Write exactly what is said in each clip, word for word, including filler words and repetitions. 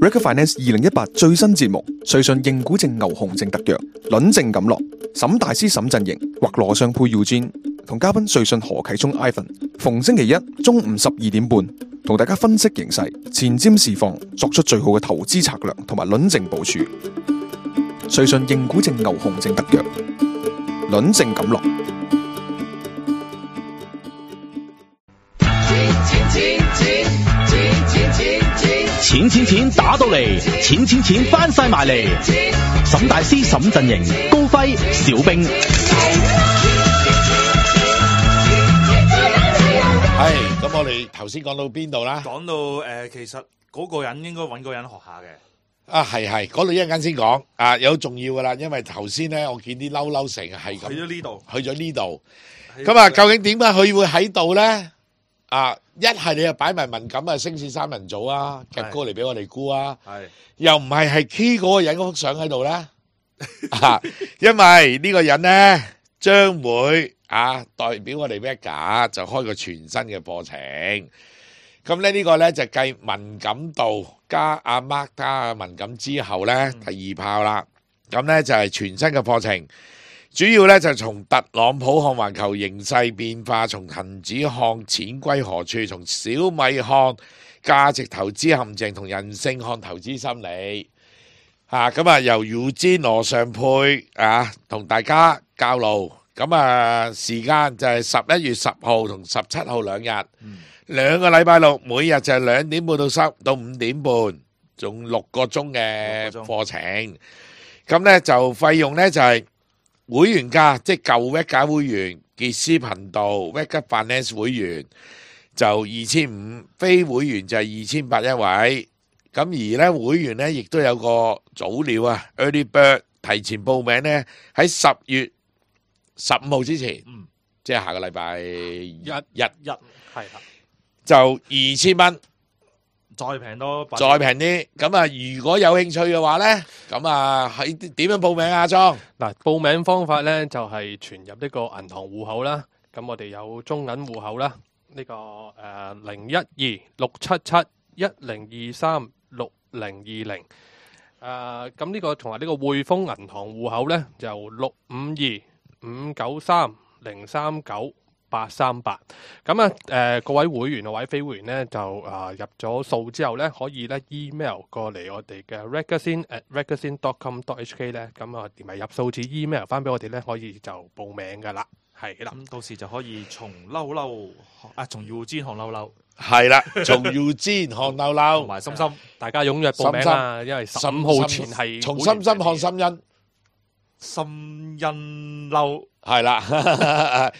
Recruit Finance 二零一八最新節目，瑞信認股證牛熊證特約，輪證錦落，沈大師沈陣營或羅尚佩 Eugene 同嘉賓瑞信何啟聰 Ivan， 逢星期一中午十二點半，同大家分析形勢、前瞻市況，作出最好嘅投資策略同埋輪證部署。瑞信認股證牛熊證特約，輪證錦落。錢錢錢打到嚟，錢錢錢翻晒埋嚟。沈大師沈陣營，高輝小兵。係咁，我哋頭先講到邊度啦？講到誒、呃，其實嗰個人應該揾個人學下嘅。啊，係係，嗰度一陣間先講啊，有重要噶啦，因為頭先咧，我見啲嬲嬲成係咁去咗呢度，去咗呢度。咁啊，究竟點解佢會喺度咧？啊，一係你又擺埋文錦啊，升市三人組啊，夾高嚟俾我哋估啊，又唔係係 key 嗰個人嗰幅相喺度咧，啊，因為呢個人咧將會啊代表我哋 Vega 就開個全新嘅課程，咁咧呢個咧就繼文錦道加阿 Mark 加阿文錦之後咧第二炮啦，咁咧就係全新嘅課程。主要咧就從特朗普看環球形勢變化，從恒指看錢歸何處，從小米看價值投資陷阱，同人性看投資心理。啊，咁啊由 Eugene 羅尚佩啊同大家教路。咁啊時間就係十一月十號同十七號兩日，嗯、兩個禮拜六，每日就係兩點半到三到五點半，仲六個鐘嘅課程。咁咧就費用咧就係、是。會員價即係舊 Vega 會員，傑斯頻道 Vega Finance 會員就二千五，非會員就係二千八一位。咁而咧會員咧亦都有個早鳥啊 ，Early Bird 提前報名咧喺十月十五號之前，嗯、即係下個禮拜一日一係啦，就二千蚊。再平多，再平啲。咁啊，如果有興趣嘅話咧，咁啊喺點樣報名啊？莊嗱，報名方法咧就係存入呢個銀行戶口啦。咁我哋有中銀戶口啦，呢、這個誒零一二六七七一零二三六零二零。誒咁呢個同埋呢個匯豐銀行戶口咧，就六五二五九三零三九八三八。咁啊，誒各位會員或者非會員咧，就啊入咗數之後咧，可以咧 email 過嚟我哋嘅 regazine at regazine dot com dot h k 咧，咁啊連埋入數字 email 翻俾我哋咧，可以就報名噶啦，係啦。咁到時就可以從嬲嬲啊，從 Eugene 看嬲嬲，係啦，從 Eugene 看嬲嬲，同埋心心，大家踴躍報名啦，因為十五號前係從心心看心欣。心欣嬲係啦，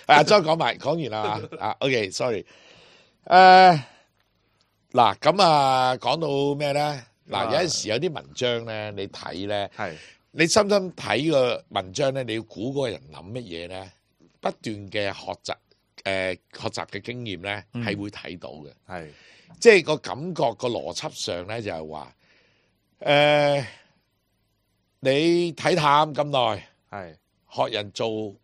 阿張講埋講完啦啊 ，OK，sorry， 誒，嗱咁啊，講到咩咧？嗱，有陣時有啲文章咧，你睇咧，係你深深睇個文章咧，你要估嗰個人諗乜嘢咧？不斷嘅學習，誒，學習嘅經驗咧，係會睇到嘅，係，即係個感覺個邏輯上咧，就係話，誒。你睇淡咁耐，係學人做誒、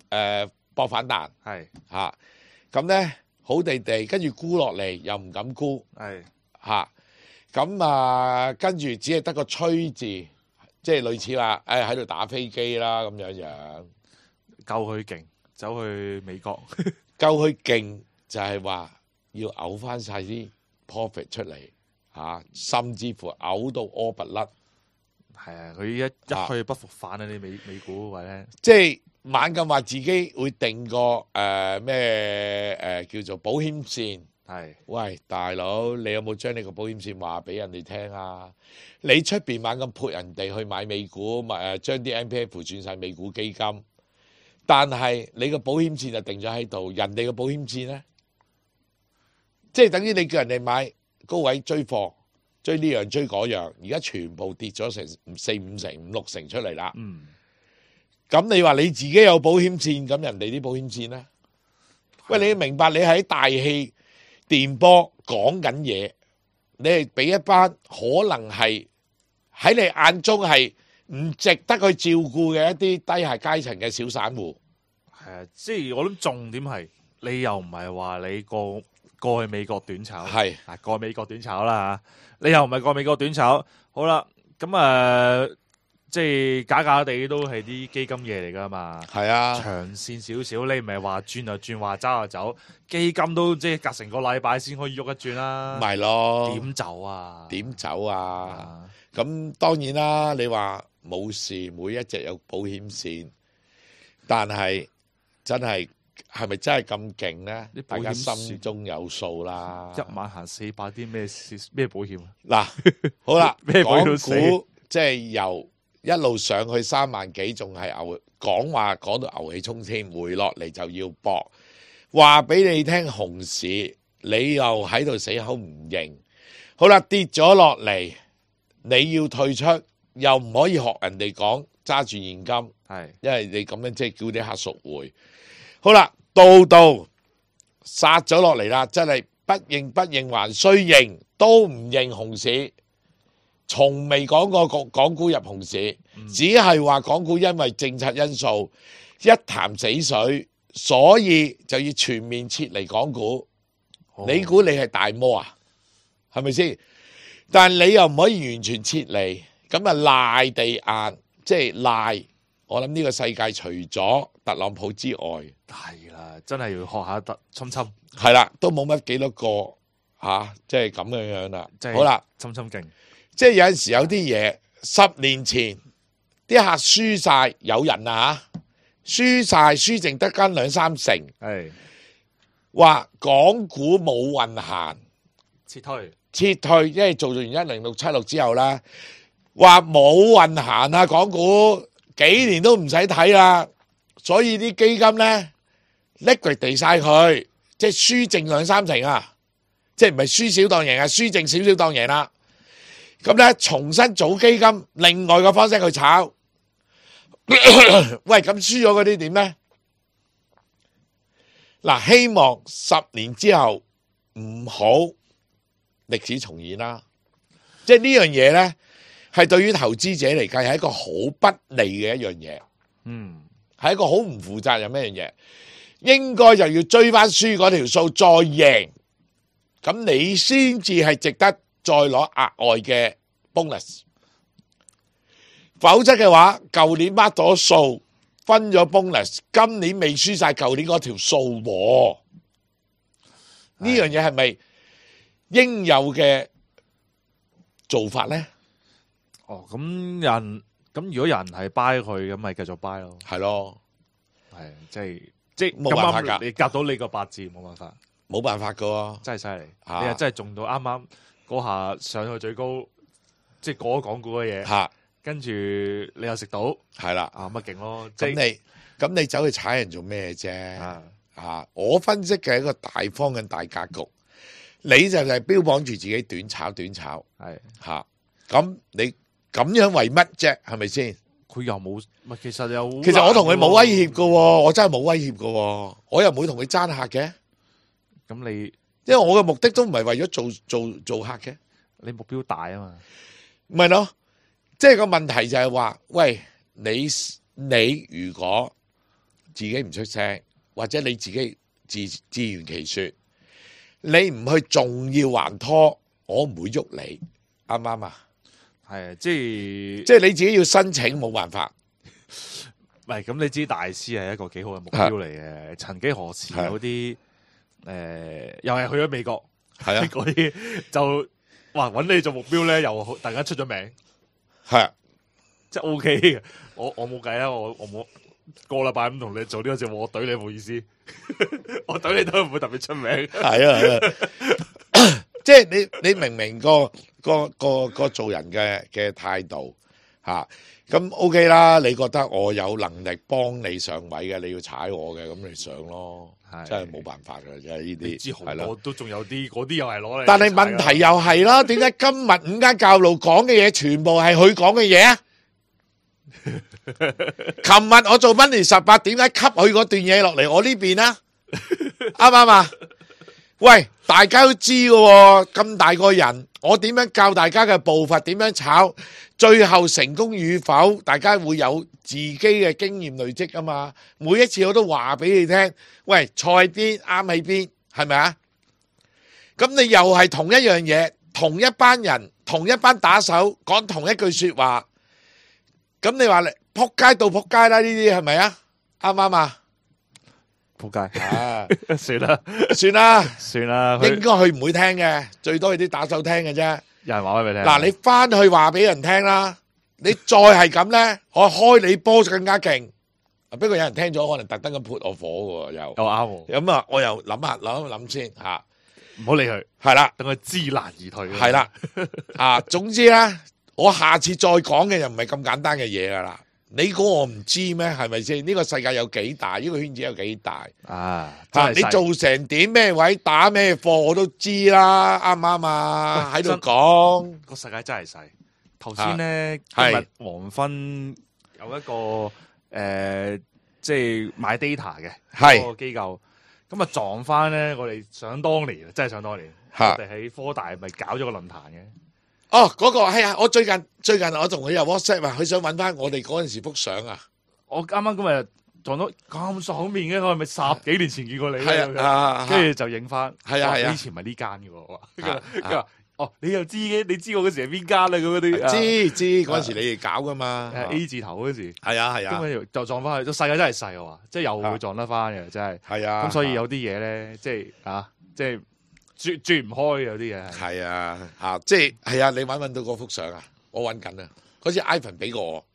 呃、博反彈，係嚇咁咧好地地，跟住沽落嚟又唔敢沽，係嚇咁啊，跟住只係得個吹字，即係類似話誒喺度打飛機啦咁樣樣，夠佢勁，走去美國，夠佢勁就係話要嘔翻晒啲 profit 出嚟嚇、啊，甚至乎嘔到屙不甩。係啊，佢一一去不復返啊！你美美股位咧，即係猛咁話自己會定個誒咩誒叫做保險線。係，喂大佬，你有冇將你個保險線話俾人哋聽啊？你出邊猛咁潑人哋去買美股，咪誒將啲 M P F 轉晒美股基金，但係你個保險線就定咗喺度，人哋個保險線咧，即係等於你叫人哋買高位追貨。追呢樣追嗰樣，而家全部跌咗成四五成、五六成出嚟啦。嗯，咁你話你自己有保險線，咁人哋啲保險線咧？喂，你要明白你喺大氣電波講緊嘢，你係俾一班可能係喺你眼中係唔值得去照顧嘅一啲低下階層嘅小散戶。係啊，即係我諗重點係你又唔係話你個過去美國短炒，係啊過美國短炒啦嚇，你又唔係過美國短炒，好啦，咁誒、呃、即係假假地都係啲基金嘢嚟噶嘛，係啊，長線少少，你唔係話轉就轉，話走就走，基金都即係隔成個禮拜先可以喐一轉啦，咪咯，點走啊？點走啊？啊？咁當然啦，你話冇事，每一隻有保險線，但係真係係咪真係咁勁呢？啲保險大家心中有數啦。一晚行四百啲咩咩保險啊？嗱，好啦，咩保港險都死股即係由一路上去三萬幾，仲係牛講話講到牛氣沖天，回落嚟就要搏。話俾你聽熊市，你又喺度死口唔認。好啦，跌咗落嚟。你要退出，又唔可以學人哋講揸住現金，係，因為你咁樣即係叫啲客贖回。好啦，到到殺咗落嚟啦，真係不認不認還須認，都唔認熊市，從未講過港港股入熊市，嗯、只係話港股因為政策因素一潭死水，所以就要全面撤離港股。哦、你估你係大魔啊？係咪先？但你又唔可以完全撤離，咁啊賴地硬，即係賴。我諗呢個世界除咗特朗普之外，係啦，真係要學下特侵侵，係啦，都冇乜幾多個吓，即係咁樣樣啦。好啦，侵侵勁，即係有陣時有啲嘢，十年前啲客輸晒，有人啊吓，輸晒輸剩得間兩三成，係話港股冇運行，撤退。撤退，因為做完一零六七六之後啦，話冇運行啊，港股幾年都唔使睇啦，所以啲基金咧liquid地晒佢，即係輸剩兩三成啊，即係唔係輸少當贏啊，輸剩少少當贏啦。咁咧重新組基金，另外個方式去炒。喂，咁輸咗嗰啲點咧？嗱，希望十年之後唔好歷史重演啦，即係呢樣嘢呢，係對於投資者嚟計係一個好不利嘅一樣嘢，嗯，係一個好唔負責任嘅一樣嘢，應該就要追翻輸嗰條數再贏，咁你先至係值得再攞額外嘅 bonus， 否則嘅話，舊年掹咗數，分咗 bonus， 今年未輸晒舊年嗰條數喎，呢樣嘢係咪應有嘅做法咧？哦，咁人咁如果有人係 buy 佢，咁咪繼續 buy 咯。係咯，係即係即係冇辦法㗎，你夾到你個八字冇辦法，冇辦法噶喎，真係犀利。啊你係真係中到啱啱嗰下上去最高，即係過咗港股嘅嘢，嚇跟住你又食到，係啦。啊乜勁咯！即咁係你咁你走去踩人做咩啫？啊啊，我分析嘅係一個大方嘅大格局，你就係標榜住自己短炒短炒係嚇。咁你咁樣為乜啫？係咪先？佢又冇，唔係其實又其實我同佢冇威脅噶，我真係冇威脅噶，我又唔會同佢爭客嘅，咁你因為我嘅目的都唔係為咗做做做客嘅，你目標大啊嘛，唔係咯。即係個問題就係話，喂，你你如果自己唔出聲，或者你自己自自圓其說，你唔去仲要還拖，我唔會喐你，啱唔啱啊？係啊，即係即係你自己要申請，冇辦法。唔係咁，你知大師係一個幾好嘅目標嚟嘅。曾幾何時有啲誒，又係去咗美國，係啊，嗰啲就哇揾你做目標咧，又好突然間出咗名，係啊，即係 O K 嘅。我我冇計啊，我我冇個禮拜咁同你做呢個節目，我懟你冇意思，我懟你都唔會特別出名。係啊，係啊即係你你明唔明個個個個做人嘅嘅態度吓？咁 OK 啦，你覺得我有能力幫你上位嘅，你要踩我嘅，咁你上咯，真係冇辦法嘅，真係呢啲。知好多都仲有啲，嗰啲又係攞嚟。但係問題又係啦，點解今日五間教路講嘅嘢全部係佢講嘅嘢啊？琴日我做溫年十八，點解吸佢嗰段嘢落嚟我呢邊啊？啱唔啱啊？喂，大家都知嘅喎，咁大個人，我點樣教大家嘅步伐，點樣炒，最後成功與否，大家會有自己嘅經驗累積啊嘛。每一次我都話俾你聽，喂，菜邊啱喺邊，係咪啊？咁你又係同一樣嘢，同一班人，同一班打手講同一句說話，咁你話你扑街到扑街啦？呢啲係咪啊？啱唔啱啊？仆街，啊，算啦，算啦，算啦，佢應該佢唔會聽嘅，最多係啲打手聽嘅啫。有人話俾你聽。嗱，你翻去話俾人聽啦，你再係咁咧，我開你波更加勁。不過有人聽咗，可能特登咁潑我火嘅又。又啱喎，咁啊，我又諗下諗一諗先吓，唔好理佢，係啦，等佢知難而退。係啦，啊，總之咧，我下次再講嘅又唔係咁簡單嘅嘢噶啦。你估我唔知咩？係咪先？呢個世界有幾大？呢個圈子有幾大？啊，吓，你真係細做成點咩位打咩貨我都知啦，啱唔啱啊？喺度講個世界真係細。頭先咧，係今日黃昏有一個誒，即係買 data 嘅係嗰個機構，咁啊撞翻咧，我哋想當年，真係想當年，我吓哋喺科大咪搞咗個論壇嘅。哦，嗰個係啊！我最近最近我同佢有 WhatsApp 啊，佢想揾翻我哋嗰陣時幅相啊。我啱啱今日撞到咁爽面嘅，我係咪十幾年前見過你咧？係啊，啊跟住就影翻。哇係啊係啊你以前咪呢間嘅喎。啊跟住話哦，你又知嘅，你知我嗰時係邊間啊？咁嗰啲知知嗰陣時你哋搞噶嘛？誒 A 字頭嗰時，係啊係啊咁樣就撞翻去，個世界真係細啊！話即係又會撞得翻嘅，真係。係啊。咁所以有啲嘢咧，即係啊，即係轉轉唔開有啲嘢係。係啊嚇，即係係啊！你揾唔揾到嗰幅相啊？我揾緊啊！嗰次 Ivan 俾過我，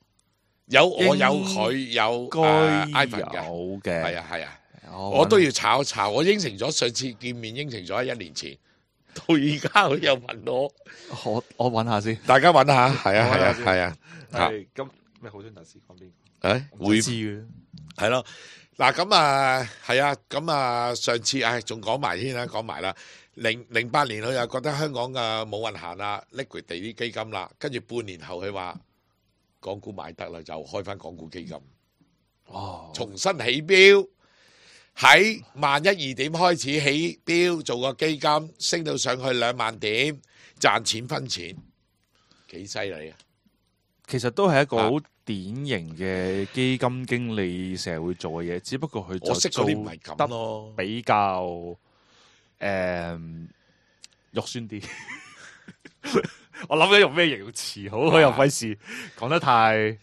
有我有佢有該誒 Ivan 嘅，有嘅，係啊係啊，我我都要炒一炒。我應承咗上次見面應承咗喺一年前，到而家佢又問我，我我揾下先。大家揾下，係啊係啊我揾下先係啊嚇係咁咩？好想特斯講邊誒個？會知嘅。係咯。嗱咁啊係啊，咁啊上次唉仲講埋添啦，講埋啦。零零八年佢又覺得香港嘅冇運行啦，liquid 地啲基金啦，跟住半年後佢話港股買得啦，就開翻港股基金，哦，重新起標，喺萬一二點開始起標，做個基金升到上去兩萬點，賺錢分錢，幾犀利啊！其實都係一個啊好典型嘅基金經理成日會做嘅嘢，只不過佢就我識嗰啲唔係做咁咯，比較誒肉酸啲。我諗緊用咩形容詞好，我又費事講得太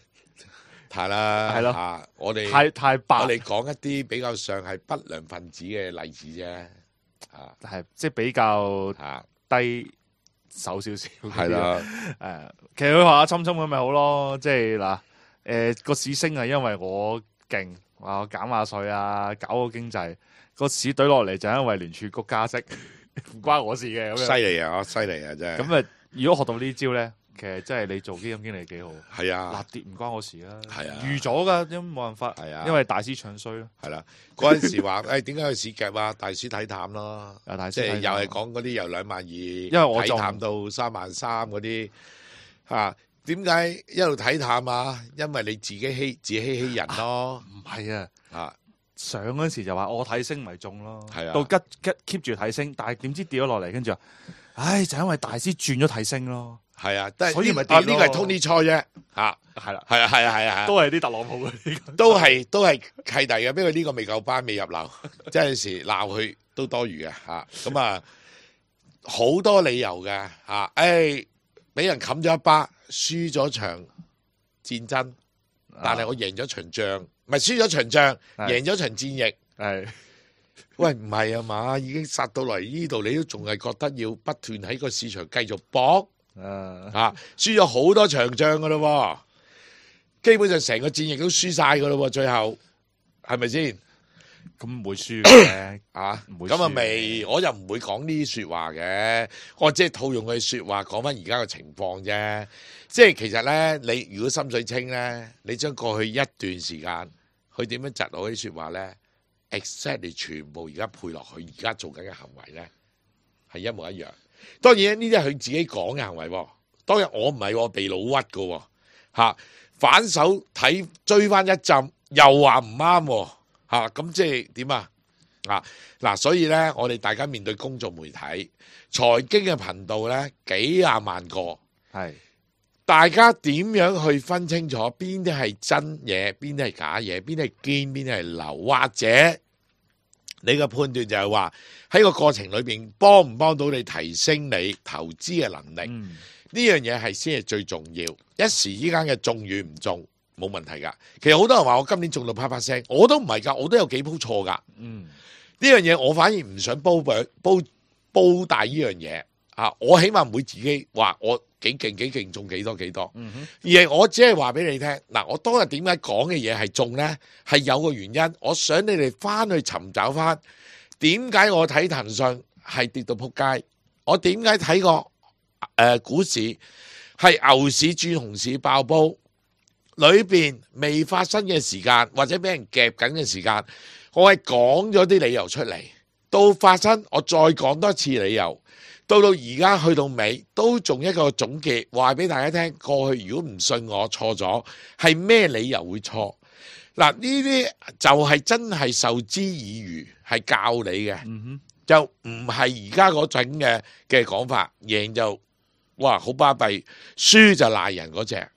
係啦，係咯啊我哋太太白我，哋講一啲比較上係不良分子嘅例子啫，啊係即係比較啊低手少少。係啦，誒，其實佢話阿侵侵咁咪好咯，即係嗱，誒個市升係因為我勁，話我減下稅啊，搞個經濟，個市懟落嚟就因為聯儲局加息，唔關我事嘅咁犀樣。利啊，犀利啊，真係。咁啊，如果學到呢招咧，其實真係你做基金經理幾好。係啊立，跌唔關我事啦，係啊預咗噶，因為冇辦法，係啊因為大師唱衰咯，係啦。嗰陣時話誒點解去市夾啊？大師睇淡咯，啊大師即係睇淡又係講嗰啲由兩萬二，因為我仲睇淡到三萬三嗰啲嚇。點解一路睇淡啊？因為你自己欺自欺欺人咯唔係啊。啊！上嗰時就話我睇升咪中咯，係啊到吉吉 keep 住睇升，但係點知跌咗落嚟，跟住話，唉就因為大師轉咗睇升咯，係啊，都係所以咪呢啊跌咯呢個係 Tony Choi 啫嚇，係啦，係啊係啊係啊係啊。都係啲特朗普嗰啲，都係都係契弟嘅，不過呢個未夠班，未入流，即係有時鬧佢都多餘嘅嚇。咁啊，好多理由嘅嚇。誒，俾人冚咗一巴，輸咗場戰爭，但係我贏咗場仗，唔係輸咗場仗，係贏咗場戰役。係喂，唔係啊嘛，已經殺到嚟呢度，你都仲係覺得要不斷喺個市場繼續搏誒啊？輸咗好多場仗噶咯，基本上成個戰役都輸晒噶咯，最後係咪先？咁唔會輸嘅，啊，唔會咁啊輸未，我又唔會講呢啲說話嘅，我即係套用佢說話講翻而家嘅情況啫。即係其實咧，你如果心水清咧，你將過去一段時間佢點樣窒我啲說話咧 ，exactly 全部而家配落去而家做緊嘅行為咧，係一模一樣。當然呢啲係佢自己講嘅行為喎，當然我唔係我被老屈噶喎，吓反手睇追翻一陣，又話唔啱喎。吓咁即係點啊？啊嗱，所以咧，我哋大家面對公眾媒體、財經嘅頻道咧，幾廿萬個，係大家點樣去分清楚邊啲係真嘢，邊啲係假嘢，邊啲係堅，邊啲係流，或者你嘅判斷就係話喺個過程裏邊幫唔幫到你提升你投資嘅能力？嗯呢樣嘢係先係最重要。一時之間嘅中與唔中冇問題㗎。其實好多人話我今年中到啪啪聲，我都唔係㗎，我都有幾鋪錯㗎。嗯，呢樣嘢我反而唔想煲煲煲大呢樣嘢啊！我起碼唔會自己話我幾勁幾勁中幾多幾多，嗯哼，而係我只係話俾你聽嗱，我當日點解講嘅嘢係中呢？係有個原因。我想你哋翻去尋找翻點解我睇騰訊係跌到撲街，我點解睇個誒股市係牛市轉熊市爆煲，裏邊未發生嘅時間或者俾人夾緊嘅時間，我係講咗啲理由出嚟，到發生我再講多次理由，到到而家去到尾都仲一個總結，話俾大家聽。過去如果唔信我錯咗，係咩理由會錯？嗱，呢啲就係真係受之以漁，係教你嘅，嗯哼，就唔係而家嗰種嘅嘅講法，贏就哇好巴閉，輸就賴人嗰隻，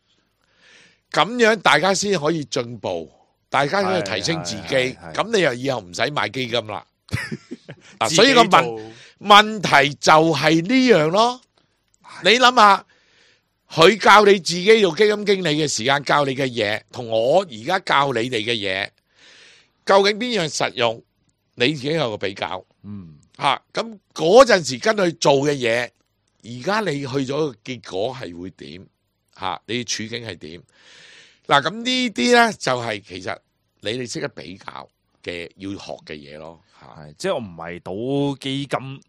咁樣大家先可以進步，大家可以提升自己，係係係咁你又以後唔使買基金啦。嗱，自己所以個問做問題就係呢樣咯。你諗下，佢教你自己做基金經理嘅時間教你嘅嘢，同我而家教你哋嘅嘢，究竟邊樣實用？你自己有個比較嗯吓。咁嗰陣時跟佢做嘅嘢，而家你去咗個結果係會點吓？你嘅處境係點？嗱，咁呢啲咧就係其實你哋識得比較嘅要學嘅嘢咯吓。係，即係我唔係賭基金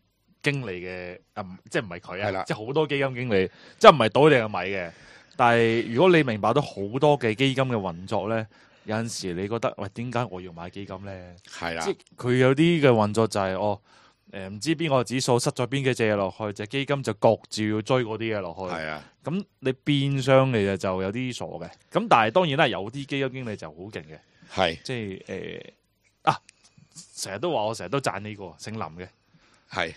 經理嘅，啊，唔即係唔係佢係啦啊，即係好多基金經理，即係唔係賭你嘅米嘅。但係如果你明白到好多嘅基金嘅運作咧，有陣時你覺得喂，點解我要買基金咧？係啦即係佢有啲嘅運作就係、哦，誒唔知邊個指數塞咗邊幾隻嘢落去，隻基金就焗住要追嗰啲嘢落去。係啊，咁你變相你就就有啲傻嘅。咁但係當然啦，有啲基金經理就好勁嘅，係即係誒、啊，成日都話我成日都讚呢、個姓林嘅。係。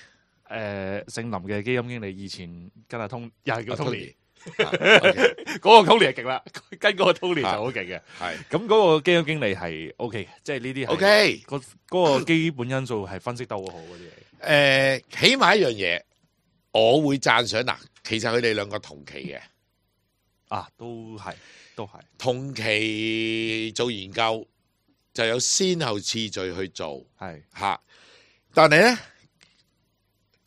誒姓林嘅基金經理以前跟阿通又係叫 Tony，係嗰個 Tony 係勁啦，跟嗰個 Tony 就好勁嘅。咁嗰個基金經理係 O K 嘅，即係呢啲係 OK。嗰嗰個基本因素係分析得好好嗰啲嘢。誒，起碼一樣嘢，我會讚賞嗱。其實佢哋兩個同期嘅，啊，都係都係同期做研究就有先後次序去做係嚇，但係咧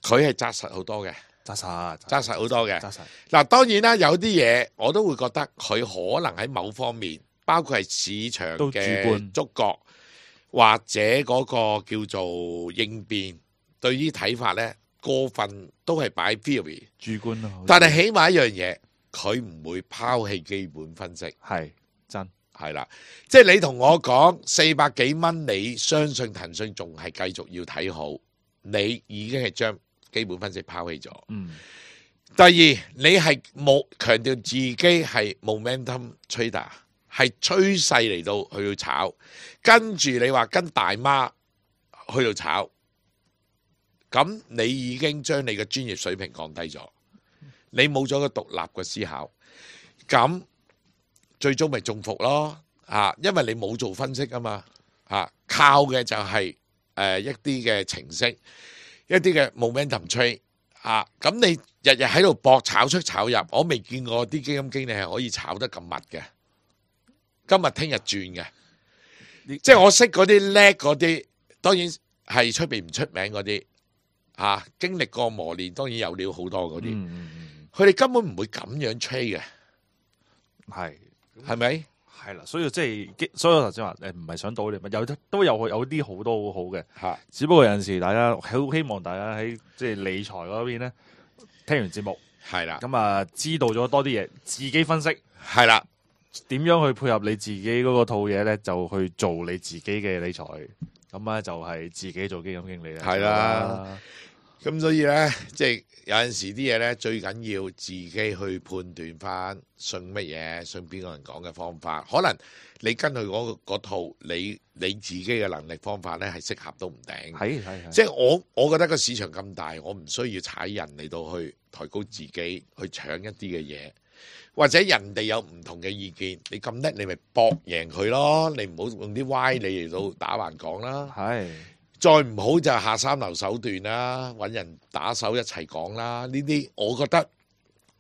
佢係紮實好多嘅，紮實紮實好多嘅。紮實嗱，當然啦，有啲嘢我都會覺得佢可能喺某方面，包括係市場都主嘅觀觸覺，或者嗰個叫做應變，對於睇法咧過分都係擺 theory，主觀咯。但係起碼一樣嘢，佢唔會拋棄基本分析，係真係啦。即係你同我講四百幾蚊，你相信騰訊仲係繼續要睇好，你已經係將基本分析拋棄咗。嗯第二，你係冇強調自己係 momentum trader， 係趨勢嚟到去到炒，跟住你話跟大媽去到炒，咁你已經將你嘅專業水平降低咗，你冇咗個獨立嘅思考，咁最終咪中伏咯啊！因為你冇做分析啊嘛啊，靠嘅就係誒一啲嘅程式，一啲嘅 momentum trade。啊！咁你日日喺度搏炒出炒入，我未見過啲基金經理係可以炒得咁密嘅。今日聽日轉嘅，即係我識嗰啲叻嗰啲，當然係出邊唔出名嗰啲，啊經歷過磨練，當然有料好多嗰啲。嗯嗯嗯，佢哋根本唔會咁樣 trade 嘅，係係咪？係啦，所以即係，所以我頭先話誒，唔係想賭你，咪有都有有啲好多好好嘅。嚇只不過有陣時大家好希望大家喺即係理財嗰邊咧，聽完節目係啦，咁啊，知道咗多啲嘢，自己分析係啦，點樣去配合你自己嗰個套嘢咧，就去做你自己嘅理財。咁咧就係自己做基金經理啦。係啦。咁所以咧，即係有陣時啲嘢咧，最緊要自己去判斷翻，信乜嘢，信邊個人講嘅方法。可能你跟佢嗰嗰套，你你自己嘅能力方法咧係適合都唔定。係係係。即係我我覺得個市場咁大，我唔需要踩人嚟到去抬高自己，去搶一啲嘅嘢，或者人哋有唔同嘅意見，你咁叻，你咪搏贏佢咯。你唔好用啲歪理嚟到打橫講啦。係。再唔好就下三流手段啦，揾人打手一齊講啦。呢啲我覺得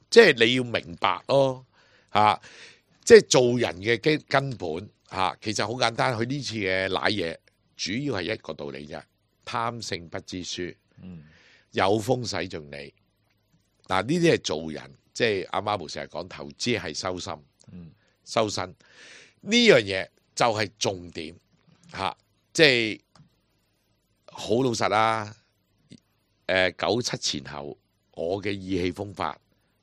即係你要明白咯，嚇、啊，即係做人嘅基根本嚇、啊，其實好簡單。佢呢次嘅賴嘢，主要係一個道理啫，貪勝不知輸，嗯，有風使盡你。嗱，呢啲係做人，即係阿媽冇成日講投資係收心，嗯，收身呢樣嘢就係重點嚇、啊，即係。好老實啦，誒、呃、九七前後，我嘅意氣風發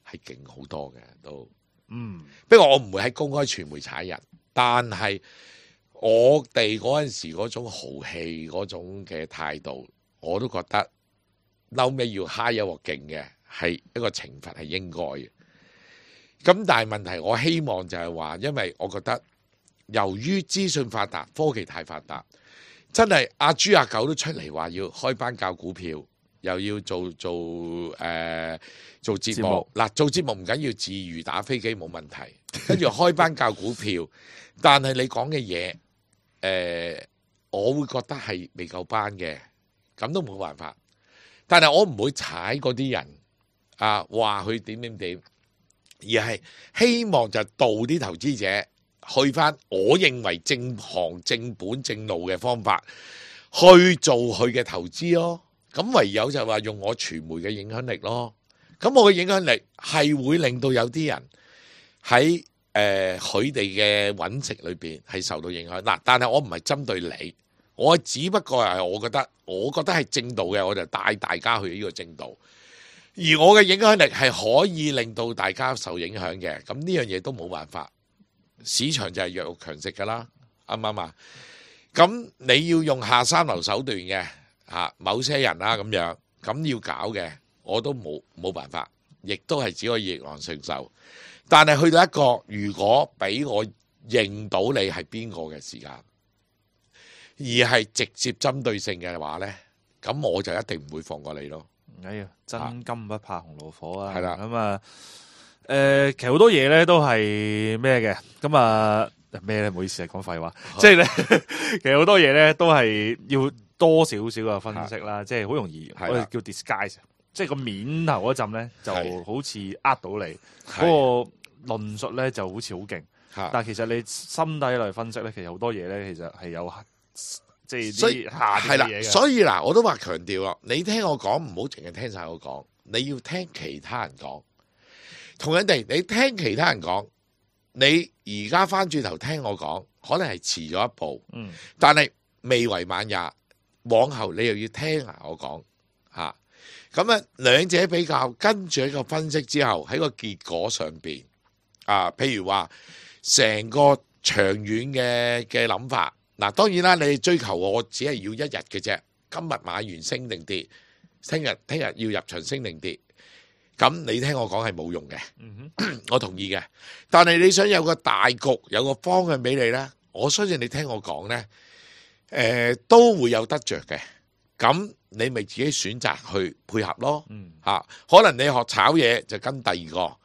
係勁好多嘅都，嗯，不過我唔會喺公開傳媒踩人，但係我哋嗰陣時嗰種豪氣嗰種嘅態度，我都覺得嬲尾要蝦一鑊勁嘅係一個懲罰係應該嘅。咁但係問題，我希望就係話，因為我覺得由於資訊發達，科技太發達。真係阿豬阿狗都出嚟話要開班教股票，又要做做誒、呃、做節目。嗱，做節目唔緊要，自娛打飛機冇問題。跟住開班教股票，但係你講嘅嘢誒，我會覺得係未夠班嘅，咁都冇辦法。但係我唔會踩嗰啲人啊，話佢點點點，而係希望就導啲投資者。去翻我認為正行正本正路嘅方法去做佢嘅投資咯，咁唯有就話用我傳媒嘅影響力咯，咁我嘅影響力係會令到有啲人喺誒佢哋嘅揾食裏邊係受到影響嗱，但係我唔係針對你，我只不過係我覺得我覺得係正道嘅，我就帶大家去呢個正道，而我嘅影響力係可以令到大家受影響嘅，咁呢樣嘢都冇辦法。市場就係弱肉強食噶啦，啱唔啱啊？咁你要用下三流手段嘅嚇，某些人啦咁樣，咁要搞嘅，我都冇冇辦法，亦都係只可以逆來順受。但係去到一個，如果俾我認到你係邊個嘅時間，而係直接針對性嘅話呢，咁我就一定唔會放過你咯。哎呀，真金不怕紅爐火啊！係啦，咁啊。誒、呃，其實好多嘢咧都係咩嘅，咁啊咩咧？唔好意思啊，講廢話。即係咧，其實好多嘢咧都係要多少少嘅分析啦，即係好容易我哋叫 disguise，即係個面頭嗰陣咧就好似呃到你，嗰個論述咧就好似好勁，但係其實你心底嚟分析咧，其實好多嘢咧其實係有即係啲下邊嘅嘢嘅。所以嗱，我都話強調咯，你聽我講唔好淨係聽晒我講，你要聽其他人講。同樣地，你聽其他人講，你而家翻轉頭聽我講，可能係遲咗一步，嗯，但係未為晚也，往後你又要聽下我講嚇，咁啊兩者比較，跟住一個分析之後，喺個結果上邊啊，譬如話成個長遠嘅嘅諗法，嗱當然啦，你追求我只係要一日嘅啫，今日買完升定跌，聽日聽日要入場升定跌。咁你聽我講係冇用嘅，嗯、我同意嘅。但係你想有個大局，有個方向俾你呢，我相信你聽我講呢，誒、呃、都會有得着嘅。咁你咪自己選擇去配合咯。嗯啊、可能你學炒嘢就跟第二個，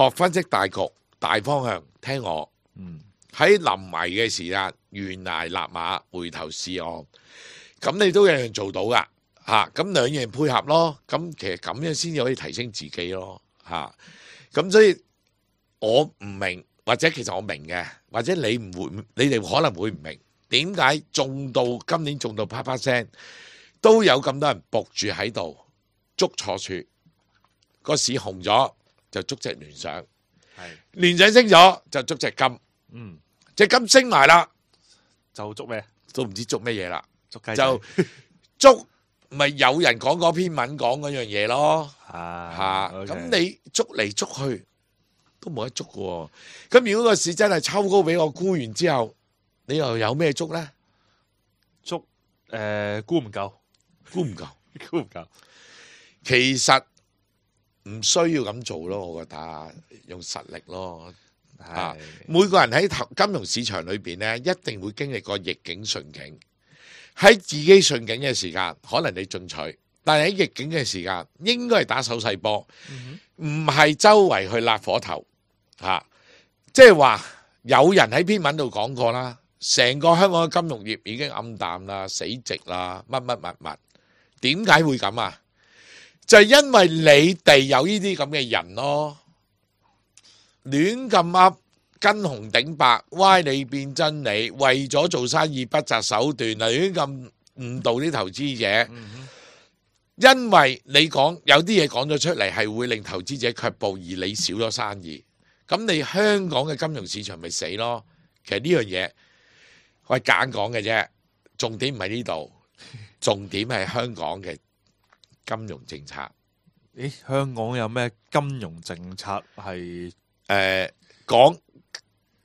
學分析大局大方向聽我。嗯，喺臨危嘅時間，懸崖勒馬，回頭是岸。咁你都有樣做到噶。嚇，咁兩樣配合咯，咁其實咁樣先至可以提升自己咯，嚇。咁所以我唔明，或者其實我明嘅，或者你唔會，你哋可能會唔明點解中到今年中到啪啪聲，都有咁多人伏住喺度捉錯處，個市紅咗就捉隻聯想，係聯想升咗就捉隻金，嗯，隻金升埋啦，就捉咩？都唔知捉乜嘢啦，捉雞就捉。咪有人講嗰篇文講嗰樣嘢咯，啊嚇！咁你捉嚟捉去都冇得捉嘅喎。咁如果個市真係抽高俾我沽完之後，你又有咩捉咧？捉誒沽唔夠，沽唔夠，沽唔夠。其實唔需要咁做咯，我覺得用實力咯。啊，每個人喺投金融市場裏邊咧，一定會經歷過逆境順境。喺自己順境嘅時間，可能你進取；但係喺逆境嘅時間，應該係打手勢波，唔係周圍去焫火頭嚇。即係話有人喺篇文度講過啦，成個香港嘅金融業已經暗淡啦、死寂啦、乜乜乜乜。點解會咁啊？就係因為你哋有呢啲咁嘅人咯，亂咁噏，跟紅頂白，歪理變真理，為咗做生意不擇手段啊，亂咁誤導啲投資者。因為你講有啲嘢講咗出嚟係會令投資者卻步，而你少咗生意，咁你香港嘅金融市場咪死咯？其實呢樣嘢我係簡講嘅啫，重點唔係呢度，重點係香港嘅金融政策。咦，香港有咩金融政策係誒講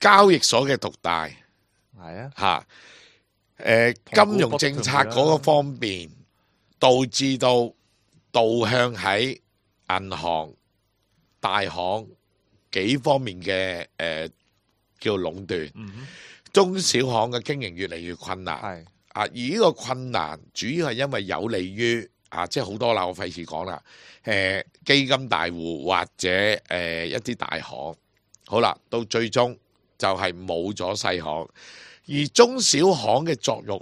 交易所嘅獨大係啊？嚇誒金融政策嗰個方面，導致到導向喺銀行、大行幾方面嘅誒、呃、叫壟斷，嗯、中小行嘅經營越嚟越困難。係啊，而呢個困難主要係因為有利於啊，即係好多啦，我費事講啦。誒、呃、基金大戶或者誒、呃、一啲大行，好啦，到最終就係冇咗細行，而中小行嘅作用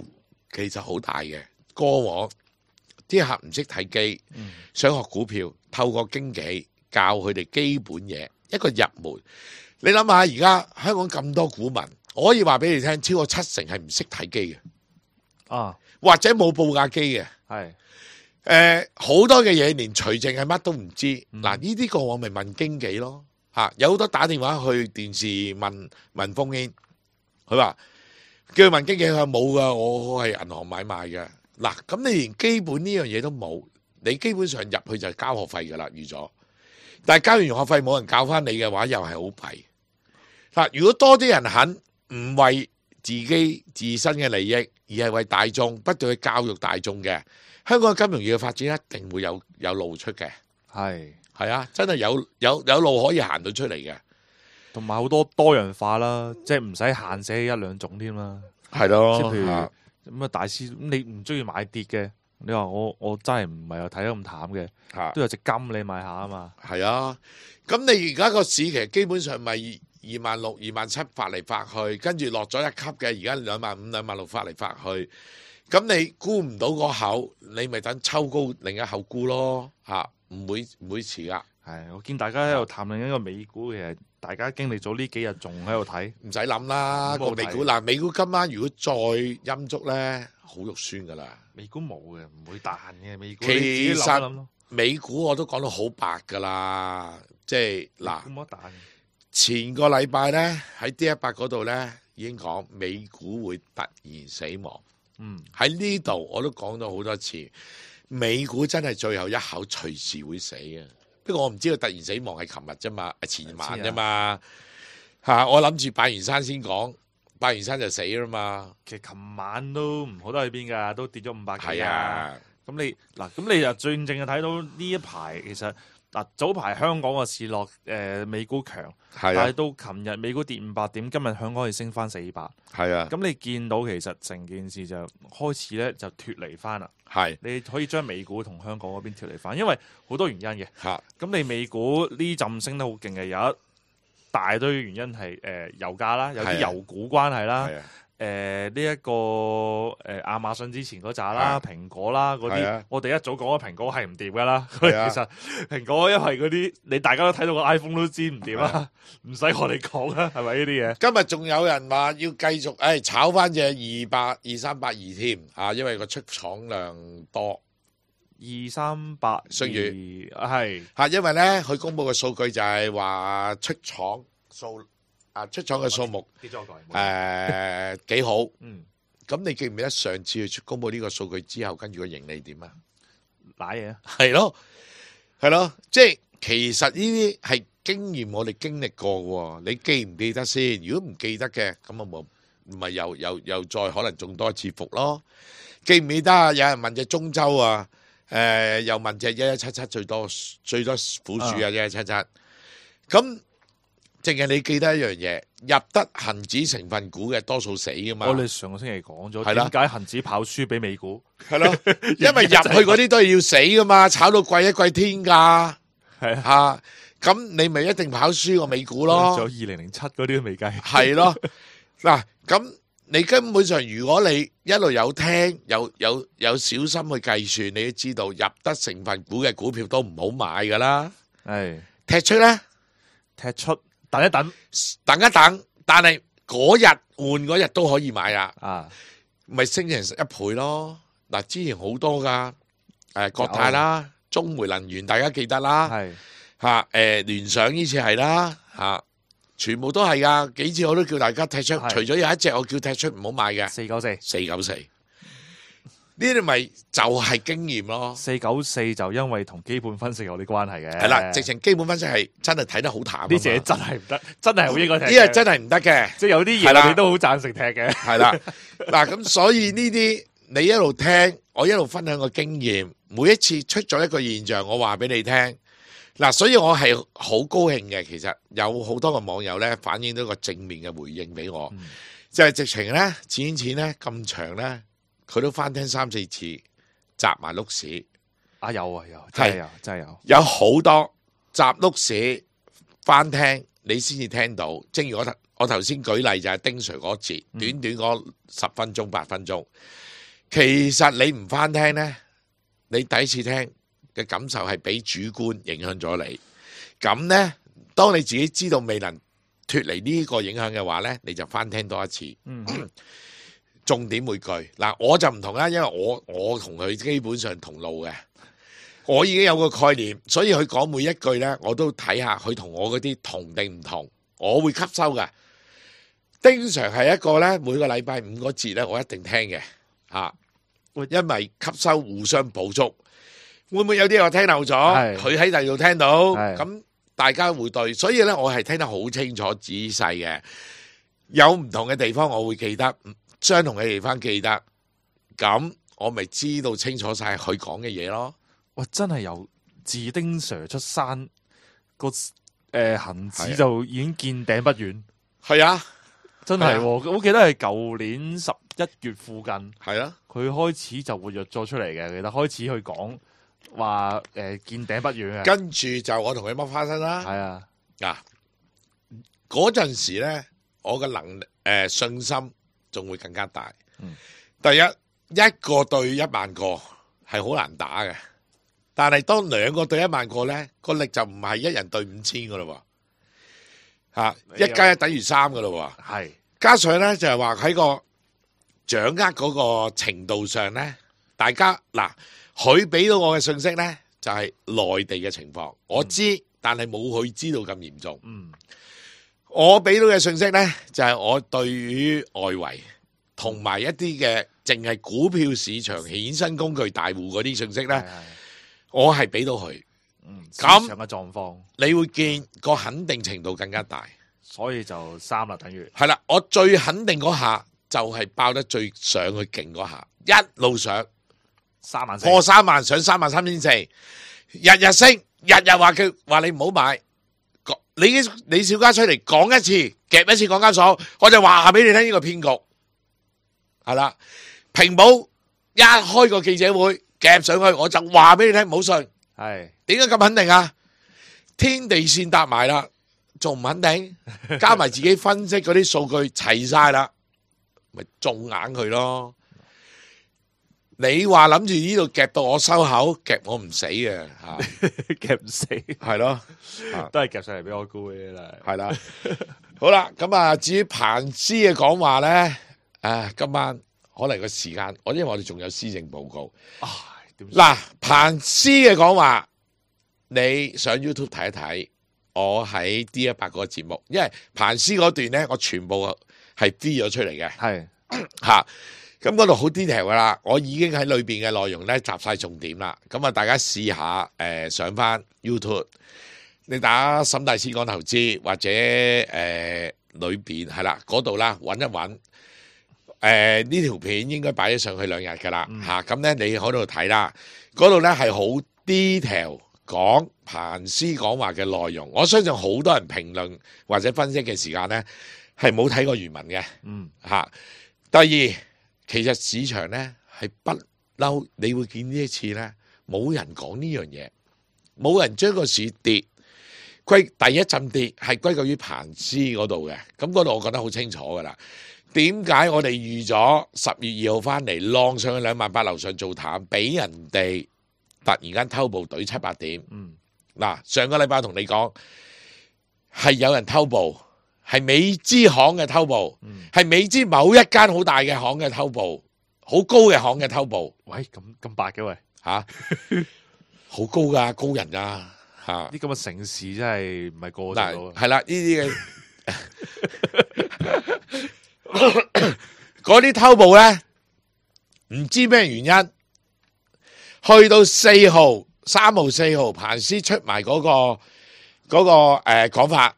其實好大嘅。過往啲客唔識睇機，嗯、想學股票，透過經紀教佢哋基本嘢，一個入門。你諗下，而家香港咁多股民，我可以話俾你聽，超過七成係唔識睇機嘅，啊，或者冇報價機嘅。係誒好多嘅嘢，連除淨係乜都唔知。嗱、嗯，呢啲個我咪問經紀咯。嚇，有好多打電話去電視問問風煙，佢話叫佢問經紀，佢話冇噶，我係銀行買賣嘅。嗱，咁你連基本呢樣嘢都冇，你基本上入去就係交學費噶啦，預咗。但係交完學費冇人教翻你嘅話，又係好弊。嗱，如果多啲人肯唔為自己自身嘅利益，而係為大眾不斷去教育大眾嘅，香港嘅金融業嘅發展一定會有有路出嘅。係係啊，真係有有有路可以行到出嚟嘅，同埋好多多樣化啦，即係唔使限死一兩種添啦。係咯，即係譬如啊咁啊，大師咁你唔中意買跌嘅，你話我我真係唔係又睇得咁淡嘅，嚇都有隻金你買下啊嘛。係啊。咁你而家個市其實基本上咪二萬六、二萬七發嚟發去，跟住落咗一級嘅，而家兩萬五、兩萬六發嚟發去。咁你沽唔到嗰口，你咪等抽高另一口沽咯嚇，唔會唔會遲噶。係，我見大家喺度談論緊個美股，其實大家經歷咗呢幾日仲喺度睇，唔使諗啦，個咁我睇美股嗱，美股今晚如果再陰燭咧，好肉酸噶啦。美股冇嘅，唔會彈嘅美股。其你自己諗一實諗咯，美股我都講到好白噶啦，即係嗱。冇得彈嘅。前個禮拜咧喺 D 一百嗰度咧已經講美股會突然死亡。嗯，喺呢度我都講咗好多次，美股真係最後一口隨時會死嘅。不過我唔知道突然死亡係琴日啫嘛，係前晚啫嘛。嚇，我諗住拜完山先講，拜完山就死啦嘛。其實琴晚都唔好得去邊㗎，都跌咗五百幾係啊。咁你嗱，咁你就最正係睇到呢一排其實嗱，早排香港嘅市落，誒、呃、美股強，係啊，但係到琴日美股跌五百點，今日香港係升翻四百。係啊，咁你見到其實成件事就開始咧就脱離翻啦。係你可以將美股同香港嗰邊脱離翻，因為好多原因嘅。嚇，咁你美股呢陣升得好勁嘅，有一大堆原因係誒、呃、油價啦，有啲油股關係啦。係啊，誒呢一個誒、呃、亞馬遜之前嗰扎啦，啊蘋果啦嗰啲，係啊我哋一早講咗蘋果係唔掂噶啦。係啊其實蘋果因為嗰啲你大家都睇到個 iPhone 都知唔掂啦，唔使我哋講啦，係咪呢啲嘢？今日仲有人話要繼續誒、哎、炒翻隻二百二三八二添啊，因為個出廠量多。二三八信譽係嚇，因為咧佢公佈嘅數據就係話出廠數啊出廠嘅數目跌咗個誒幾好。嗯，咁你記唔記得上次佢出公佈呢個數據之後，跟住個盈利點啊？瀨嘢啊！係咯，係咯，即係其實呢啲係經驗，我哋經歷過嘅喎。你記唔記得先？如果唔記得嘅，咁啊冇，唔係又又又再可能中多一次伏咯。記唔記得啊？有人問隻中州啊？誒、呃、又問隻一一七七最多最多苦主啊！一一七七，咁淨係你記得一樣嘢，入得恒指成分股嘅多數死噶嘛。我哋上個星期講咗，係啦點解恒指跑輸俾美股？係咯，因為入去嗰啲都係要死噶嘛，炒到貴一貴天價，係啊，嚇咁你咪一定跑輸個美股咯。仲有二零零七嗰啲都未計。係咯，嗱咁你根本上如果你一路有聽，有有有小心去計算，你都知道入得成分股嘅股票都唔好買噶啦。係踢出咧，踢出等一等等一等，但係嗰日換嗰日都可以買啦，啊，咪升成一倍咯。嗱，之前好多噶，誒國泰啦、中煤能源，大家記得啦，係嚇誒聯想呢次係啦嚇。全部都係噶，幾次我都叫大家踢出，除咗有一隻我叫踢出唔好買嘅，四九四，四九四，呢啲咪就係經驗咯。四九四就因為同基本分析有啲關係嘅，係啦，直情基本分析係真係睇得好淡。呢隻真係唔得，真係好應該踢。呢隻真係唔得嘅，即係有啲嘢我哋都好贊成踢嘅。係啦，嗱咁所以呢啲你一路聽，我一路分享個經驗，每一次出咗一個現象，我話俾你聽。嗱，所以我係好高興嘅，其實有好多個網友咧反映到個正面嘅回應俾我，嗯、就係直情咧錢錢咧咁長咧，佢都翻聽三四次，集埋碌屎。啊有啊有，真係有真係有，有好多集碌屎翻聽，你先至聽到。正如我頭我頭先舉例就係丁 Sir 嗰節，嗯、短短嗰十分鐘八分鐘，其實你唔翻聽咧，你第一次聽嘅感受係俾主觀影響咗你，咁呢，當你自己知道未能脫離呢個影響嘅話呢，你就翻聽多一次。嗯、重點每句嗱，我就唔同啦，因為我我同佢基本上同路嘅，我已經有個概念，所以佢講每一句呢，我都睇下佢同我嗰啲同定唔同，我會吸收嘅。丁 Sir 係一個呢，每個禮拜五個節呢，我一定聽嘅嚇，因為吸收互相補足。會唔會有啲我聽漏咗？佢喺第二度聽到，咁大家會對，所以咧我係聽得好清楚仔細嘅。有唔同嘅地方我會記得，相同嘅地方記得，咁我咪知道清楚晒佢講嘅嘢咯。哇！真係由自丁 Sir 出山個誒恆指就已經見頂不遠。係啊，真係、啊，我記得係舊年十一月附近，係啊，佢開始就活躍咗出嚟嘅，其實開始去講。話誒、呃、見頂不遠嘅，跟住就我同佢剝花生啦。係啊，嗱嗰陣時咧，我嘅能力誒、呃、信心仲會更加大。嗯、第一一個對一萬個係好難打嘅，但係當兩個對一萬個咧，個力就唔係一人對五千噶咯喎，吓一加一等於三噶咯喎。係加上咧就係話喺個掌握嗰個程度上咧，大家嗱。佢俾到我嘅信息呢，就係、是、內地嘅情況，我知，嗯、但係冇佢知道咁嚴重。嗯，我俾到嘅信息呢，就係、是、我對於外圍同埋一啲嘅淨係股票市場衍生工具大戶嗰啲信息呢，是是我係俾到佢。嗯，市場嘅狀況，你會見個肯定程度更加大，所以就三啦，等於係啦。我最肯定嗰下就係爆得最上去勁嗰下，一路上。三萬破三萬上三萬三千四，日日升，日日話佢話你唔好買，你李小加出嚟講一次，夾一次港交所，我就話俾你聽呢個騙局，係啦，平保一開個記者會夾上去，我就話俾你聽唔好信，係點解咁肯定啊？天地線搭埋啦，仲唔肯定？加埋自己分析嗰啲數據齊晒啦，咪中硬佢咯。你話諗住呢度夾到我收口，夾我唔死嘅吓，夾唔死係咯，都係夾上嚟俾我估嘅啦，係啦。好啦，咁啊，至於彭斯嘅講話咧，啊，今晚可能個時間，我因為我哋仲有施政報告。嗱，彭斯嘅講話，你上 YouTube 睇一睇，我喺 D 一百個節目，因為彭斯嗰段咧，我全部係 D 咗出嚟嘅，係吓。咁嗰度好 detail 噶啦，我已經喺裏邊嘅內容咧集晒重點啦。咁啊，大家試下誒、呃、上翻 YouTube，你打沈大師講投資或者誒裏邊係啦嗰度啦，揾一揾誒呢條片應該擺咗上去兩日噶啦嚇。咁、嗯、咧、啊、你喺度睇啦，嗰度咧係好 detail 講彭斯講話嘅內容。我相信好多人評論或者分析嘅時間咧係冇睇過原文嘅。嗯嚇、啊。第二。其實市場咧係不嬲，你會見呢一次咧冇人講呢樣嘢，冇人將個市跌歸第一陣跌係歸咎於彭斯嗰度嘅，咁嗰度我覺得好清楚噶啦。點解我哋預咗十月二號翻嚟浪上去兩萬八樓上做淡，俾人哋突然間偷步懟七八點？嗯，嗱，上個禮拜同你講係有人偷步，係美資行嘅偷步，係、嗯、美資某一間好大嘅行嘅偷步，好高嘅行嘅偷步。喂，咁咁白嘅喂嚇，好、啊、高噶，高人啊！嚇，啲咁嘅城市真係唔係個個做到啊！係啦，呢啲嘅嗰啲偷步咧，唔知咩原因，去到四號、三號、四號，彭斯出埋嗰、嗰個嗰、嗰個誒講法，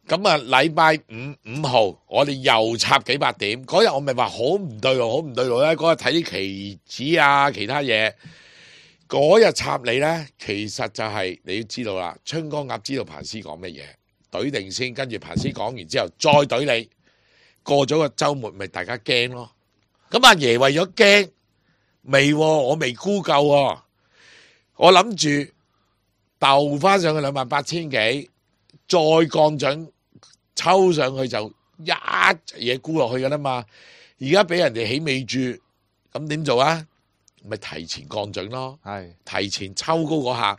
咁啊禮拜五五號，我哋又插幾百點，嗰日我咪話好唔對路，好唔對路咧。嗰日睇啲期指啊，其他嘢。嗰日插你呢，其實就係你要知道啦。春江鴨知道彭斯講乜嘢，懟定先，跟住彭斯講完之後再懟你。過咗個週末，咪大家驚咯。咁阿爺為咗驚，未，我未估夠喎。我諗住鬥翻上去兩萬八千幾，再降準抽上去就一嘢沽落去噶啦嘛。而家俾人哋起尾注，咁點做啊？咪提前降準咯，係提前抽高嗰下，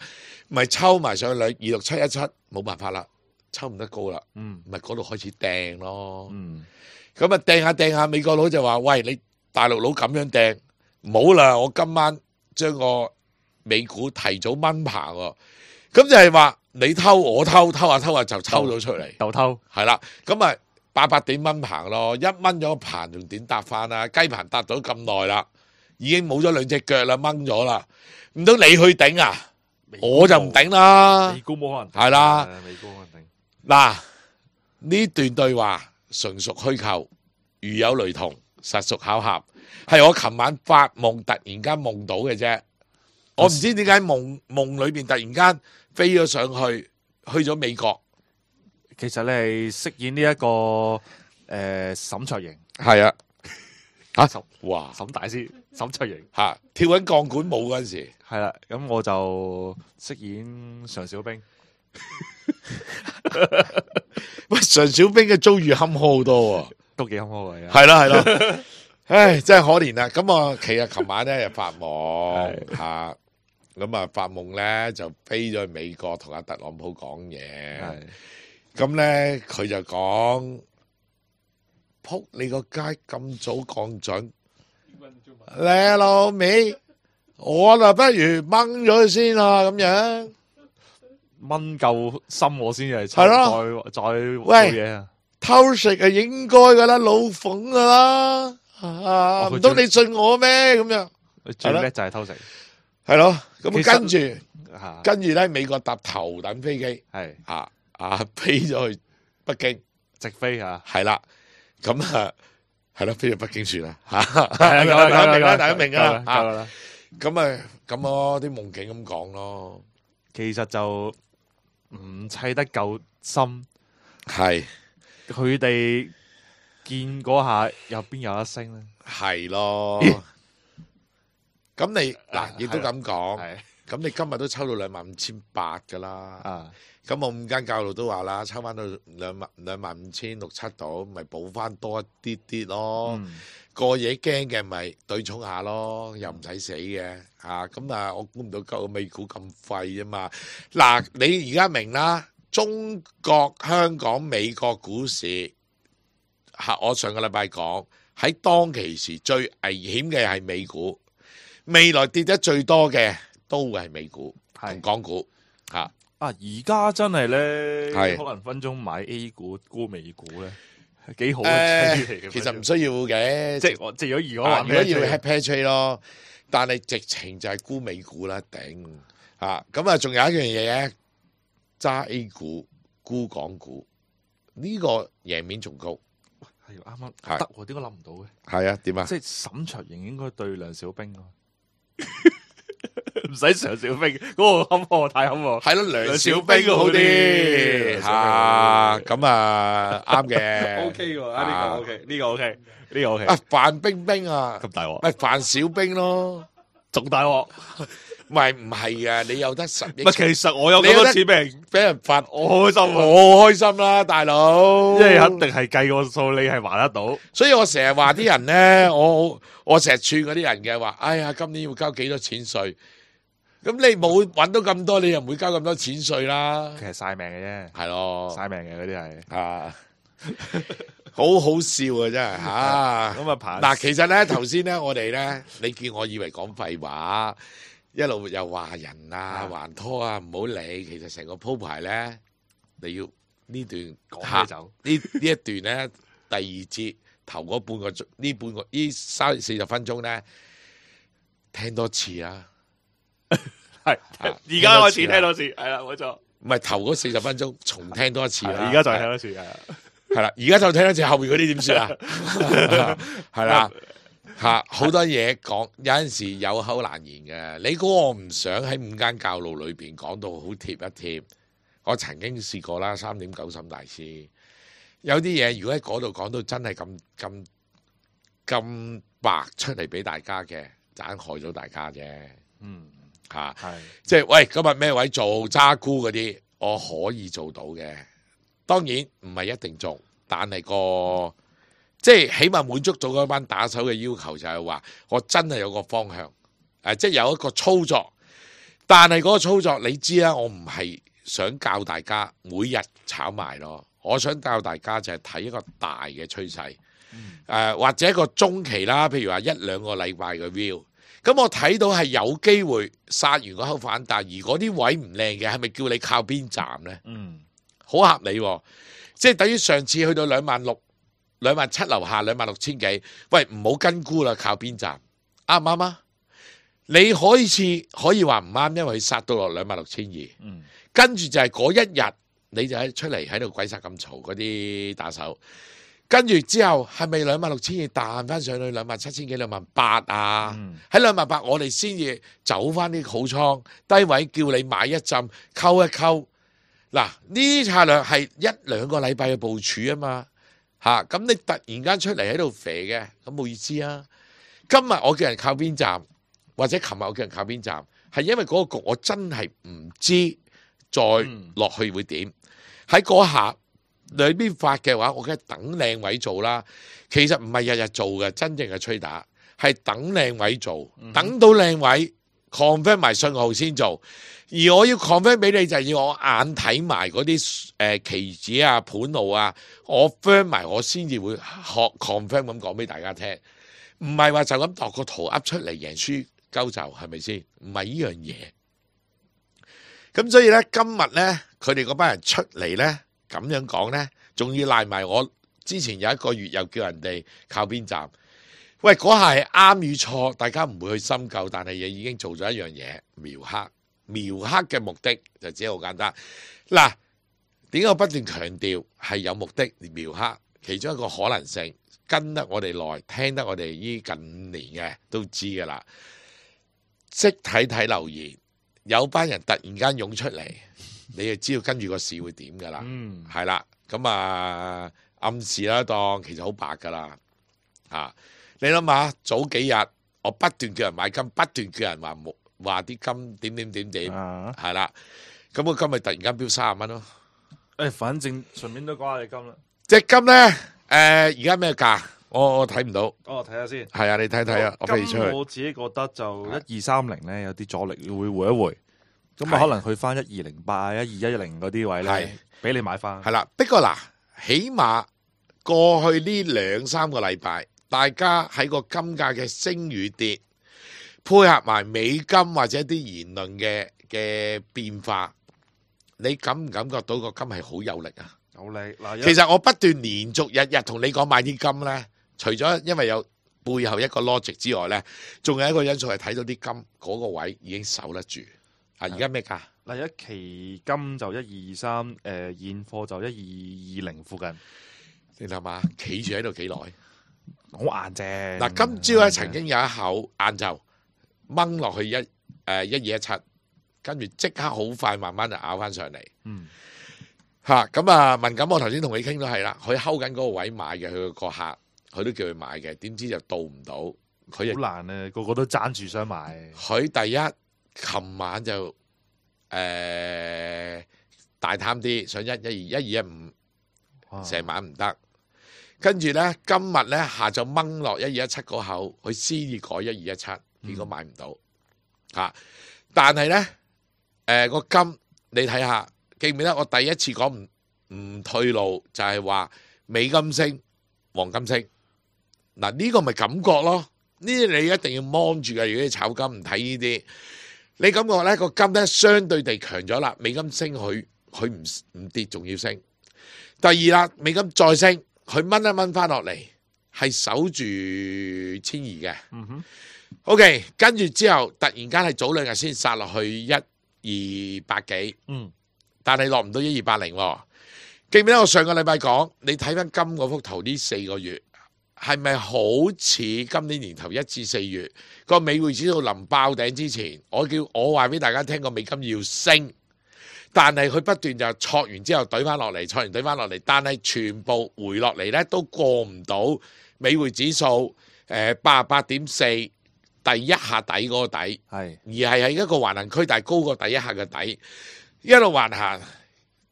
咪抽埋上去二六七一七，冇辦法啦，抽唔得高啦，嗯，咪嗰度開始掟咯，嗯，咁啊掟下掟下，美國佬就話：喂，你大陸佬咁樣掟，唔好啦，我今晚將個美股提早掹棚喎，咁就係話你偷我偷，偷下偷下就抽咗出嚟，鬥偷，係啦，咁咪八百點掹棚咯，一掹咗個棚仲點搭翻啊？雞棚搭咗咁耐啦。已經冇咗兩隻腳啦，掹咗啦，唔通你去頂啊？我就唔頂啦。美股冇可能係啦，美股可能頂。嗱，呢段對話純屬虛構，如有雷同，實屬巧合，係我琴晚發夢突然間夢到嘅啫。我唔知點解夢夢裏邊突然間飛咗上去，去咗美國。其實你係飾演呢、這、一個誒、呃、沈卓盈，係啊。吓、啊、哇！沈大師沈卓盈吓、啊、跳緊鋼管舞嗰陣時，係啦，咁我就飾演常小兵。喂，常小兵嘅遭遇坎坷好多、啊，都幾坎坷嘅。係咯係咯，唉，真係可憐啊！咁我其實琴晚咧就發夢吓，咁啊發夢咧就飛咗去美國同阿特朗普講嘢，咁咧佢就講。扑你個街咁早降準，你老味，我就不如掹咗佢先啦，咁樣掹夠深我先係，係咯，再再喂嘢啊！偷食係應該噶啦，老馮噶啦，啊唔通你信我咩？咁樣最叻就係偷食，係咯，咁跟住跟住咧，美國搭頭等飛機，係啊啊飛咗去北京直飛啊，係啦。咁啊，係咯，飛去北京算啦，吓，大家明啦，大家明啦，吓，咁啊，咁咯，啲夢境咁講咯，其實就唔砌得夠深，係，佢哋見嗰下又邊有得升咧？係咯，咁你嗱亦都咁講，咁你今日都抽到兩萬五千八噶啦，啊。咁我五間教路都話啦，抽翻到兩萬兩萬五千六七度，咪補翻多一啲啲咯。嗯、個嘢驚嘅咪對沖下咯，又唔使死嘅嚇。咁啊，我估唔到個美股咁廢啊嘛。嗱，你而家明啦，中國香港美國股市嚇，我上個禮拜講喺當其時最危險嘅係美股，未來跌得最多嘅都會係美股同港股嚇。啊！而家真係咧，可能分鐘買 A 股沽美股咧，幾好嘅嚟嘅。其實唔需要嘅，即係我即係如果如果話如果要 head pair trade 咯，但係直情就係沽美股啦，頂啊！咁啊，仲有一樣嘢嘅，揸 A 股沽港股，呢個贏面仲高。係啱啱得喎，點解諗唔到嘅？係啊，點啊？即係沈卓盈應該對梁小冰咯。唔使常小兵，嗰、那個坎坷太坎坷，係咯，梁小兵好啲吓，咁啊啱嘅 ，OK 喎，呢個 OK，呢個 OK，呢個 OK，啊范冰冰啊，咁大鑊，咪范小兵咯，仲大鑊，唔係唔係啊！你有得十億唔係，其實我有咁你有得多錢俾人，俾人罰，我開心啊！我開心啦，大佬。因為肯定係計個數，你係還得到。所以我成日話啲人咧，我我成日串嗰啲人嘅話，哎呀，今年要交幾多錢稅？咁你冇揾到咁多，你又唔會交咁多錢稅啦。其實晒命嘅啫，係咯，晒命嘅嗰啲係。啊，好好笑啊，真係吓。咁啊，爬嗱，其實咧頭先咧，我哋咧，你叫我以為講廢話，一路又話人啊、還拖啊，唔好理。其實成個鋪排咧，你要呢段講起下走呢呢一段咧，第二節頭嗰半個鐘，呢半個呢三四十分鐘咧，聽多次啊！係而家開始聽多次，係啦，冇錯。唔係頭嗰四十分鐘重聽多一次啦，而家再聽多次，係啊。係啦，而家就聽多次後面嗰啲點算啊？係啦，吓好多嘢講，有陣時有口難言嘅。你估我唔想喺五間教路裏邊講到好貼一貼？我曾經試過啦，三點九沈大師有啲嘢，如果喺嗰度講到真係咁咁咁白出嚟俾大家嘅，就硬害咗大家啫。嗯。吓，係即係喂，今日咩位做揸沽嗰啲，我可以做到嘅。當然唔係一定做，但係個即係起碼滿足到嗰班打手嘅要求，就係話我真係有個方向，誒，即係有一個操作。但係嗰個操作，你知啦，我唔係想教大家每日炒賣咯，我想教大家就係睇一個大嘅趨勢，誒、呃、或者一個中期啦，譬如話一兩個禮拜嘅 view。咁我睇到係有機會殺完嗰口反彈，而嗰啲位唔靚嘅，係咪叫你靠邊站呢？嗯，好合理喎，即係等於上次去到兩萬六、兩萬七樓下兩萬六千幾，喂，唔好跟沽啦，靠邊站啱唔啱啊？你可以似可以話唔啱，因為佢殺到落兩萬六千二，嗯，跟住就係嗰一日你就喺出嚟喺度鬼殺咁嘈嗰啲打手。跟住之後係咪兩萬六千二彈翻上去兩萬七千幾兩萬八啊？喺兩萬八我哋先至走翻啲好倉低位，叫你買一浸溝一溝。嗱，呢啲策略係一兩個禮拜嘅部署啊嘛嚇。咁、啊、你突然間出嚟喺度肥嘅，咁冇意思啊。今日我叫人靠邊站，或者琴日我叫人靠邊站，係因為嗰個局我真係唔知再落去會點。喺嗰下兩邊發嘅話，我梗係等靚位做啦。其實唔係日日做嘅，真正嘅吹打係等靚位做，等到靚位 confirm 埋信號先做。而我要 confirm 俾你，就係要我眼睇埋嗰啲誒期指啊、盤路啊，我 firm 埋我先至會學 confirm 咁講俾大家聽。唔係話就咁度個圖噏出嚟贏輸鳩就係咪先？唔係呢樣嘢。咁所以咧，今日咧，佢哋嗰班人出嚟咧。咁樣講呢，仲要賴埋我之前有一個月又叫人哋靠邊站。喂，嗰下係啱與錯，大家唔會去深究，但係亦已經做咗一樣嘢，描黑。描黑嘅目的就只係好簡單。嗱，點解我不斷強調係有目的描黑？其中一個可能性，跟得我哋耐，聽得我哋呢近五年嘅都知㗎啦。識睇睇留言，有班人突然間湧出嚟。你就知道跟住個市會點噶啦，係啦、嗯，咁啊暗示啦，當其實好白噶啦，啊，你諗下早幾日我不斷叫人買金，不斷叫人話冇話啲金點點點點，係啦、啊，咁我今日突然間飆三十蚊咯，誒，反正順便都講下你金啦，隻金咧，誒而家咩價？我我睇唔到，哦，睇下先，係啊，你睇睇啊，我飛出去，我自己覺得就一二三零咧有啲阻力，會回一回。咁啊，可能去翻一二零八、一二一零嗰啲位咧，俾你買翻。係啦，不過嗱，起碼過去呢兩三個禮拜，大家喺個金價嘅升與跌，配合埋美金或者啲言論嘅嘅變化，你感唔感覺到個金係好有力啊？有力嗱，其實我不斷連續日日同你講買啲金咧，除咗因為有背後一個 logic 之外咧，仲有一個因素係睇到啲金嗰個位已經守得住。啊！而家咩價？嗱，一期金就一二二三，誒，現貨就一二二零附近。你諗下，企住喺度幾耐？好硬淨。嗱，今朝咧曾經有一口晏晝掹落去一誒一二一七，跟住即刻好快慢慢就咬翻上嚟。嗯。嚇！咁啊，文錦我頭先同你傾都係啦，佢睺緊嗰個位買嘅，佢個客佢都叫佢買嘅，點知就到唔到。佢好難啊！個個都爭住想買。佢第一。琴晚就誒、呃、大貪啲，上一一二一二一五，成晚唔得。跟住咧，今日咧下晝掹落一二一七嗰口，佢先至改一二一七，結果買唔到嚇、啊。但係咧，誒、呃、個金你睇下，記唔記得我第一次講唔唔退路，就係、是、話美金升，黃金升。嗱、這、呢個咪感覺咯，呢啲你一定要望住嘅。如果你炒金唔睇呢啲，你感覺咧個金咧相對地強咗啦，美金升佢佢唔唔跌，仲要升。第二啦，美金再升。佢掹一掹翻落嚟，係守住千二嘅。嗯哼。OK， 跟住之後突然間係早兩日先殺落去一二八幾。嗯。但係落唔到一二八零。記唔記得我上個禮拜講？你睇翻金嗰幅圖呢四個月，係咪好似今年年頭一至四月個美匯指數臨爆頂之前，我叫我話俾大家聽個美金要升。但係佢不斷就挫完之後懟翻落嚟，挫完懟翻落嚟，但係全部回落嚟咧都過唔到美匯指數誒八十八點四第一下底嗰個底，係而係喺一個橫行區，但係高過第一下嘅底，一路橫行，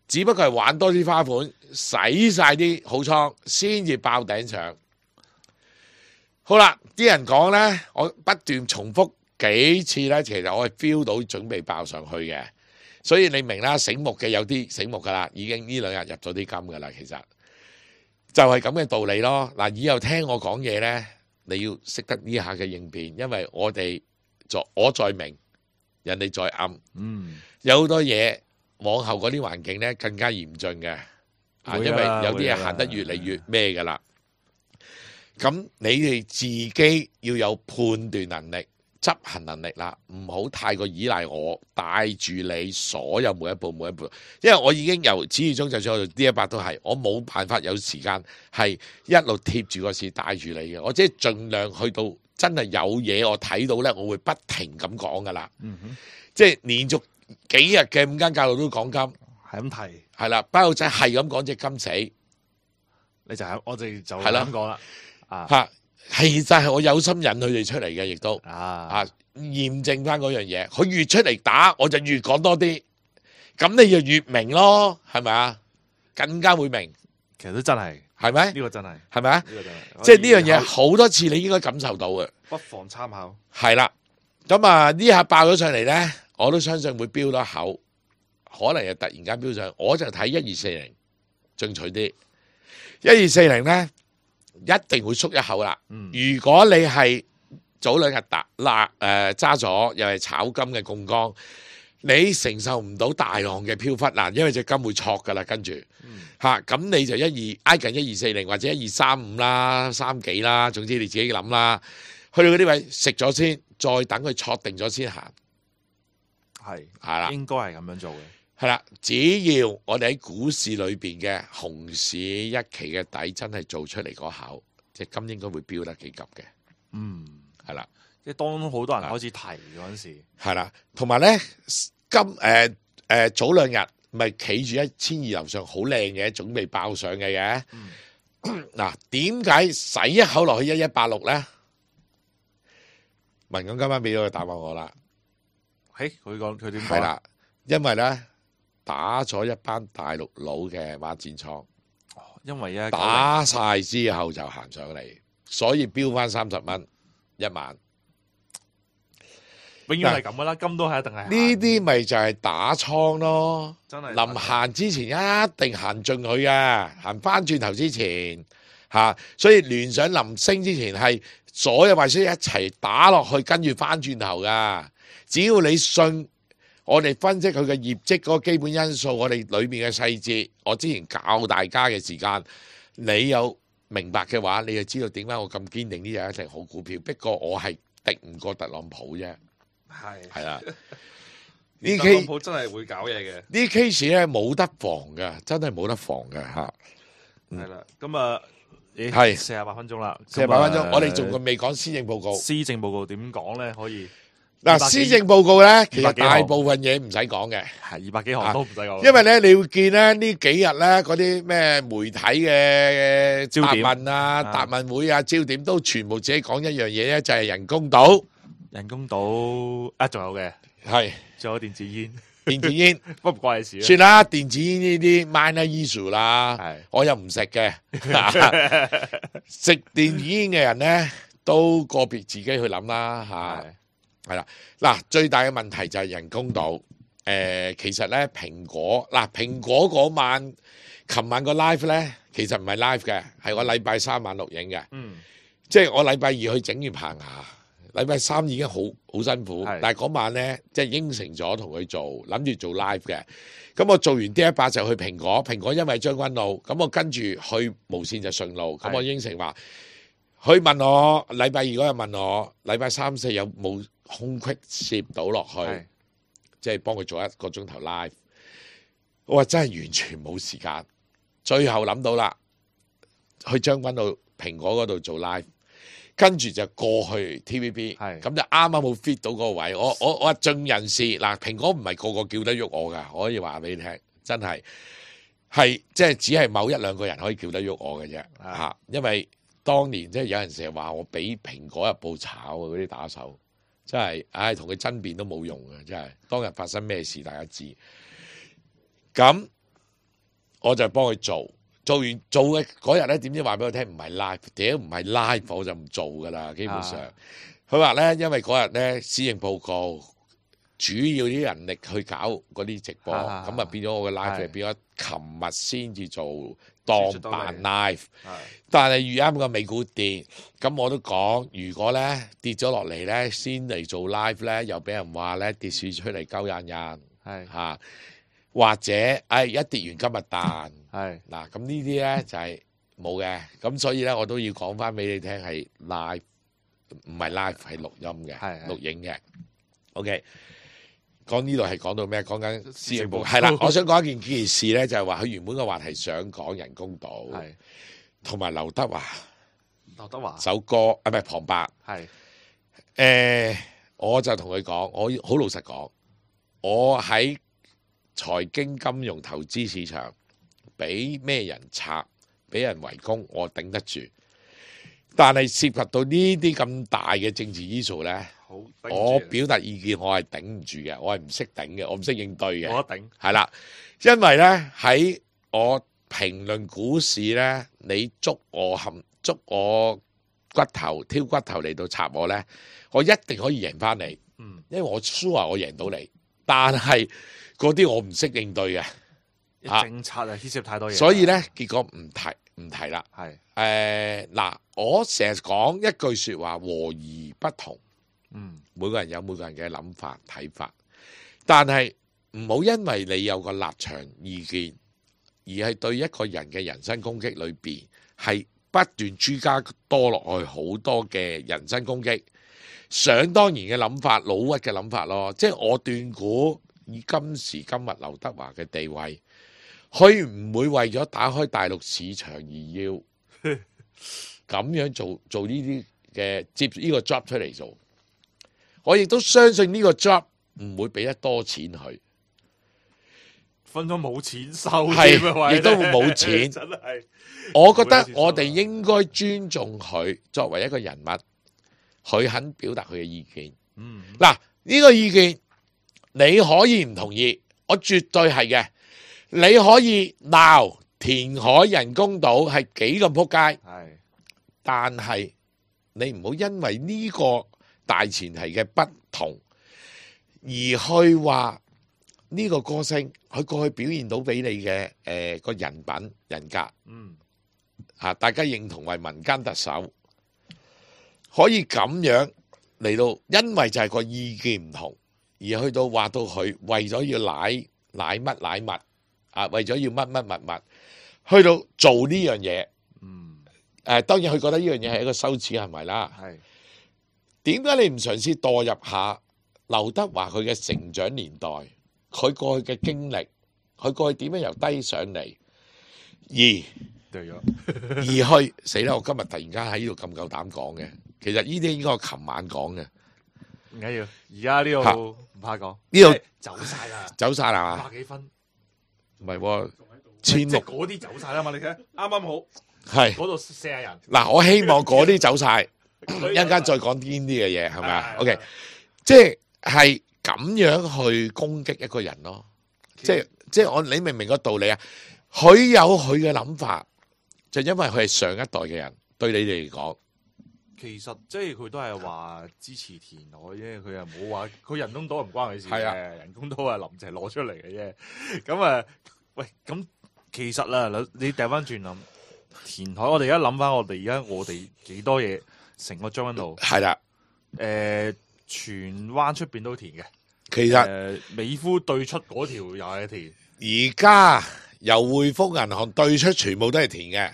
只不過係玩多啲花款，洗晒啲好倉，先至爆頂上。好啦，啲人講咧，我不斷重複幾次咧，其實我係 feel 到準備爆上去嘅。所以你明啦，醒目嘅有啲醒目噶啦，已經呢兩日入咗啲金噶啦，其實就係咁嘅道理咯。嗱，以後聽我講嘢咧，你要識得呢下嘅應變，因為我哋在我在明，人哋在暗，嗯，有好多嘢往後嗰啲環境咧更加嚴峻嘅，啊，因為有啲嘢行得越嚟越咩噶啦。咁你哋自己要有判斷能力。執行能力啦，唔好太過依賴我帶住你所有每一步每一步，因為我已經由始至終，就算我做 D 一百都係，我冇辦法有時間係一路貼住個市帶住你嘅，我即係盡量去到真係有嘢我睇到咧，我會不停咁講噶啦，嗯哼，即係連續幾日嘅五間教育都講金，係咁提，係啦，包佬仔係咁講隻金死，你就係我哋就係咁講啦，啊嚇。係就係我有心引佢哋出嚟嘅，亦都啊啊驗證翻嗰樣嘢。佢越出嚟打，我就越講多啲，咁你就越明咯，係咪啊？更加會明。其實都真係，係咪？呢個真係，係咪啊？呢個真係，即係呢樣嘢好多次你應該感受到嘅。不妨參考。係啦，咁啊呢下爆咗上嚟咧，我都相信會飆多口，可能又突然間飆上。我就睇一二四零進取啲，一二四零咧。一定會縮一口啦。如果你係早兩日打嗱誒揸咗，又係炒金嘅槓桿，你承受唔到大浪嘅飄忽嗱，因為隻金會挫噶啦，跟住嚇咁你就一二挨近一二四零或者一二三五啦、三幾啦，總之你自己諗啦。去到嗰啲位食咗先，再等佢挫定咗先行。係係啦，應該係咁樣做嘅。係啦，只要我哋喺股市裏邊嘅熊市一期嘅底真係做出嚟嗰口，隻金應該會飆得幾急嘅。嗯，係啦，即係當好多人開始提嗰陣時，係啦，同埋咧金誒誒、呃呃、早兩日咪企住一千二樓上好靚嘅，準備爆上嘅嘅。嗱、嗯，點解洗一口落去一一八六咧？文錦今晚俾咗個答案我啦。嘿，佢講佢點講？係啦，因為咧。打咗一班大陸佬嘅孖展倉，因為一打晒之後就行上嚟，所以飆翻三十蚊一晚，永遠係咁噶啦，金都係一定係呢啲咪就係打倉咯，真係臨行之前一定行進佢嘅，行翻轉頭之前吓、啊，所以聯想臨升之前係所有壞消息一齊打落去，跟住翻轉頭噶，只要你信。我哋分析佢嘅業績嗰個基本因素，我哋裏面嘅細節，我之前教大家嘅時間，你有明白嘅話，你就知道點解我咁堅定呢隻一定好股票。不過我係敵唔過特朗普啫，係係啦。呢特朗普真係會搞嘢嘅。呢 case 咧冇得防㗎，真係冇得防㗎嚇。係啦，咁啊，係四十八分鐘啦，四十八分鐘，我哋仲未講施政報告。施政報告點講咧？可以。嗱，施政報告咧，其實大部分嘢唔使講嘅，係二百幾行都唔使講。因為咧，你會見咧呢幾日咧嗰啲咩媒體嘅答問啊、答問會啊、焦點都全部自己講一樣嘢咧，就係人工島。人工島啊，仲有嘅係仲有電子煙，電子煙，不唔關你事啊。算啦，電子煙呢啲 minor issue 啦係，我又唔食嘅。食電子煙嘅人咧，都個別自己去諗啦嚇。係係啦，嗱，最大嘅問題就係人工島。誒、其實咧蘋果嗱，蘋果嗰晚，琴晚個 live 咧，其實唔係 live 嘅，係我禮拜三晚錄影嘅。嗯，即係我禮拜二去整完棚牙，禮拜三已經好好辛苦，係但係嗰晚咧即係應承咗同佢做，諗住做 live 嘅。咁我做完呢一把就去蘋果，蘋果因為將軍澳，咁我跟住去無線就順路，咁係我應承話，佢問我禮拜二嗰日問我，禮拜三四有冇空隙攝到落去，係即係幫佢做一個鐘頭 live。我話真係完全冇時間，最後諗到啦，去將軍澳蘋果嗰度做 live。跟住就過去 T V B，係咁就啱啱好 fit 到嗰個位。我我我話盡人事嗱，蘋果唔係個個叫得喐我噶，我可以話俾你聽，真係係即係只係某一兩個人可以叫得喐我嘅啫嚇。因為當年即係有人成日話我俾蘋果日報炒啊，嗰啲打手真係，唉同佢爭辯都冇用嘅，真係當日發生咩事大家知。咁我就幫佢做。做完做嘅嗰日咧，點知話俾我聽唔係 live，屌唔係 live 我就唔做噶啦，基本上。佢話咧，因為嗰日咧施政報告主要啲人力去搞嗰啲直播，咁啊啊變咗我嘅 live 係係變咗琴日先至做當扮 live。係但係遇啱個美股跌，咁我都講，如果咧跌咗落嚟咧，先嚟做 live 咧，又俾人話咧跌市出嚟鳩印印係嚇，或者誒、哎、一跌完今日彈。係嗱，咁呢啲咧就係冇嘅，咁所以咧我都要講翻俾你聽係 live，唔係 live 係錄音嘅，係係錄影嘅。OK，講呢度係講到咩？講緊施政報告施政報告係啦。我想講一件件事咧，就係話佢原本嘅話題想講人工島，係同埋劉德華劉德華首歌啊，唔係旁白。係誒，我就同佢講，我好老實講，我喺財經金融投資市場。俾咩人拆，俾人圍攻，我頂得住。但係涉及到呢啲咁大嘅政治因素咧，好，我表達意見我係頂唔住嘅，我係唔識頂嘅，我唔識應對嘅。冇得頂。係啦，因為咧喺我評論股市咧，你捉我含捉我骨頭挑骨頭嚟到插我咧，我一定可以贏翻你。嗯，因為我 sure 我贏到你，但係嗰啲我唔識應對嘅。政策啊牽涉太多嘢，所以咧，結果唔提唔提啦。係誒嗱，我成日講一句説話，和而不同。嗯每個人有每個人嘅諗法睇法，但係唔好因為你有個立場意見，而係對一個人嘅人身攻擊裏邊係不斷追加多落去好多嘅人身攻擊，想當然嘅諗法、老屈嘅諗法咯。即係我斷估以今時今日劉德華嘅地位。佢唔會為咗打開大陸市場而要咁樣做做呢啲嘅接呢個 job 出嚟做，我亦都相信呢個 job 唔會俾得多錢佢，分咗冇錢收，係亦都會冇錢。真係，我覺得我哋應該尊重佢作為一個人物，佢肯表達佢嘅意見。嗯嗱，呢個意見你可以唔同意，我絕對係嘅。你可以鬧填海人工島係幾咁撲街，係但係你唔好因為呢個大前提嘅不同，而去話呢個歌星佢過去表現到俾你嘅誒個人品人格嗯嚇，大家認同為民間特首，可以咁樣嚟到，因為就係個意見唔同，而去到話到佢為咗要奶奶乜奶物。啊！為咗要乜乜乜物，去到做呢樣嘢，嗯誒當然佢覺得呢樣嘢係一個羞恥行為啦。係點解你唔嘗試墮入下劉德華佢嘅成長年代，佢過去嘅經歷，佢過去點樣由低上嚟，而對咗，而去死啦！我今日突然間喺呢度咁夠膽講嘅，其實呢啲應該我琴晚講嘅，唔緊要，而家呢度唔怕講，呢度走晒啦，走晒啦嘛？百幾分。唔係喎，千即係六嗰啲走晒啦嘛，你睇啱啱好，係嗰度四廿人，嗱，我希望嗰啲走晒。一陣間再講呢啲嘅嘢係咪啊？OK，即係咁樣去攻擊一個人咯。即係即係我你明唔明個道理啊？佢有佢嘅諗法，就因為佢係上一代嘅人，對你哋嚟講。其實即係佢都係話支持填海啫，佢又冇話佢人工島唔關佢事嘅，係啊人工島係林鄭攞出嚟嘅啫。咁啊，喂，咁其實啦，你掉翻轉諗填海，我哋而家諗翻我哋而家我哋幾多嘢，成個將軍澳係啦，誒，荃灣出邊都填嘅。其實誒，美孚對出嗰條又係填，而家由匯豐銀行對出全部都係填嘅。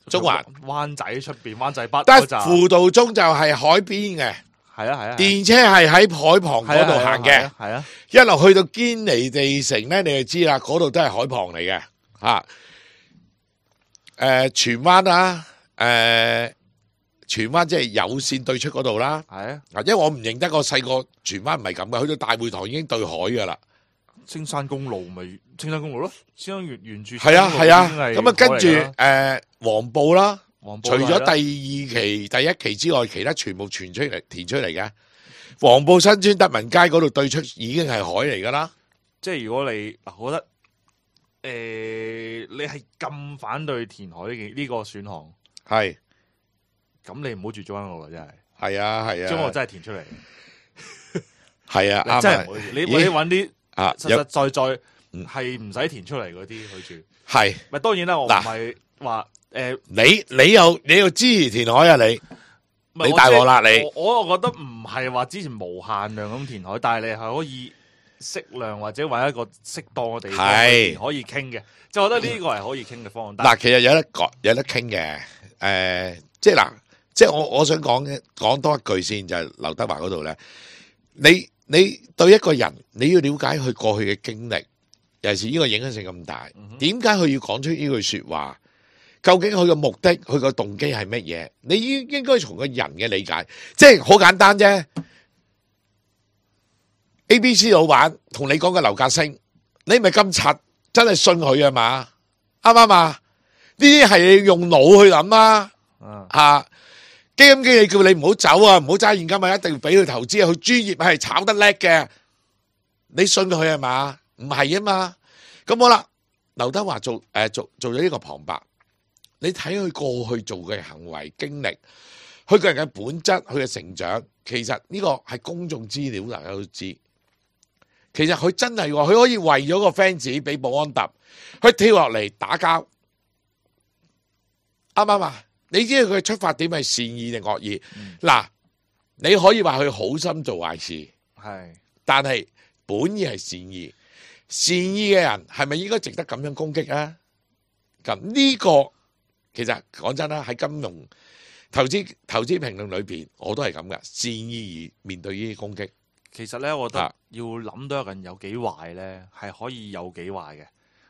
中環灣仔出邊灣仔北得嗰扎，輔導中就係海邊嘅，係啊係啊，電車係喺海旁嗰度行嘅，係啊，一路去到堅尼地城咧，你就知啦，嗰度都係海旁嚟嘅吓。誒，荃灣啊，誒，荃灣即係有線對出嗰度啦。係啊，啊，因為我唔認得個細個荃灣唔係咁嘅，去到大會堂已經對海噶啦。青山公路咪青山公路咯，青山沿沿住係啊係啊，咁啊跟住誒誒黃埔啦，黃埔除咗第二係啦期、第一期之外，其他全部傳出嚟填出嚟嘅。黃埔新村德民街嗰度對出已經係海嚟噶啦。即係如果你嗱，我覺得誒、呃、你係咁反對填海呢件呢個選項，係咁你唔好住將軍澳啦，真係係啊係啊，將軍澳真係填出嚟，係啊啱啊真係唔好住你咦你揾啲啊實實在在嗯係唔使填出嚟嗰啲去住。係咪當然啦，我唔嗱係話誒，你你又你又支持填海啊你？你唔係我即係大鑊啦你我我覺得唔係話之前無限量咁填海，但係你係可以適量或者揾一個適當嘅地方係去填可以傾嘅，即係我覺得呢個係可以傾嘅方案。但係嗱，其實有得講有得傾嘅，誒、即係嗱，即係我我想講嘅講多一句先，就係、劉德華嗰度咧，你你對一個人你要了解佢過去嘅經歷，尤其是呢個影響性咁大，點解佢要講出呢句說話？究竟佢嘅目的、佢個動機係乜嘢？你應應該從個人嘅理解，即係好簡單啫。A B C 老闆同你講嘅樓價升，你咪咁柒，真係信佢啊嘛？啱唔啱啊？呢啲係用腦去諗啊！嗯啊，基金經理叫你唔好走啊，唔好揸現金啊，一定要俾佢投資啊，佢專業係炒得叻嘅，你信佢係嘛？唔係啊嘛？咁好啦，劉德華做誒做做咗呢個旁白，你睇佢過去做嘅行為經歷，佢個人嘅本質，佢嘅成長，其實呢個係公眾資料，大家都知。其實佢真係喎，佢可以為咗個 fans 俾保安揼，佢跳落嚟打交，啱唔啱啊？你知道佢嘅出發點係善意定惡意？嗱、你可以話佢好心做壞事，係但係本意係善意。善意嘅人係咪應該值得咁樣攻擊啊？咁呢個其實講真啦，喺金融投資投資評論裏邊，我都係咁噶，善意而面對呢啲攻擊。其實咧，我覺啊得要諗到一個人有幾壞咧，係可以有幾壞嘅。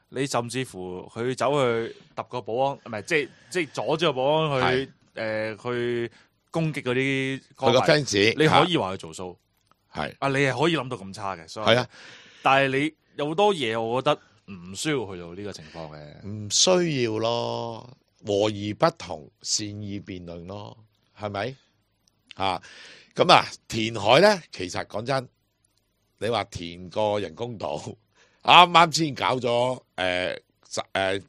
你甚至乎佢走去揼個保安，唔係即係即係阻止個保安去誒、呃、去攻擊嗰啲佢個歌迷 fans，你可以話佢做數，係啊，你係可以諗到咁差嘅，所以係啊，但係你有好多嘢，我覺得唔需要去到呢個情況嘅。唔需要咯，和而不同，善意辯論咯，係咪？啊，咁啊，填海咧，其實講真，你話填個人工島，啱啱先搞咗誒誒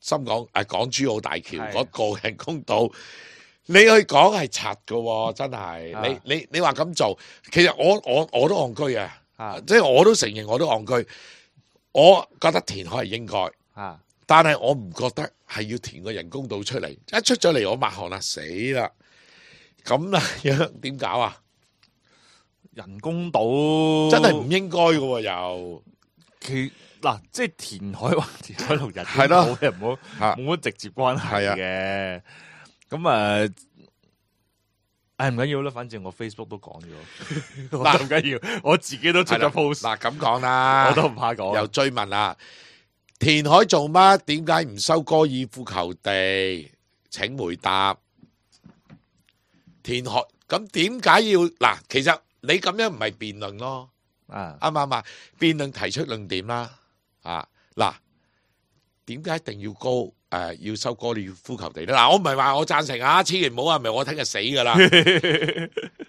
深港誒港珠澳大橋係嗰個人工島，你去講係柒噶喎，真係，啊你你你話咁做，其實我我我都戇居啊，啊即係我都承認我都戇居，我覺得填海係應該。啊，但係我唔覺得係要填個人工島出嚟，一出咗嚟我抹汗啦，死啦！咁啊樣點搞啊？人工島真係唔應該嘅喎，又其嗱，即係填海或填海同人係咯工島嘅唔好啊冇乜直接關係係啊嘅。咁啊，唉唔緊要啦，反正我 Facebook 都講咗，我嗱都唔緊要，我自己都出係啦咗 post，嗱咁講啦，我都唔怕講。又追問啦，填海做乜？點解唔收高爾夫球地？請回答。填海咁點解要嗱？其實你咁樣唔係辯論咯。啊，啱唔啱啊？辯論提出論點啦，啊嗱，點解一定要高誒、呃、要收高爾夫球地咧？嗱，我唔係話我贊成啊，千祈唔好話，唔係我聽日死噶啦。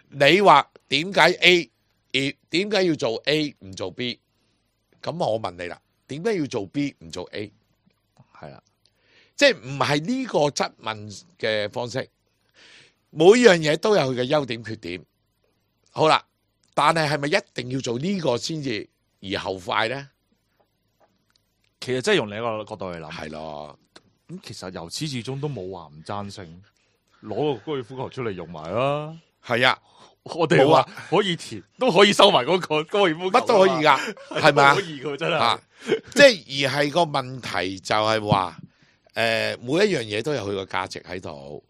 你話點解 A 而點解要做 A 唔做 B？ 咁我問你啦，點解要做 B 唔做 A？ 係啦，即係唔係呢個質問嘅方式？每樣嘢都有佢嘅優點缺點。好啦，但係係咪一定要做呢個先至而後快咧？其實真係用另一個角度去諗，係咯。咁其實由始至終都冇話唔贊成攞個高爾夫球出嚟用埋啦。係啊，我哋話可以填，都可以收埋嗰個高爾夫球，乜都可以噶，係咪啊？可以噶真係。啊，即係而係個問題就係話，誒、呃，每一樣嘢都有佢個價值喺度。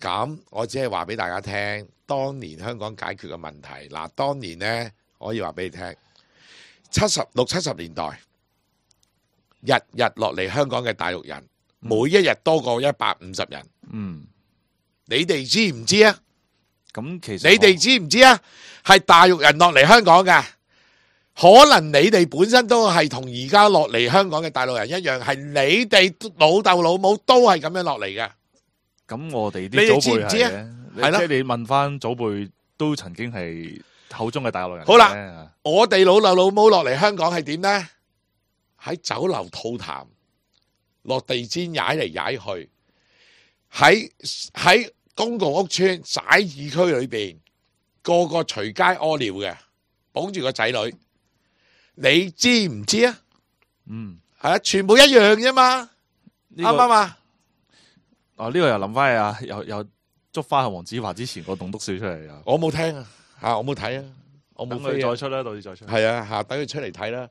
咁我只係話俾大家聽，當年香港解決嘅問題。嗱，當年呢，我可以話俾你聽，七十六七十年代，日日落嚟香港嘅大陸人，每一日多過一百五十人。嗯，你哋知唔知啊？咁其實你哋知唔知啊？係大陸人落嚟香港嘅，可能你哋本身都係同而家落嚟香港嘅大陸人一樣，係你哋老豆老母都係咁樣落嚟嘅。咁我哋你哋啲祖輩知唔知啊係嘅，係咯即係你問翻祖輩都曾經係口中嘅大陸人。好啦，我哋老豆老母落嚟香港係點呢？喺酒樓吐痰，落地氈踩嚟踩去，喺喺公共屋邨徙置區裏邊，個個隨街屙尿嘅，綁住個仔女，你知唔知啊？嗯，係啊，全部一樣啫嘛，啱唔啱啊？啊！呢、這個又諗翻起啊，又又捉翻阿黃子華之前個棟篤笑出嚟啊！我冇聽啊，吓我冇睇啊，我冇等佢飛啊再出啦，到時再出。係啊，吓等佢出嚟睇啦。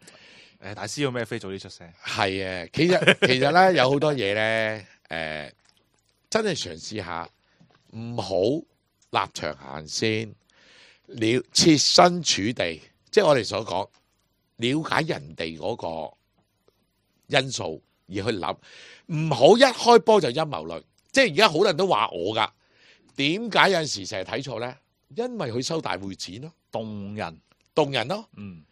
誒，大師要咩飛早啲出聲？係啊，其實其實咧有好多嘢咧，誒，真係嘗試下，唔好立場行先，了設身處地，即係我哋所講，了解人哋嗰個因素而去諗，唔好一開波就陰謀論。即係而家好多人都話我噶，點解有陣時成日睇錯咧？因為佢收大會錢咯，動人，動人咯。嗯，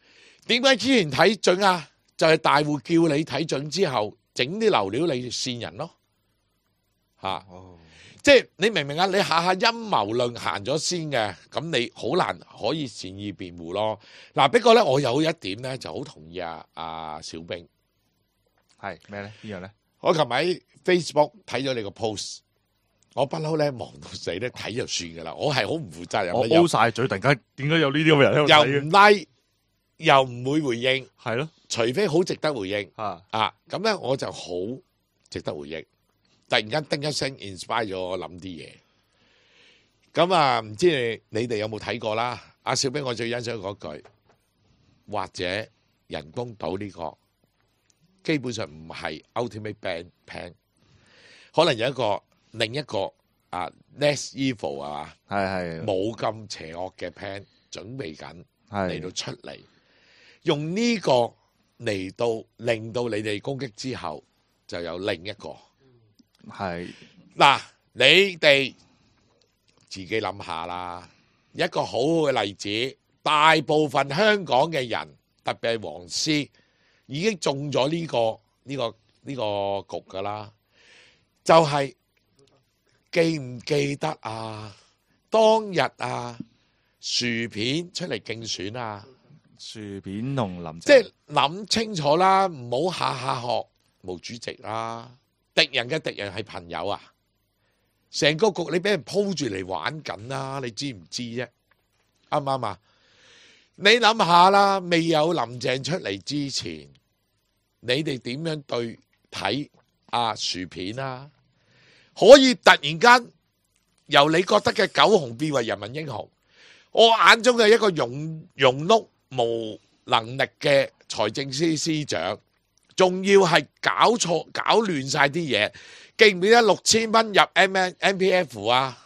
點解之前睇準啊？就係、是、大戶叫你睇準之後，整啲流料你線人咯，吓、哦，即係你明唔明啊？你下下陰謀論行咗先嘅，咁你好難可以善意辯護咯。嗱，不過咧，我有一點咧就好同意啊，阿小兵係咩咧？呢樣咧？我琴日喺 Facebook 睇咗你個 post， 我不嬲咧忙到死咧睇就算噶啦，我係好唔負責任我嘅， O 晒嘴，突然間點解有呢啲咁嘅人喺度又睇嘅？唔 like，又唔會回應，係咯，除非好值得回應。啊，啊，咁咧我就好值得回應，突然間叮一聲 inspire 咗我諗啲嘢。咁啊，唔知你你哋有冇睇過啦？阿小兵，我最欣賞嗰句，或者人工島呢個基本上唔係 ultimate band plan，可能有一個另一個啊 less evil 啊嘛，係係冇咁邪惡嘅 plan 準備緊嚟係到出嚟，用呢個嚟到令到你哋攻擊之後，就有另一個。係嗱，你哋自己諗下啦。一個好好嘅例子，大部分香港嘅人，特別係黃絲，已經中咗呢個呢個呢個局噶啦。就係記唔記得啊？當日啊，薯片出嚟競選啊！薯片同林即係諗清楚啦，唔好下下學毛主席啦。敵人嘅敵人係朋友啊！成個局你俾人鋪住嚟玩緊啦，你知唔知啫？啱唔啱啊？你諗下啦，未有林鄭出嚟之前，你哋點樣對睇啊薯片啊？可以突然間由你覺得嘅狗熊變為人民英雄，我眼中嘅一個庸庸碌無能力嘅財政司司長，仲要係搞錯搞亂晒啲嘢，記唔記得六千蚊入 M M P F 啊？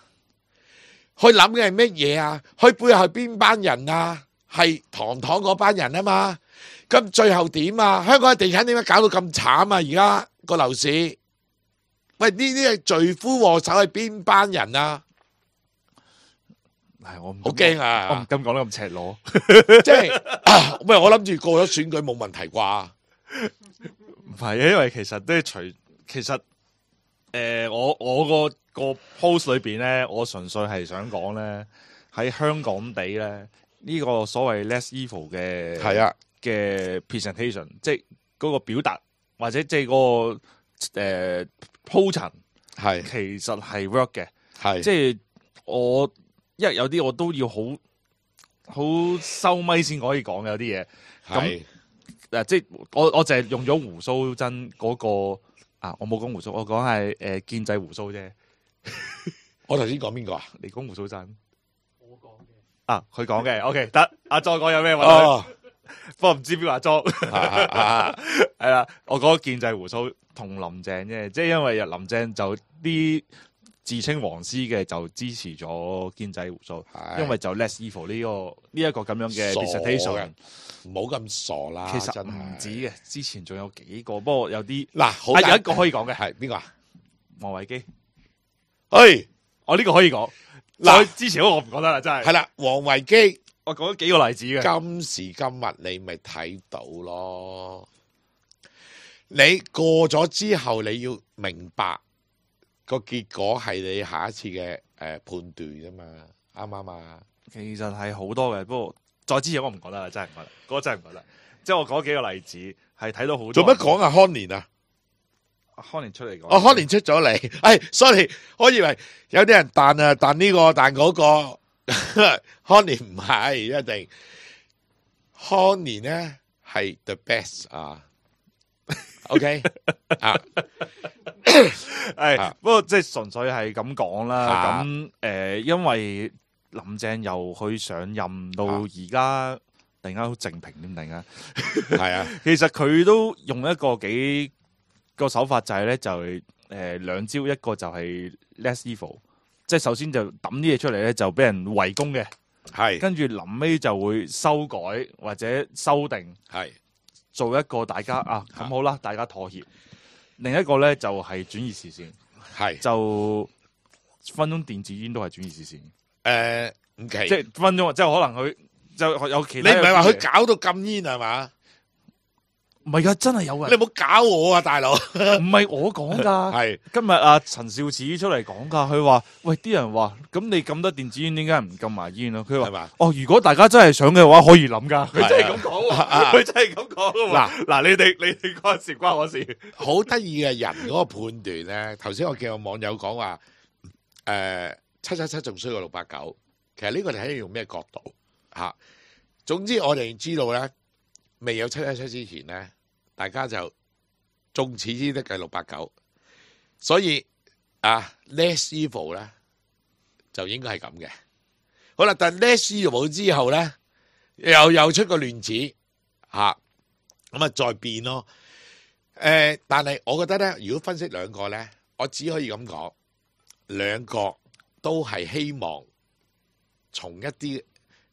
去諗嘅係乜嘢啊？去背後係邊班人啊？係堂堂嗰班人啊嘛？咁最後點啊？香港嘅地產點解搞到咁慘啊？而家個樓市，喂，呢啲係罪魁禍首係邊班人啊？係我唔好驚啊！我唔敢講得咁赤裸。即係，喂，我諗住過咗選舉冇問題啩？唔係，因為其實都係除其實誒、呃，我我個個 post 裏邊咧，我純粹係想講咧，喺香港地咧，呢個所謂 less evil 嘅係啊嘅 presentation，即係嗰個表達或者即係嗰個誒鋪陳，係其實係 work 嘅。係即係我因為有啲我都要好好收咪先可以講嘅有啲嘢。咁嗱，即係我我淨係用咗胡鬚真嗰個啊，我冇講胡鬚，我講係誒建制胡鬚啫。我頭先講邊個啊？你講胡鬚真。我講嘅。啊，佢講嘅，OK 得。阿莊講有咩問題？哦，不過唔知邊個阿莊。啊啊係啦，我講建制胡鬚同林鄭啫，即係因為林鄭就啲自稱黃絲嘅就支持咗建制胡鬚，因為就 less evil 呢、這個呢一、這個咁樣嘅 presentation，唔好咁傻啦。其實唔止嘅，之前仲有幾個，不過有啲嗱，好啊有一個可以講嘅係邊個啊？王維基，誒，我呢個可以講。嗱，之前嗰個我唔講得啦，真係。係啦，王維基，我講咗幾個例子嘅。今時今日你咪睇到咯。你過咗之後，你要明白個結果係你下一次嘅誒判斷啫嘛，啱唔啱啊？其實係好多嘅，不過再之前我唔講得啦，真係唔講得，嗰、那個真係唔講得。即係我講幾個例子，係睇到好多。做乜講啊？康年啊？康年出嚟講。哦，康年出咗嚟。哎，sorry，我以為有啲人彈啊彈呢個彈嗰個，康年唔係一定。康年咧係 the best 啊。OK 啊，係不過即係純粹係咁講啦。咁誒，因為林鄭由佢上任到而家，突然間好靜平點突然間，係啊。其實佢都用一個幾個手法就係咧，就係誒兩招，一個就係 less evil，即係首先就抌啲嘢出嚟咧，就俾人圍攻嘅，係跟住臨尾就會修改或者修訂，係。做一個大家啊咁好啦，大家妥協。另一個咧就係轉移視線，係就分鐘電子煙都係轉移視線。誒唔奇，即係分鐘，即係可能佢就有其他。你唔係話佢搞到禁煙係嘛？唔係噶，真係有人。你唔好搞我啊，大佬！唔係我講噶，係今日阿陳肇始出嚟講噶，佢話：喂，啲人話咁你禁得電子煙，點解唔禁埋煙啊？佢話：哦，如果大家真係想嘅話，可以諗噶。佢真係咁講喎，佢真係咁講喎。嗱嗱，你哋你哋嗰時關我事。好得意嘅人嗰個判斷咧，頭先我見有網友講話，誒七七七仲衰過六八九。其實呢個你睇用咩角度嚇？總之我哋知道咧，未有七七七之前咧，大家就眾矢之的係六八九，所以啊 less evil 咧就應該係咁嘅。好啦，但 less evil 之後咧，又又出個亂子嚇，咁啊再變咯。誒、呃，但係我覺得咧，如果分析兩個咧，我只可以咁講，兩個都係希望從一啲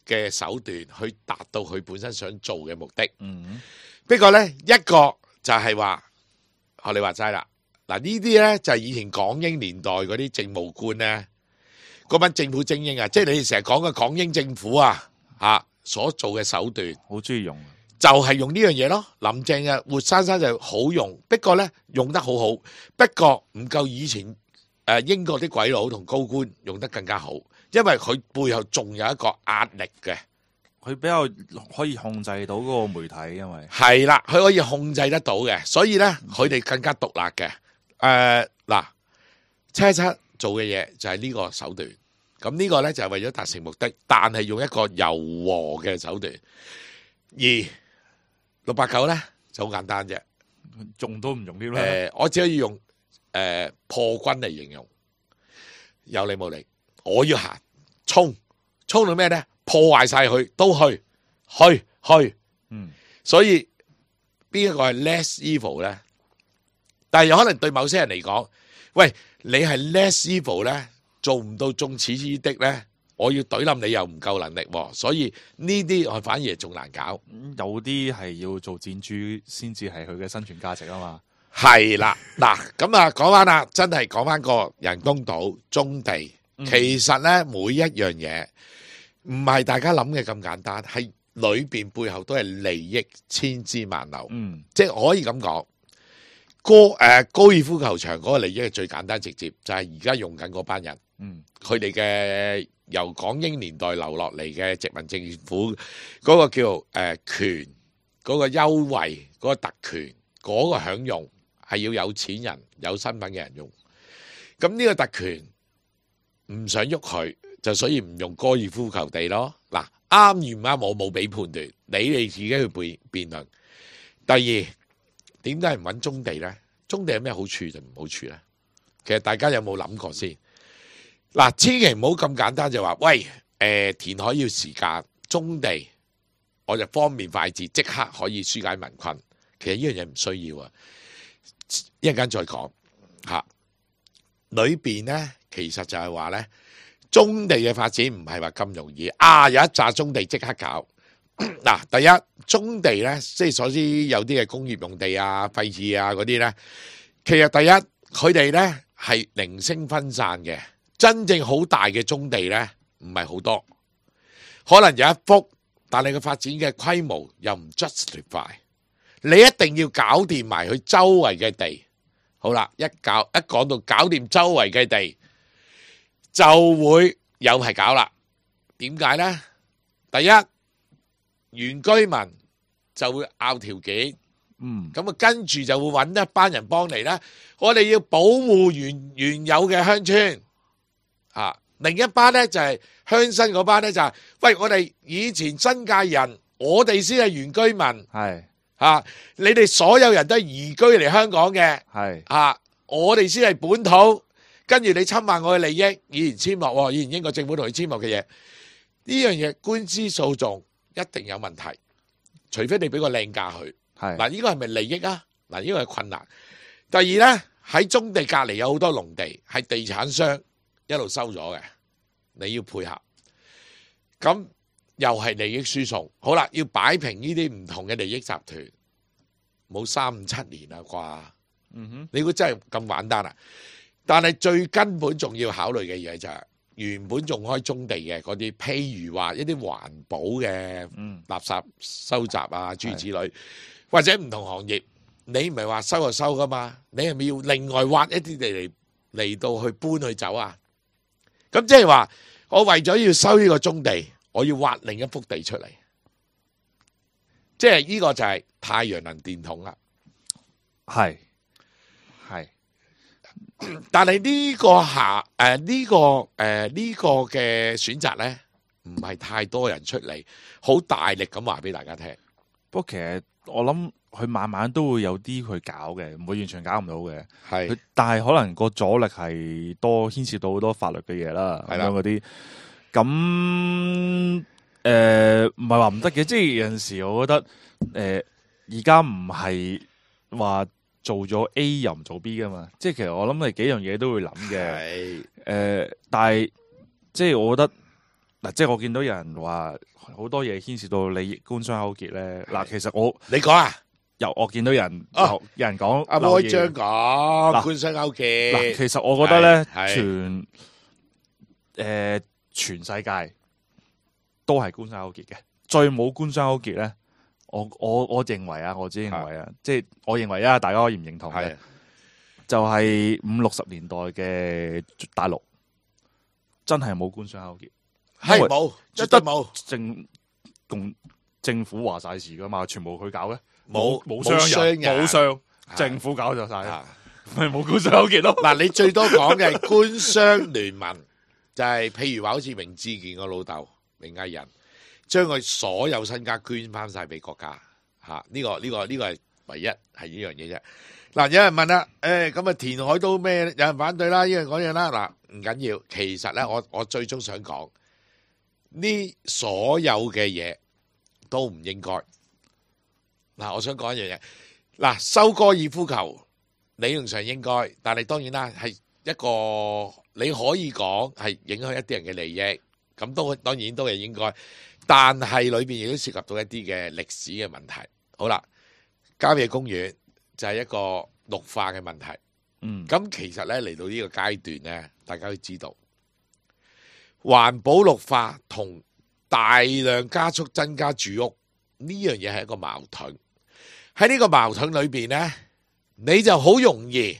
嘅手段去達到佢本身想做嘅目的。嗯，不過咧，一個就係話學你話齋啦，嗱呢啲咧就係以前港英年代嗰啲政務官咧，嗰班政府精英啊，即係你哋成日講嘅港英政府啊，啊所做嘅手段，好中意用。就係用呢樣嘢咯，林鄭啊活生生就好用，不過咧用得好好，不過唔夠以前誒英國啲鬼佬同高官用得更加好，因為佢背後仲有一個壓力嘅，佢比較可以控制到嗰個媒體，因為係啦，佢可以控制得到嘅，所以咧佢哋更加獨立嘅。誒嗱，七七做嘅嘢就係呢個手段，咁呢個咧就係為咗達成目的，但係用一個柔和嘅手段，而六八九咧就好簡單啫，用都唔用啲啦。誒，我只可以用誒、呃、破軍嚟形容，有理冇理，我要行衝，衝到咩咧？破壞晒佢，都去去去，嗯，所以邊一個係 less evil 咧？但係有可能對某些人嚟講，喂，你係 less evil 咧，做唔到眾矢之的咧。我要懟冧你又唔夠能力，所以呢啲我反而仲難搞。有啲係要做箭豬先至係佢嘅生存價值啊嘛。係啦，嗱咁啊，講翻啦，真係講翻個人工島棕地，嗯、其實咧每一樣嘢唔係大家諗嘅咁簡單，係裏邊背後都係利益千絲萬縷。嗯，即係可以咁講，高誒高爾夫球場嗰個利益係最簡單直接，就係而家用緊嗰班人，嗯，佢哋嘅由港英年代留落嚟嘅殖民政府嗰個叫誒、呃、權嗰、個優惠嗰、個特權嗰、個享用係要有錢人有身份嘅人用，咁呢個特權唔想喐佢，就所以唔用高爾夫球地咯。嗱，啱與唔啱我冇俾判斷，你哋自己去辯辯論。第二，點解唔揾棕地呢？棕地有咩好處就唔好處呢？其實大家有冇諗過先？嗱，千祈唔好咁簡單就話，喂，誒、呃、填海要時間，棕地我就方便快捷，即刻可以紓解民困。其實呢樣嘢唔需要啊，一陣間再講嚇。裏邊呢，其實就係話呢，棕地嘅發展唔係話咁容易啊！有一紮棕地即刻搞。嗱，第一棕地咧，即係所知有啲嘅工業用地啊、廢置啊嗰啲咧，其實第一佢哋咧係零星分散嘅，真正好大嘅棕地咧唔係好多，可能有一幅，但係個發展嘅規模又唔 justify， 你一定要搞掂埋佢周圍嘅地。好啦，一搞一講到搞掂周圍嘅地，就會有係搞啦。點解咧？第一，原居民就會拗條件，嗯，咁啊跟住就會揾一班人幫嚟啦。我哋要保護原原有嘅鄉村，啊，另一班咧就係鄉紳嗰班咧就係，喂，我哋以前新界人，我哋先係原居民，係啊，你哋所有人都係移居嚟香港嘅，係啊，我哋先係本土，跟住你侵犯我嘅利益，以前簽落，以前英國政府同佢簽落嘅嘢，呢樣嘢官司訴訟一定有問題，除非你俾個靚價佢。係嗱，呢個係咪利益啊？嗱，呢個係困難。第二咧，喺棕地隔離有好多農地，係地產商一路收咗嘅，你要配合。咁又係利益輸送。好啦，要擺平呢啲唔同嘅利益集團，冇三五七年啦啩？嗯哼，你估真係咁簡單啊？但係最根本仲要考慮嘅嘢就係、是。原本種開棕地嘅嗰啲，譬如話一啲環保嘅垃圾收集啊，諸如此類，或者唔同行業，你唔係話收就收噶嘛？你係咪要另外挖一啲地嚟嚟到去搬去走啊？咁即係話，我為咗要收呢個棕地，我要挖另一幅地出嚟，即係呢個就係太陽能電筒啦。係係。但係呢個下誒呢個誒呢個嘅選擇咧，唔係太多人出嚟，好大力咁話俾大家聽。不過其實我諗佢慢慢都會有啲去搞嘅，唔會完全搞唔到嘅。係，但係可能個阻力係多，牽涉到好多法律嘅嘢啦，咁樣嗰啲。咁誒唔係話唔得嘅，即係有陣時我覺得誒而家唔係話。做咗 A 又唔做 B 噶嘛，即係其實我諗係幾樣嘢都會諗嘅。誒、呃，但係即係我覺得嗱，即係我見到有人話好多嘢牽涉到利益官商勾結咧。嗱，其實我你講啊，由我見到有人、哦、有，有人講阿開張講官商勾結。嗱，其實我覺得咧，全誒、呃、全世界都係官商勾結嘅，最冇官商勾結咧。我我我認為啊，我只認為啊，即係我認為啊，大家可以唔認同嘅，就係五六十年代嘅大陸真係冇官商勾結，係冇，絕對冇政共政府話晒事噶嘛，全部佢搞嘅，冇冇商人冇商，政府搞就晒，咪冇官商勾結咯。嗱，你最多講嘅係官商聯盟，就係譬如話好似明志健個老豆明藝人。將佢所有身家捐翻晒俾國家，吓、啊、呢、這個呢、這個呢、這個係唯一係呢樣嘢啫。嗱，有人問啦，誒咁啊填海都咩？有人反對啦，呢樣嗰樣啦。嗱，唔緊要，其實咧，我我最終想講呢所有嘅嘢都唔應該。嗱，我想講一樣嘢，嗱，收高爾夫球理論上應該，但係當然啦，係一個你可以講係影響一啲人嘅利益，咁都當然都係應該。但係裏邊亦都涉及到一啲嘅歷史嘅問題。好啦，郊野公園就係一個綠化嘅問題。嗯，咁其實咧嚟到呢個階段咧，大家都知道環保綠化同大量加速增加住屋呢樣嘢係一個矛盾。喺呢個矛盾裏邊咧，你就好容易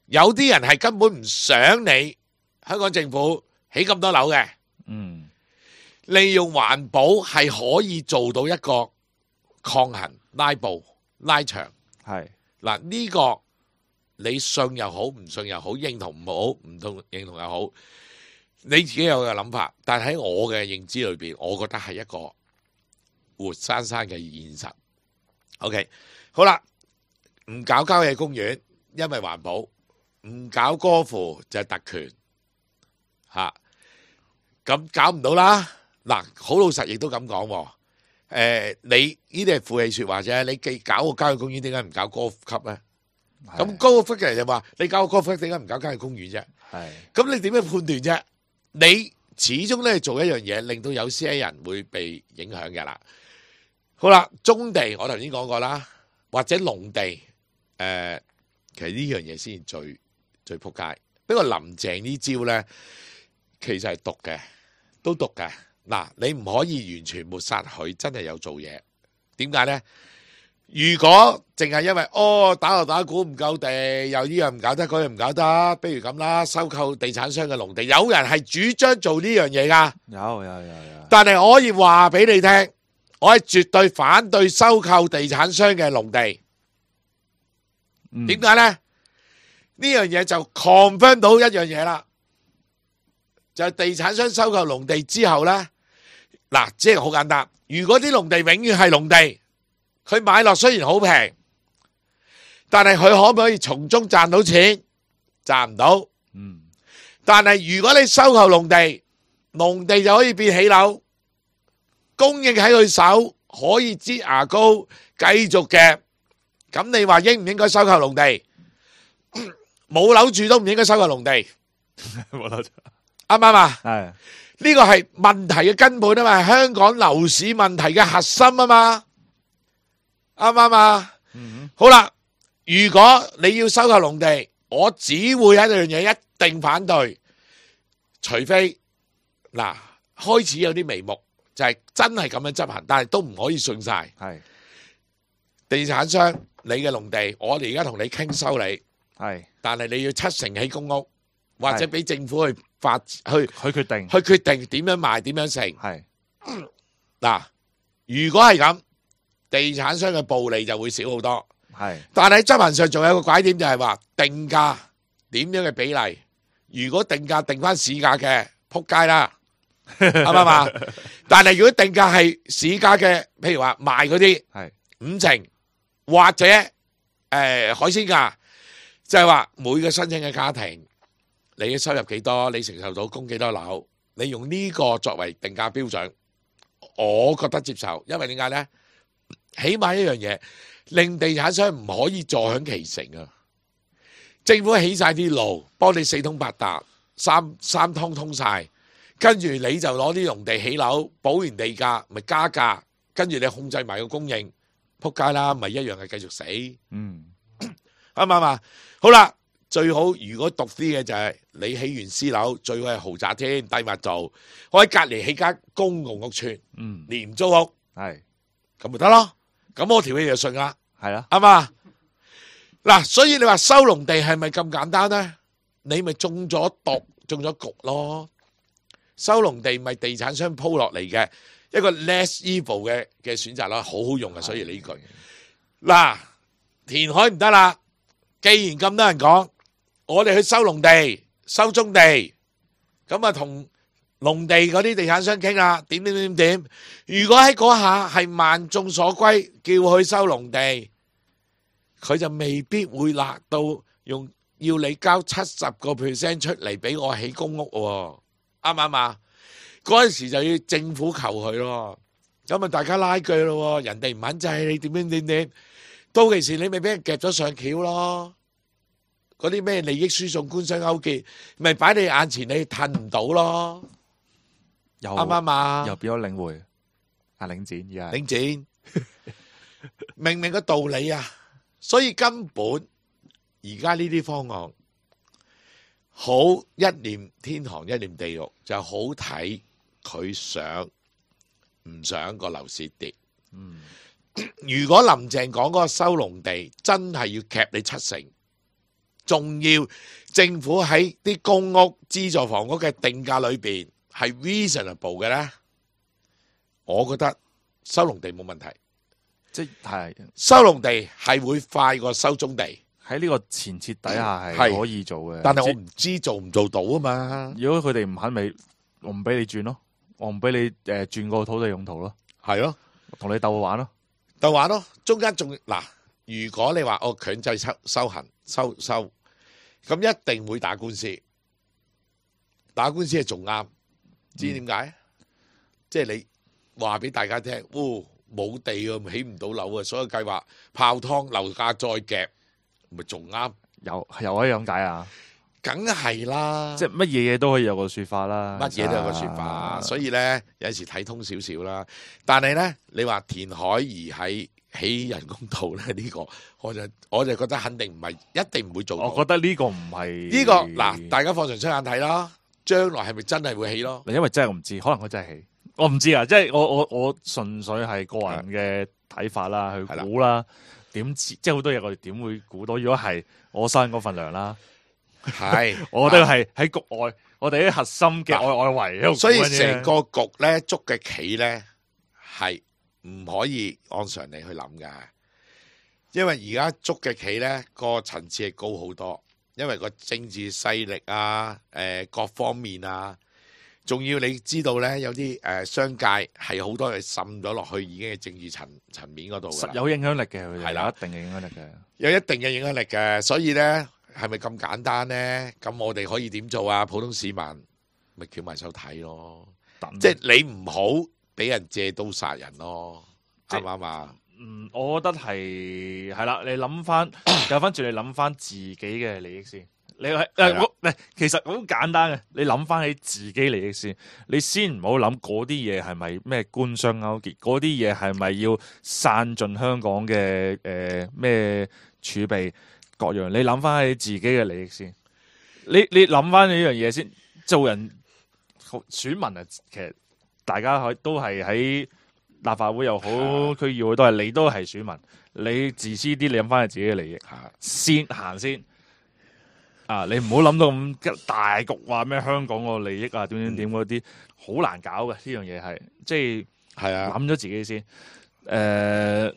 有啲人係根本唔想你香港政府起咁多樓嘅。嗯，利用環保係可以做到一個抗衡、拉布、拉長。係嗱，呢個你信又好，唔信又好，認同唔好，唔同認同又好，你自己有個諗法。但喺我嘅認知裏邊，我覺得係一個活生生嘅現實。OK， 好啦，唔搞郊野公園，因為環保；唔搞歌賦就係特權，吓咁搞唔到啦。嗱，好老實亦都咁講，誒、呃，你呢啲係負氣說話啫。你既搞個郊野公園，點解唔搞歌級咧？咁高個 figure 就話你搞個歌 figure，點解唔搞郊野公園啫？係，咁你點樣判斷啫？你始終咧做一樣嘢，令到有些人會被影響嘅啦。好啦，棕地我頭先講過啦，或者農地，誒、呃，其實呢樣嘢先最最撲街。不過林鄭呢招咧，其實係毒嘅，都毒嘅。嗱，你唔可以完全抹殺佢真係有做嘢。點解咧？如果淨係因為哦打鑼打鼓唔夠地，又呢樣唔搞得，嗰樣唔搞得，不如咁啦，收購地產商嘅農地，有人係主張做呢樣嘢噶，有有有有。但係我可以話俾你聽，我係絕對反對收購地產商嘅農地。點解咧？呢樣嘢就 confirm 到一樣嘢啦，就係地產商收購農地之後咧，嗱，即係好簡單。如果啲農地永遠係農地，佢買落雖然好平，但係佢可唔可以從中賺到錢？賺唔到。嗯。但係如果你收購農地，農地就可以變起樓，供應喺佢手，可以擠牙膏，繼續嘅。咁你話應唔應該收購農地？冇樓住都唔應該收購農地。冇樓住。啱唔啱啊？係。呢個係問題嘅根本啊嘛，香港樓市問題嘅核心啊嘛。啱唔啱啊？嗯、好啦，如果你要收購農地，我只會喺一樣嘢一定反對，除非嗱開始有啲眉目，就係、是、真係咁樣執行，但係都唔可以信晒。係地產商，你嘅農地，我哋而家同你傾收你，係，但係你要七成起公屋，或者俾政府去發去去決定，去決定點樣賣，點樣成。係嗱、嗯，如果係咁。地產商嘅暴利就會少好多，係。但係執行上仲有一個拐點，就係話定價點樣嘅比例。如果定價定翻市價嘅，撲街啦，啱唔啱啊？但係如果定價係市價嘅，譬如話賣嗰啲係五成，或者誒、呃、海鮮價，就係話每個申請嘅家庭，你嘅收入幾多，你承受到供幾多樓，你用呢個作為定價標準，我覺得接受，因為點解咧？起碼一樣嘢，令地產商唔可以坐享其成啊！政府起晒啲路，幫你四通八達，三三通通晒，跟住你就攞啲農地起樓，補完地價，咪加價，跟住你控制埋個供應，撲街啦，咪一樣係繼續死。嗯，啱唔啱啊？好啦，最好如果獨啲嘅就係你起完私樓，最好係豪宅添，低密度，我喺隔籬起間公共屋邨，嗯，廉租屋，係咁咪得咯。咁我條氣就順啦，係啦，啱嘛？嗱，所以你話收農地係咪咁簡單咧？你咪中咗毒，中咗局咯。收農地咪地產商鋪落嚟嘅一個 less evil 嘅嘅選擇咯，好好用啊！所以呢句嗱，填海唔得啦。既然咁多人講，我哋去收農地、收棕地，咁啊同農地嗰啲地產商傾啦，點點點點。如果喺嗰下係萬眾所歸，叫佢收農地，佢就未必會辣到用要你交七十個 percent 出嚟俾我起公屋喎，啱唔啱啊？嗰陣時就要政府求佢咯，咁啊大家拉鋸咯，人哋唔肯制你點點點點，到其時你咪俾人夾咗上橋咯。嗰啲咩利益輸送、官商勾結，咪擺你眼前，你褪唔到咯。啱唔啱啊？又變咗領匯啊，領展而家領展，明唔明個道理啊？所以根本而家呢啲方案好一念天堂，一念地獄，就好睇佢想唔想個樓市跌。嗯，如果林鄭講嗰個收農地真係要夾你七成，仲要政府喺啲公屋資助房屋嘅定價裏邊係 reasonable 嘅咧，我覺得收農地冇問題。即係收農地係會快過收棕地，喺呢個前設底下係係可以做嘅。但係我即唔知做唔做到啊嘛。如果佢哋唔肯，咪我唔俾你轉咯，我唔俾你誒轉個土地用途咯，係咯，同你鬥玩咯。就話咯，中間仲嗱，如果你話我強制收收行收收，咁一定會打官司，打官司係仲啱，知點解？嗯、即係你話俾大家聽，哦，冇地啊，起唔到樓啊，所有計劃泡湯，樓價再夾，咪仲啱？又又可以咁解啊？梗係啦，即係乜嘢嘢都可以有個說法啦，乜嘢都有個說法，所以咧有陣時睇通少少啦。但係咧，你話填海而喺起人工島咧，呢、這個我就我就覺得肯定唔係，一定唔會做到。我覺得呢個唔係呢個嗱，大家放長雙眼睇啦，將來係咪真係會起咯？因為真係我唔知，可能佢真係起，我唔知啊。即係我我我純粹係個人嘅睇法啦，去估啦。點知即係好多嘢我哋點會估到？如果係我收緊嗰份糧啦。係，我哋係喺局外，我哋啲核心嘅外外圍喺度，所以成個局咧捉嘅棋咧係唔可以按常理去諗噶，因為而家捉嘅棋咧個層次係高好多，因為個政治勢力啊，誒、呃、各方面啊，仲要你知道咧，有啲誒、呃、商界係好多嘢滲咗落去，已經係政治層層面嗰度，實有影響力嘅，佢哋係啦，有一定嘅影響力嘅，有一定嘅影響力嘅，所以咧。係咪咁簡單呢？咁我哋可以點做啊？普通市民咪翹埋手睇咯，即係你唔好俾人借刀殺人咯，啱唔啱啊？嗯，我覺得係係啦，你諗翻，有翻轉，你諗翻自己嘅利益先。你係誒我誒，其實好簡單嘅，你諗翻起自己利益先，你先唔好諗嗰啲嘢係咪咩官商勾結，嗰啲嘢係咪要散盡香港嘅誒咩儲備。各樣，你諗翻起自己嘅利益先，你你諗翻呢樣嘢先。做人選民啊，其實大家可都係喺立法會又好，區議會都係，你都係選民。你自私啲，你諗翻起自己嘅利益先行先。啊，你唔好諗到咁大局，話咩香港個利益啊，點點點嗰啲，好難搞嘅呢樣嘢係，即係係啊諗咗自己先。誒、呃。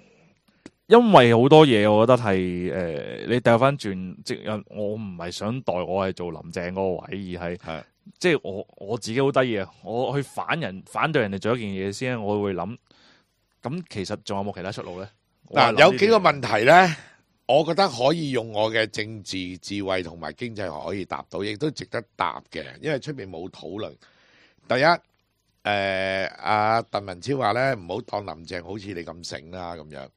因為好多嘢，我覺得係誒、呃，你掉翻轉，即係我唔係想代我係做林鄭嗰個位，而係即係我我自己好得意啊！我去反人反對人哋做一件嘢先，我會諗，咁其實仲有冇其他出路咧？嗱，有幾個問題咧，我覺得可以用我嘅政治智慧同埋經濟學可以答到，亦都值得答嘅，因為出邊冇討論。第一，誒、呃，阿鄧文超話咧，唔好當林鄭好似你咁醒啦，咁樣。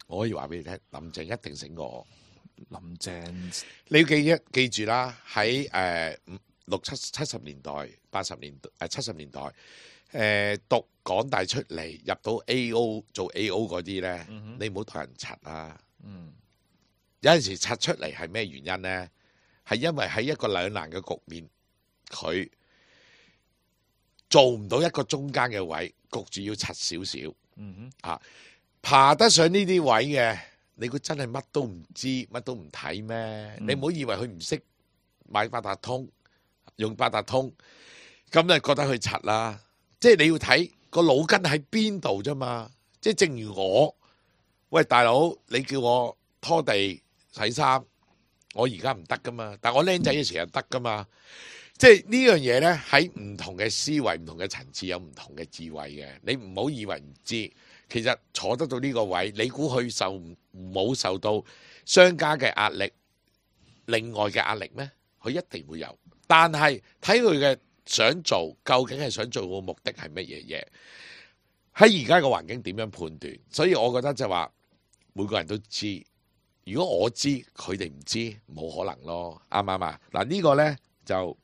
我可以話俾你聽，林鄭一定醒過我。林鄭，你要記一記住啦，喺誒六七七十年代、八十年誒七十年代，誒、呃、讀港大出嚟入到 A O 做 A O 嗰啲咧，嗯、你唔好同人柒啊。嗯、有陣時柒出嚟係咩原因咧？係因為喺一個兩難嘅局面，佢做唔到一個中間嘅位，焗住要柒少少。嗯哼啊。爬得上呢啲位嘅，你估真係乜都唔知，乜都唔睇咩？嗯、你唔好以為佢唔識買八達通，用八達通，咁就覺得佢柒啦。即係你要睇個腦筋喺邊度啫嘛。即係正如我，喂大佬，你叫我拖地洗衫，我而家唔得噶嘛。但我僆仔嘅時候得噶嘛。即係呢樣嘢咧，喺唔同嘅思維、唔同嘅層次有唔同嘅智慧嘅。你唔好以為唔知。其實坐得到呢個位，你估佢受冇受到商家嘅壓力、另外嘅壓力咩？佢一定會有，但係睇佢嘅想做，究竟係想做個目的係乜嘢嘢？喺而家個環境點樣判斷？所以我覺得就話每個人都知，如果我知佢哋唔知，冇可能咯，啱唔啱啊？嗱，呢個呢，就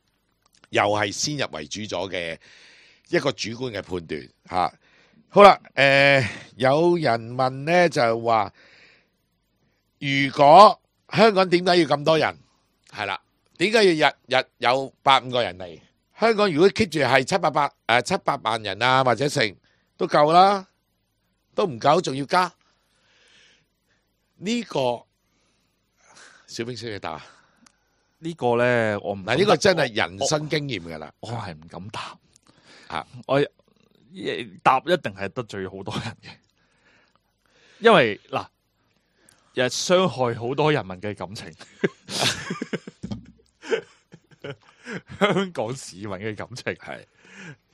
又係先入為主咗嘅一個主觀嘅判斷吓。好啦，誒、呃，有人問咧就話，如果香港點解要咁多人？係啦，點解要日日有百五個人嚟？香港如果 keep 住係七八百誒七八萬人啊，或者成都夠啦。都唔夠，仲要加呢、個小兵識嘅答。呢個咧，我唔嗱，呢個真係人生經驗㗎啦。我係唔敢答啊！我答一定係得罪好多人嘅，因為嗱，日傷害好多人民嘅感情，香港市民嘅感情係，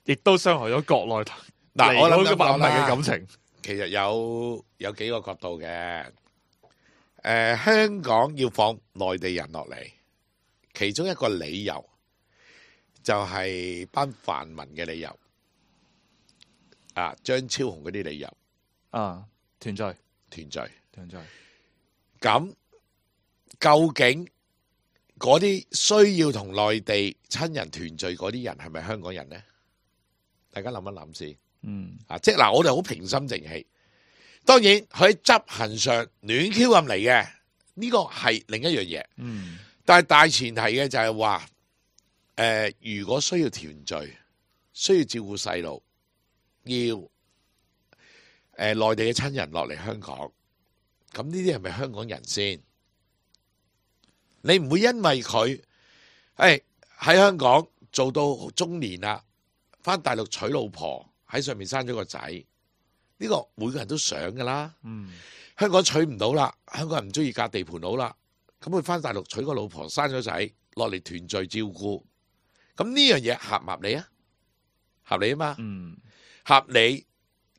亦都傷害咗國內嗱，我諗咁講離開嘅民嘅啦感情。其實有有幾個角度嘅。誒、香港要放內地人落嚟，其中一個理由就係班泛民嘅理由，啊，張超雄嗰啲理由啊，團聚團聚。團聚，咁究竟嗰啲需要同內地親人團聚嗰啲人係咪香港人呢？大家諗一諗先。嗯啊，即係嗱，我哋好平心靜氣。當然佢喺執行上亂 Q 咁嚟嘅，呢個係另一樣嘢。嗯，但係大前提嘅就係話，誒、如果需要團聚，需要照顧細路，要誒、內地嘅親人落嚟香港，咁呢啲係咪香港人先？你唔會因為佢誒喺香港做到中年啦，翻大陸娶老婆，喺上面生咗個仔，呢、個每個人都想噶啦。嗯，香港娶唔到啦，香港人唔中意嫁地盤佬啦，咁佢翻大陸娶個老婆，生咗仔，落嚟團聚照顧，咁呢樣嘢合唔合理啊？合理啊嘛，嗯，合理。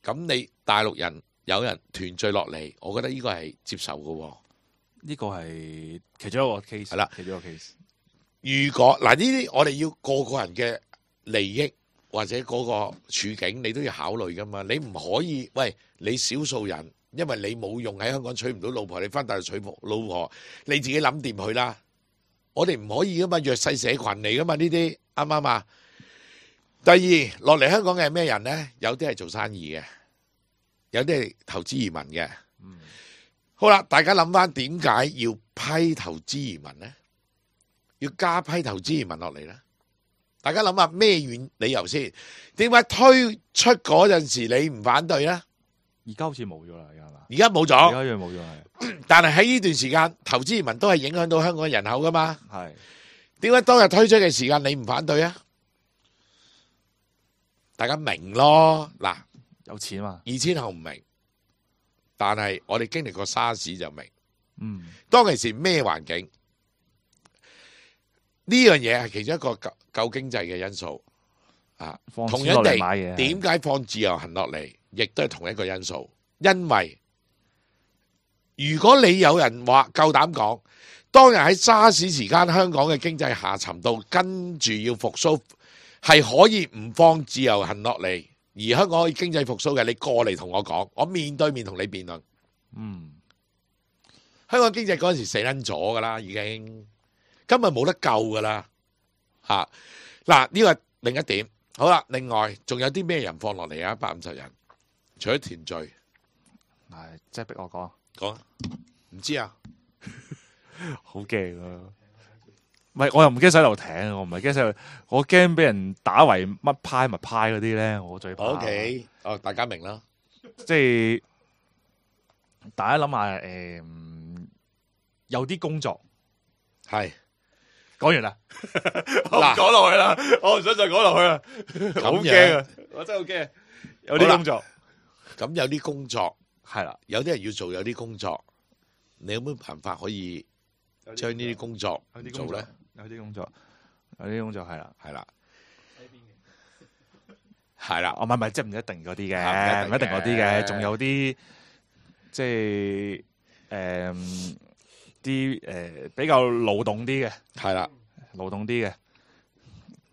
咁你大陸人有人團聚落嚟，我覺得呢個係接受嘅喎。呢個係其中一個 case，係啦其中一個 case。如果嗱呢啲我哋要個個人嘅利益或者嗰個處境，你都要考慮噶嘛。你唔可以喂你少數人，因為你冇用喺香港娶唔到老婆，你翻大陸娶老婆，你自己諗掂佢啦。我哋唔可以噶嘛，弱勢社群嚟噶嘛，呢啲啱唔啱啊？第二落嚟香港嘅係咩人呢？有啲係做生意嘅，有啲係投資移民嘅。嗯，好啦，大家諗翻點解要批投資移民呢？要加批投資移民落嚟呢？大家諗下咩原理由先？點解推出嗰陣時你唔反對呢？而家好似冇咗啦，而家係嘛？而家冇而咗，家一樣冇咗係，但係喺呢段時間投資移民都係影響到香港人口噶嘛？係點解當日推出嘅時間你唔反對啊？大家明咯，嗱，有錢嘛？二千後唔明，但係我哋經歷過沙士就明。嗯，當其時咩環境？呢樣嘢係其中一個救救經濟嘅因素啊。放錢落同樣地嚟買嘢，點解放自由行落嚟，亦都係同一個因素。因為如果你有人話夠膽講，當日喺沙士時間香港嘅經濟下沉到跟住要復甦，係可以唔放自由行落嚟，而香港可以經濟復甦嘅，你過嚟同我講，我面對面同你辯論。嗯，香港經濟嗰陣時死撚咗噶啦，已經今日冇得救噶啦嚇。嗱，呢個係另一點。好啦，另外仲有啲咩人放落嚟啊？一百五十人，除咗團聚，係即係逼我講，講唔知啊？好驚啊！唔係，我又唔驚洗頭艇，我唔係驚洗頭，我驚俾人打為乜派乜派嗰啲咧，我最怕。 O K，哦，大家明啦。即係大家諗下，誒、有啲工作係講完啦，我唔講落去啦，我唔想再講落去啦，好驚啊！我真係好驚，有啲工作咁有啲工作係啦，有啲人要做，有啲工作，你有冇辦法可以將呢啲工作有啲工作做咧？有啲工作，有啲工作係啦，係啦，係啦，哦，唔係唔係，即係唔一定嗰啲嘅，啊唔一定唔一定嗰啲嘅嘅，仲有啲即係誒啲誒比較勞動啲嘅，係啦。勞動啲嘅，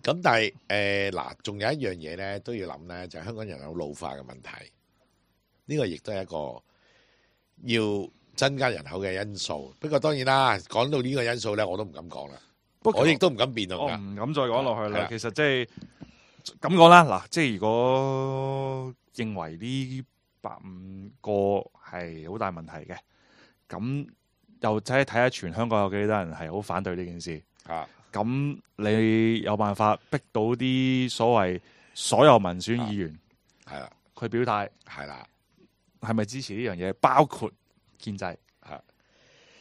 咁但係誒嗱，仲、有一樣嘢咧都要諗咧，就係、香港人有老化嘅問題。呢、個亦都係一個要增加人口嘅因素。不過當然啦，講到呢個因素咧，我都唔敢講啦。不過我亦都唔敢辯論我噶。唔敢再講落去啦。係啦其實即係咁講啦，嗱，即係如果認為呢百五個係好大問題嘅，咁又睇睇下全香港有幾多人係好反對呢件事。啊，咁你有辦法逼到啲所謂所有民選議員係啦，去表態，係啦，係咪支持呢樣嘢？包括建制。嚇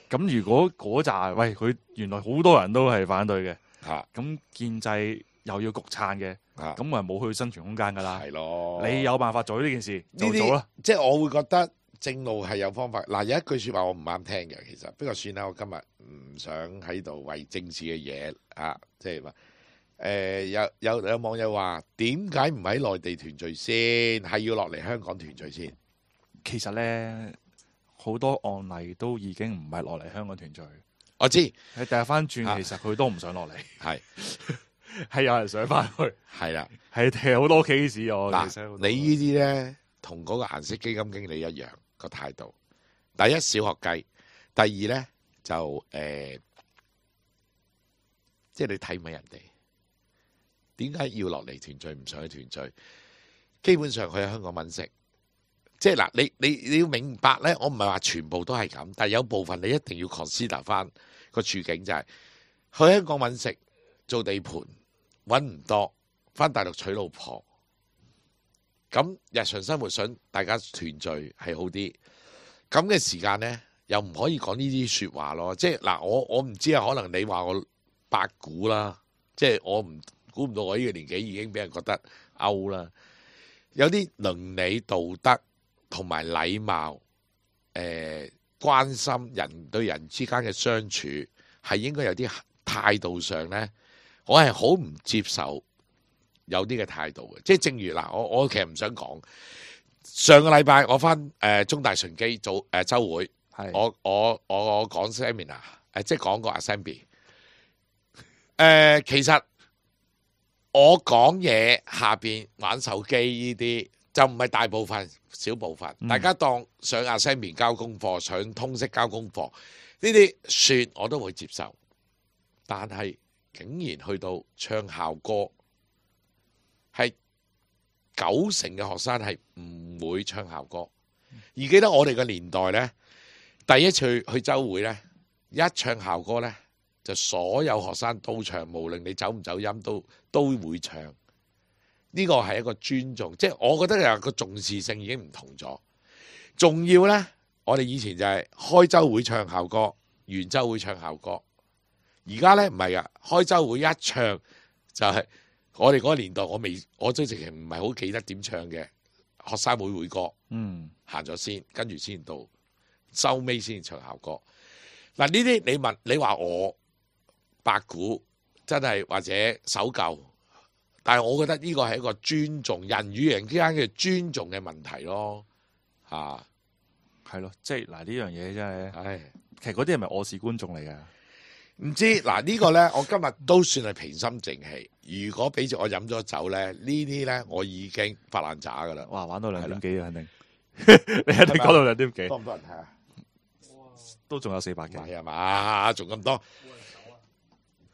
咁如果嗰扎喂佢原來好多人都係反對嘅，嚇咁建制又要焗撐嘅，嚇，咁咪冇佢生存空間㗎啦。係咯。你有辦法做呢件事呢就做啦。啲，即係我會覺得正路係有方法。嗱，有一句説話我唔啱聽嘅，其實不過算啦。我今日唔想喺度為政治嘅嘢啊，即係話誒有有有網友話點解唔喺內地團聚先，係要落嚟香港團聚先？其實咧好多案例都已經唔係落嚟香港團聚，我知係掉翻轉，啊其實佢都唔想落嚟，係係有人想翻去，係啦。係踢好多 case 我嗱，其實好你多呢啲咧同嗰個顏色基金經理一樣個態度。第一小學雞，第二咧就誒、呃，即係你睇唔起人哋，點解要落嚟團聚唔想去團聚？基本上佢喺香港揾食，即係嗱，你你你要明白咧，我唔係話全部都係咁，但係有部分你一定要 consider 翻個處境，就係、是、去香港揾食做地盤揾唔多，翻大陸娶老婆。咁日常生活想大家團聚係好啲，咁嘅時間呢，又唔可以講呢啲説話咯。即係嗱，我我唔知啊，可能你話我八股啦，即係我唔估唔到我呢個年紀已經俾人覺得 out 啦。有啲倫理道德同埋禮貌，誒、呃、關心人對人之間嘅相處係應該有啲態度上呢，我係好唔接受。有啲嘅態度嘅，即係正如嗱，我我其實唔想講。上個禮拜我翻誒、呃、中大順基做誒週會，係我我我我講 seminar，誒即係講個 assembly。誒其實我講嘢下邊玩手機呢啲就唔係大部分，小部分，嗯、大家當上 assembly 交功課，上通識交功課呢啲算我都會接受，但係竟然去到唱校歌。係九成嘅學生係唔會唱校歌，而記得我哋嘅年代呢，第一次去去週會呢，一唱校歌呢，就所有學生都唱，無論你走唔走音都都會唱。呢個係一個尊重，即係我覺得有個重視性已經唔同咗。仲要呢，我哋以前就係開週會唱校歌，完週會唱校歌，而家呢，唔係噶，開週會一唱就係、是。我哋嗰個年代，我未，我都直情唔係好記得點唱嘅學生會會歌，嗯，行咗先，跟住先到收尾先唱校歌。嗱，呢啲你問你話我八股真係或者守舊，但係我覺得呢個係一個尊重人與人之間嘅尊重嘅問題咯，嚇係咯，即係嗱呢樣嘢真係，唉，其實嗰啲係咪我是觀眾嚟㗎？唔知嗱呢個呢，我今日都算係平心靜氣。如果俾住我飲咗酒呢，呢啲呢，我已經發爛渣噶啦。哇，玩到兩點幾啊，肯定你一定講到兩點幾，多唔多人睇啊？都仲有四百幾，係啊嘛，仲咁多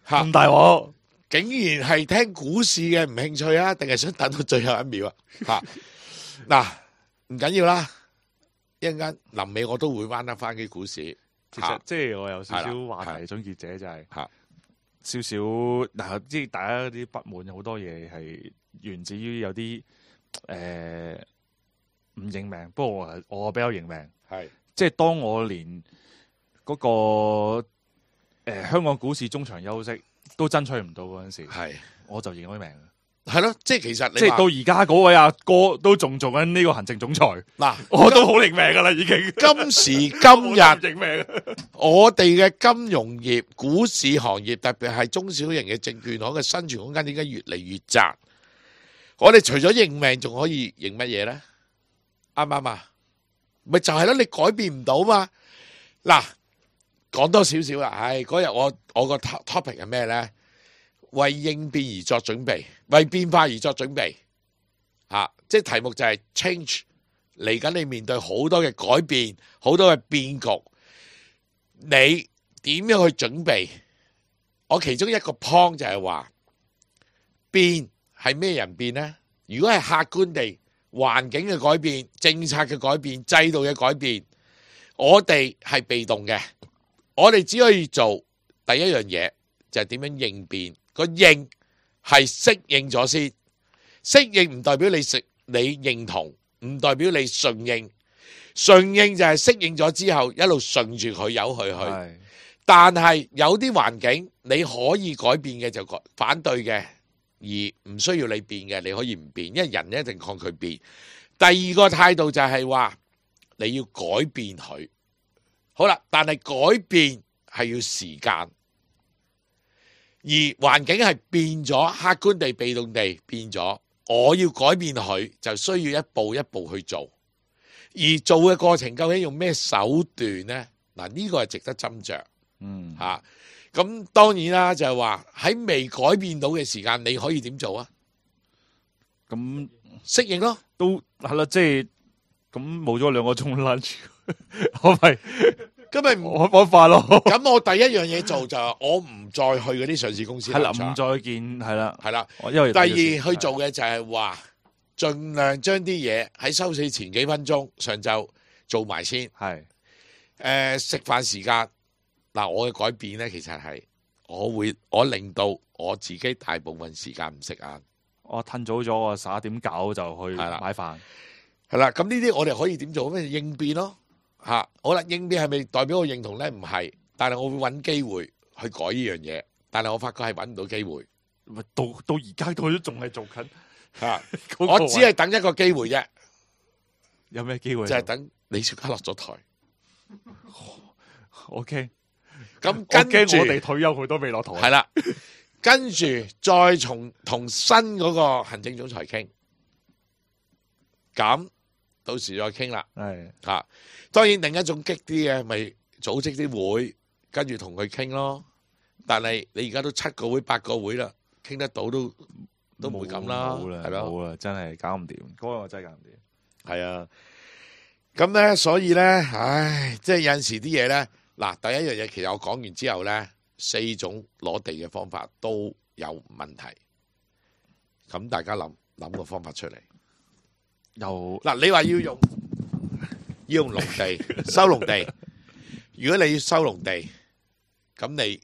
嚇咁大鑊，竟然係聽股市嘅唔興趣啊？定係想等到最後一秒啊？嚇嗱，唔緊要啦，一陣間臨尾我都會彎得翻啲股市。其實即係我有少少係啦話題總結者就係嚇少少嗱，即係大家啲不滿有好多嘢係源自於有啲誒唔認命，不過我係我比較認命，係即係當我連嗰個誒香港股市中場休息都爭取唔到嗰陣時，係我就認咗命。係咯，即係其實你即係話到而家嗰位阿哥都仲做緊呢個行政總裁，嗱，我都好認命噶啦，已經。今時今日我都唔認命。我哋嘅金融業、股市行業，特別係中小型嘅證券行嘅生存空間，點解越嚟越窄？我哋除咗認命，仲可以認乜嘢咧？啱唔啱啊？咪就係咯，你改變唔到嘛。嗱，講多少少啦。唉，嗰日我我個 topic 係咩咧？為應變而作準備，為變化而作準備。啊，即係題目就係 change。嚟緊你面對好多嘅改變，好多嘅變局。你點樣去準備？我其中一個 point 就係話變係咩人變呢？如果係客觀地環境嘅改變、政策嘅改變、制度嘅改變，我哋係被動嘅。我哋只可以做第一樣嘢，就係點樣應變。個應係適應咗先，適應唔代表你食你認同，唔代表你順應。順應就係適應咗之後，一路順住佢由佢去。係但係有啲環境你可以改變嘅就改反對嘅，而唔需要你變嘅，你可以唔變，因為人一定抗拒變。第二個態度就係話你要改變佢。好啦，但係改變係要時間。而環境係變咗，客觀地、被動地變咗。我要改變佢，就需要一步一步去做。而做嘅過程究竟用咩手段呢？嗱，呢個係值得斟酌。嗯嚇，咁當然啦，就係話喺未改變到嘅時間，你可以點做啊？咁適應咯。都係啦，即係咁冇咗兩個鐘 lunch，我咪咁咪唔我冇法咯。咁我第一樣嘢做就係我唔再去嗰啲上市公司係啦，立場唔再見係啦，係啦。我因為第二去做嘅就係話，盡量將啲嘢喺收市前幾分鐘上晝做埋先。係誒食飯時間嗱，我嘅改變咧，其實係我會我令到我自己大部分時間唔食晏。我褪早咗，我十一點九就去係啦買飯。係啦，咁呢啲我哋可以點做？咩應變咯嚇？好啦，應變係咪代表我認同咧？唔係，但係我會揾機會去改呢樣嘢。但係我發覺係揾唔到機會咪到到而家都仲係做緊嚇。嗰個我只係等一個機會啫，有咩機會？就係等李小加落咗台。 O K， 咁我跟住驚我哋退休佢都未落台。係啦，跟住再從同新嗰個行政總裁傾，咁到時再傾啦。係嚇，當然另一種激啲嘅，咪組織啲會，跟住同佢傾咯。但係你而家都七個會八個會啦，傾得到都都唔會咁啦，冇啦，係咯，冇啦，真係搞唔掂，嗰個我真係搞唔掂。係啊。咁咧，所以咧，唉，即係有陣時啲嘢咧，嗱，第一樣嘢其實我講完之後咧，四種攞地嘅方法都有問題。咁大家諗諗個方法出嚟。又嗱，你話要用要用農地收農地，如果你要收農地，咁你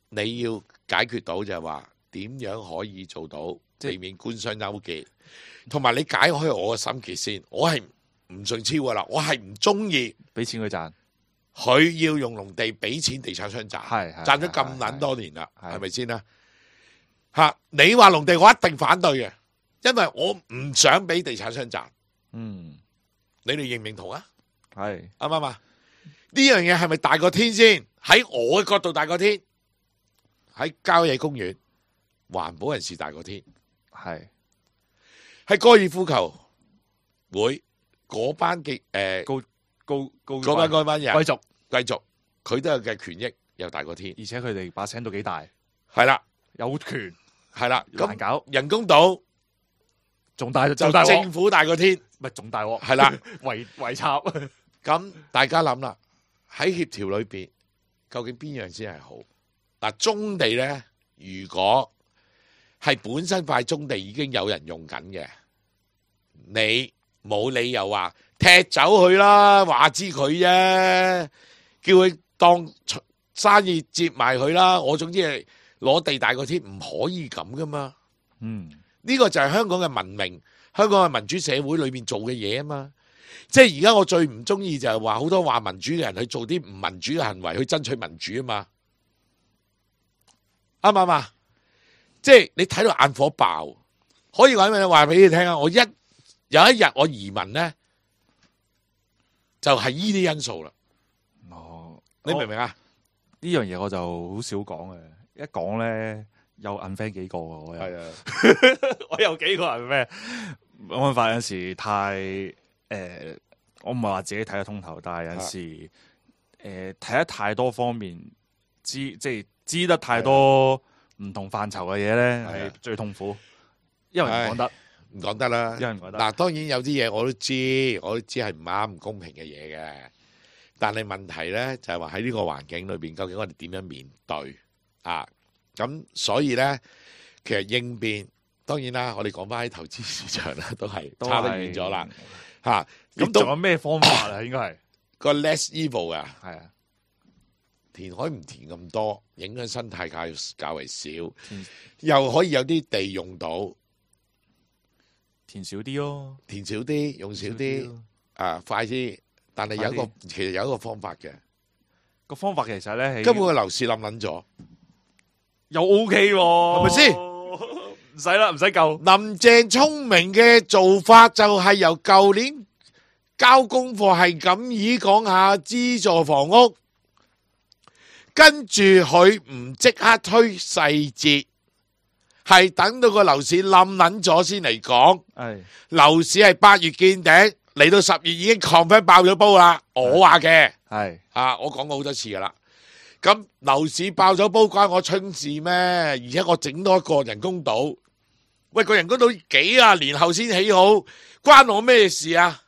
你要解決到就係話點樣可以做到避免官商勾結，同埋你解開我嘅心結先。我係唔順超噶啦，我係唔中意俾錢佢賺，佢要用農地俾錢地產商賺，係係賺咗咁撚多年啦，係係咪先啦？嚇，你話農地我一定反對嘅，因為我唔想俾地產商賺。嗯，你哋認唔認同啊？係啱唔啱啊？呢樣嘢係咪大過天先？喺我嘅角度大過天，喺郊野公園環保人士大過天，係喺高爾夫球會嗰班嘅誒高高高嗰班嗰班人貴族，繼續，佢都有嘅權益又大過天，而且佢哋把聲都幾大，係啦有權係啦，咁難搞，人工島仲大就仲大鑊，政府大過天，咪仲大鑊，係啦。圍圍插，咁大家諗啦，喺協調裏邊，究竟邊樣先係好？嗱，棕地咧，如果係本身塊棕地已經有人用緊嘅，你冇理由話踢走佢啦，話知佢啫，叫佢當生意接埋佢啦。我總之係攞地大過天，唔可以咁噶嘛。嗯，呢個就係香港嘅文明，香港嘅民主社會裏邊做嘅嘢啊嘛。即係而家我最唔中意就係話好多話民主嘅人去做啲唔民主嘅行為去爭取民主啊嘛，啱唔啱啊？即係你睇到眼火爆，可以話咩？話俾你聽啊！我一有一日我移民咧，就係呢啲因素啦。哦，你明唔明啊？呢樣嘢我就好少講嘅，一講咧有 unfriend 幾個啊，我有，係啊，我有幾個 unfriend，冇辦法有陣時太誒、呃，我唔係話自己睇得通透，但係有陣時誒睇得太多方面，知即係知得太多唔同範疇嘅嘢咧，係最痛苦，因為唔講得，唔講得啦。因為唔講得。嗱，當然有啲嘢我都知，我都知係唔啱、唔公平嘅嘢嘅。但係問題咧就係話喺呢個環境裏邊，究竟我哋點樣面對啊？咁所以咧，其實應變當然啦，我哋講翻喺投資市場啦，都係差得遠咗啦嚇。咁仲有咩方法啊？應該係個 less evil 啊，係啊，填海唔填咁多，影響生態較較為少，填又可以有啲地用到，填少啲咯，填少啲，用少啲。啊，快啲。但係有一個快其實有一個方法嘅，個方法其實咧係根本個樓市冧撚咗，又 O K 喎，係咪先？唔使啦，唔使救。林鄭聰明嘅做法就係由舊年交功課係咁意講下資助房屋，跟住佢唔即刻推細節，係等到個樓市冧撚咗先嚟講。係樓市係八月見頂，嚟到十月已經 confirm 爆咗煲啦。我話嘅係啊，我講過好多次噶啦。咁樓市爆咗煲關我春事咩？而且我整多一個人工島，喂，個人工島幾廿年後先起好，關我咩事啊？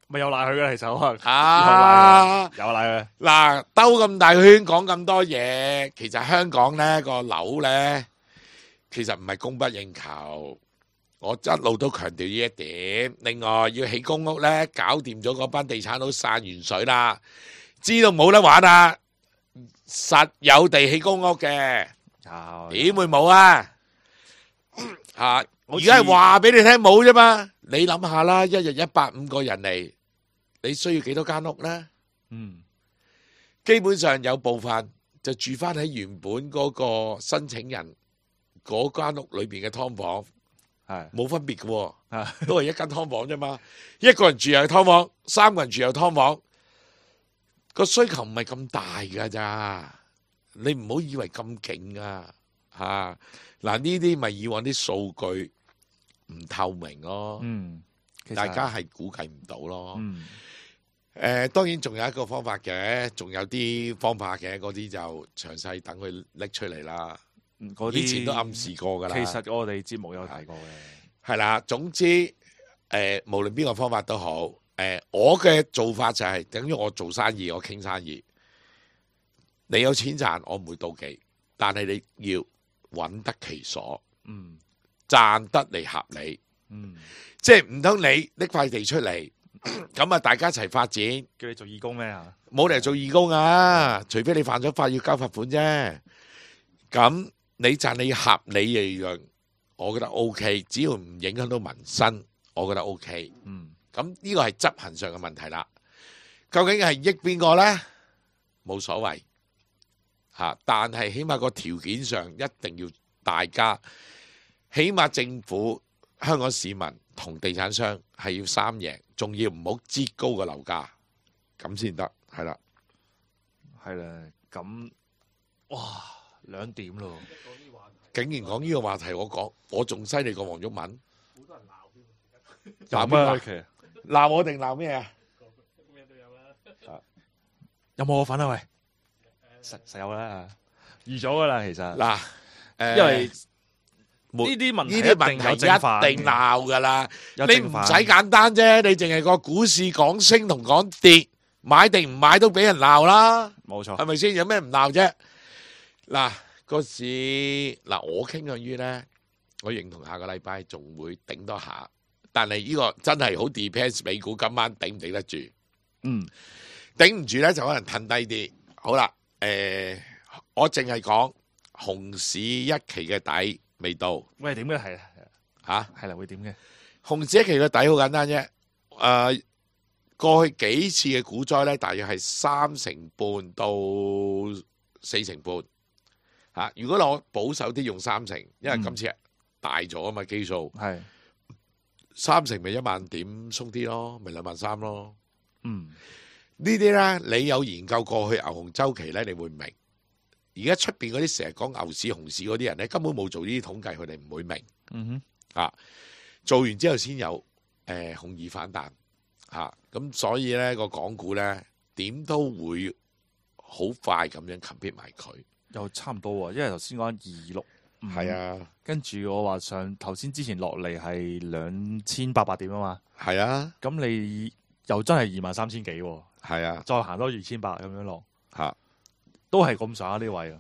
咪有賴佢嘅，其實可能啊，有賴佢。嗱，兜咁大圈講咁多嘢，其實香港呢個樓呢，其實唔係供不應求。我一路都強調呢一點。另外要起公屋呢，搞掂咗嗰班地產佬散完水啦，知道冇得玩啦，實有地起公屋嘅，有點會冇啊？吓，好似而家係話俾你聽冇啫嘛。你諗下啦，一日一百五個人嚟，你需要幾多間屋呢？嗯，基本上有部分就住翻喺原本嗰個申請人嗰間屋裏邊嘅劏房，係冇分別嘅喎，啊都係一間劏房啫嘛。一個人住又係劏房，三個人住又劏房，個需求唔係咁大㗎咋。你唔好以為咁勁啊！嚇嗱，呢啲咪以往啲數據唔透明咯，嗯，其實大家係估計唔到咯。嗯誒、當然仲有一個方法嘅，仲有啲方法嘅，嗰啲就詳細等佢拎出嚟啦。嗯嗰啲以前都暗示過㗎啦。其實我哋節目有提過嘅。係啦，總之誒、無論邊個方法都好，誒、我嘅做法就係、等於我做生意，我傾生意，你有錢賺，我唔會妒忌，但係你要揾得其所，嗯賺得嚟合理，嗯，即係唔通你拎塊地出嚟，咁啊大家一齊發展。叫你做義工咩啊？冇理由做義工啊，除非你犯咗法要交罰款啫。咁你賺你合理利潤，我覺得 O K， 只要唔影響到民生，我覺得 O K。嗯，咁呢個係執行上嘅問題啦。究竟係益邊個呢？冇所謂嚇，但係起碼個條件上一定要大家，起碼政府、香港市民同地產商係要三贏，仲要唔好擠高個樓價，咁先得。係啦，係啦，咁哇兩點咯，竟然講呢個話題，我講我仲犀利過黃毓民，鬧鬧邊個？咩其實鬧我定鬧咩啊？有冇我份啊？喂，實實有啦，預咗噶啦，其實嗱，誒，因為沒呢啲問題呢啲問一定有題正反嘅一定鬧噶啦。有正反你唔使簡單啫，你淨係個股市講升同講跌，買定唔買都俾人鬧啦，冇錯，係咪先？有咩唔鬧啫？嗱，個市嗱，我傾向於咧，我認同下個禮拜仲會頂多下，但係呢個真係好 depends 美股今晚頂唔頂得住。嗯，頂唔住咧，就可能褪低啲。好啦，誒、我淨係講熊市一期嘅底未到喂點嘅係嚇。係啦，會點嘅？熊市一期嘅底好簡單啫。誒、過去幾次嘅股災咧，大約係三成半到四成半嚇、如果攞保守啲用三成，因為今次大咗啊嘛基數，係三成咪一萬點鬆啲咯，咪兩萬三咯。嗯呢啲咧，你有研究過去牛熊周期咧，你會明。而家出邊嗰啲成日講牛市、熊市嗰啲人咧，根本冇做呢啲統計，佢哋唔會明嗯啊。做完之後先有誒熊二反彈嚇，咁、所以咧個港股咧點都會好快咁樣 compete 埋佢。哼，又差唔多喎，因為頭先講二六五，係啊，跟住我話上頭先之前落嚟係兩千八百點啊嘛，係啊，咁你又真係二萬三千幾喎，係啊，再行多二千八咁樣落，嚇都係咁上下呢位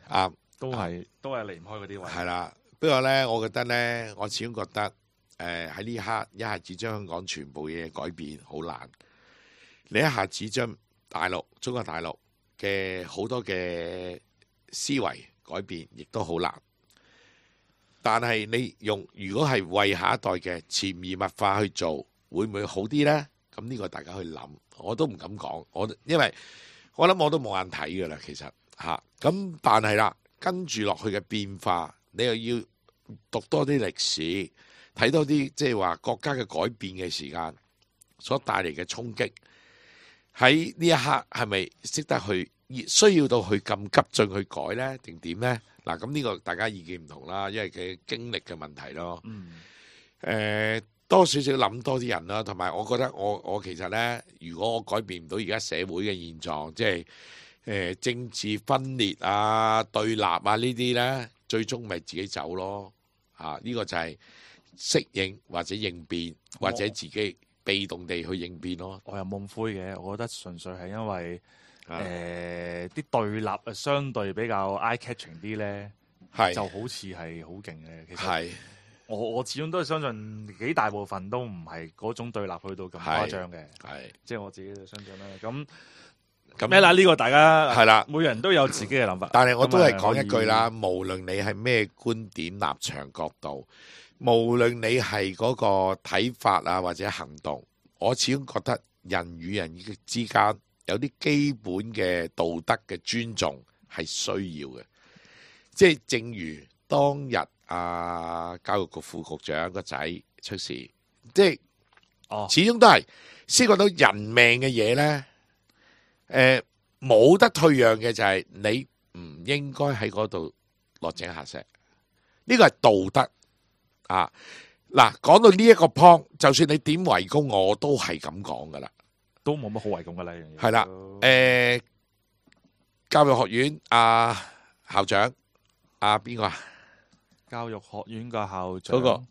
啊，啱。都係都係離唔開嗰啲位。係啦，不過咧，我覺得咧，我始終覺得誒喺呢刻一下子將香港全部嘢改變好難。你一下子將大陸、中國大陸嘅好多嘅思維改變，亦都好難。但係你用如果係為下一代嘅潛移默化去做，會唔會好啲咧？咁呢個大家去諗，我都唔敢講，我因為我諗我都冇眼睇噶啦，其實嚇。咁、啊、但係啦，跟住落去嘅變化，你又要讀多啲歷史，睇多啲即係話國家嘅改變嘅時間所帶嚟嘅衝擊，喺呢一刻係咪識得去需要到去咁急進去改呢？定點呢？嗱，咁呢個大家意見唔同啦，因為佢經歷嘅問題咯。嗯。誒、呃，多少少諗多啲人啦，同埋我覺得我我其實呢，如果我改變唔到而家社會嘅現狀，即係、呃、政治分裂啊、對立啊呢啲呢，最終咪自己走咯。嚇、啊，呢、呢個就係適應或者應變，或者自己被動地去應變咯。我又冇咁灰嘅，我覺得純粹係因為。誒啲、啊呃、對立啊，相對比較 eye catching 啲咧，係就好似係好勁嘅。其實係我我始終都係相信幾大部分都唔係嗰種對立去到咁誇張嘅，係即係我自己就相信啦。咁咁咩啦？呢、呢個大家係啦，每人都有自己嘅諗法。但係我都係講咁一句啦，無論你係咩觀點、立場、角度，無論你係嗰個睇法啊或者行動，我始終覺得人與人之間有啲基本嘅道德嘅尊重係需要嘅，即係正如當日啊教育局副局長個仔出事，即係哦，始終都係先講到人命嘅嘢呢。誒冇得退讓嘅就係你唔應該喺嗰度落井下石，呢個係道德啊！嗱，講到呢一個 point，就算你點圍攻我，我都係咁講噶啦。都冇乜好圍攻噶啦，係啦，誒，教育學院阿校長阿邊個啊？教育學院嘅校長嗰個啊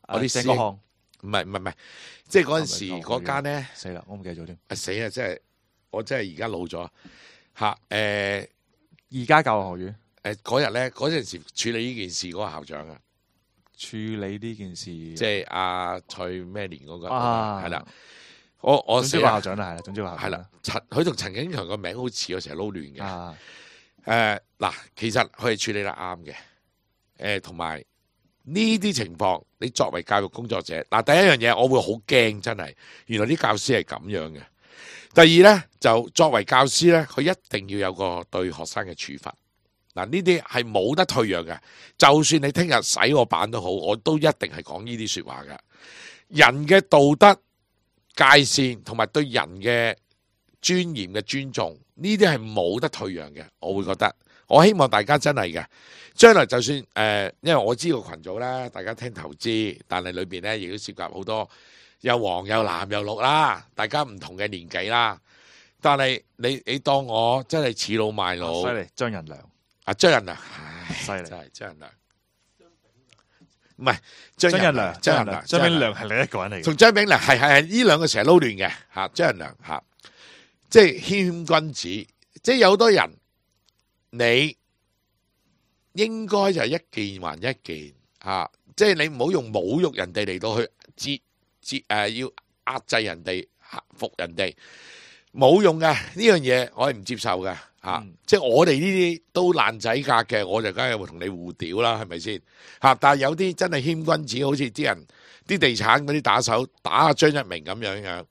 我啲師鄭國項唔係唔係唔係，即係嗰陣時係咪嗰間咧，死啦，我唔記得咗添。啊死啊！真係我真係而家老咗嚇誒而家教育學院誒嗰日咧，嗰陣時處理呢件事嗰個校長啊，處理呢件事，即係阿蔡咩年嗰個啊係啦。我我總之個校長啦，係啦，總之個校長係啦，陳佢同陳景強個名好似，我成日撈亂嘅。啊，誒嗱，其實佢係處理得啱嘅。誒同埋呢啲情況，你作為教育工作者，嗱第一樣嘢我會好驚，真係原來啲教師係咁樣嘅。第二呢，就作為教師呢，佢一定要有個對學生嘅處罰。嗱呢啲係冇得退讓嘅，就算你聽日洗我版都好，我都一定係講呢啲説話嘅。人嘅道德界線同埋對人嘅尊嚴嘅尊重，呢啲係冇得退讓嘅。我會覺得，我希望大家真係嘅，將來就算誒、呃，因為我知個群組啦，大家聽投資，但係裏邊咧亦都涉及好多有黃有藍有綠啦，大家唔同嘅年紀啦。但係你你當我真係恃老賣老，犀利張仁良啊張仁良，唉，犀利真係張仁良，唔係張張仁良，張仁良，張炳良係另一個人嚟嘅。同張炳良係係係呢兩個成日撈亂嘅嚇，張仁良嚇，即係謙君子，即係有好多人，你應該就係一件還一件嚇，即係你唔好用侮辱人哋嚟到去節節誒要壓制人哋嚇服人哋，冇用嘅呢樣嘢，我係唔接受嘅嚇。嗯即係我哋呢啲都爛仔格嘅，我就梗係會同你互屌啦，係咪先嚇？但係有啲真係謙君子，好似啲人啲地產嗰啲打手打阿張一鳴咁樣樣，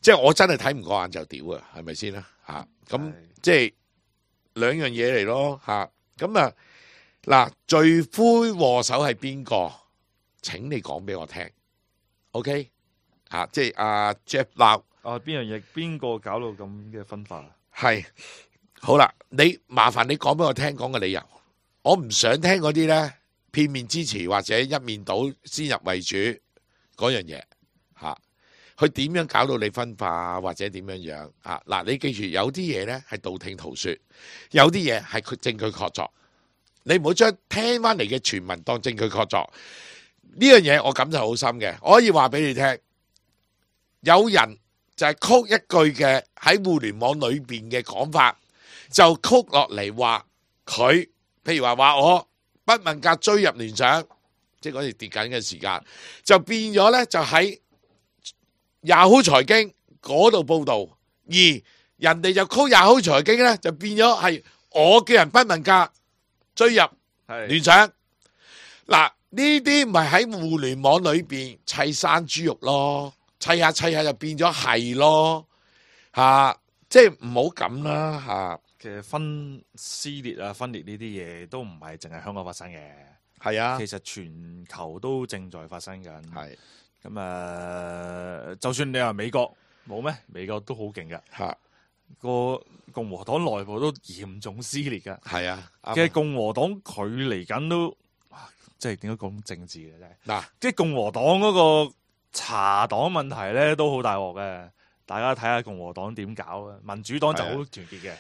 即係我真係睇唔過眼就屌啊，係咪先啦嚇？咁係即係兩樣嘢嚟咯嚇。咁啊嗱，罪魁禍首係邊個？請你講俾我聽，OK 嚇？即係阿 Jeff Lau 啊，邊樣嘢邊個搞到咁嘅分化啊？係。好啦，你麻煩你講俾我聽講個理由，我唔想聽嗰啲呢片面之詞或者一面倒先入為主嗰樣嘢嚇，佢點樣搞到你分化或者點樣樣啊？嗱，你記住有啲嘢呢係道聽途說，有啲嘢係佢證據確鑿，你唔好將聽翻嚟嘅傳聞當證據確鑿。呢樣嘢我感受好深嘅，我可以話俾你聽，有人就係曲一句嘅喺互聯網裏邊嘅講法。就曲落嚟話佢，譬如話話我不問價追入聯想，即係嗰時跌緊嘅時間，就變咗咧就喺 Yahoo 財經嗰度報導，而人哋就曲 Yahoo 財經咧就變咗係我叫人不問價追入聯想。嗱，呢啲唔係喺互聯網裏邊砌生豬肉咯，砌下砌下就變咗係咯，嚇，即係唔好咁啦嚇。其實分撕裂啊、分裂呢啲嘢都唔係淨係香港發生嘅，係啊，其實全球都正在發生緊。係咁啊，就算你話美國冇咩，美國都好勁噶，嚇，個共和黨內部都嚴重撕裂噶。係啊，其實共和黨佢嚟緊都，即係點解講政治嘅真係？嗱，即係共和黨嗰個茶黨問題咧都好大鑊嘅，大家睇下共和黨點搞啊！民主黨就好團結嘅。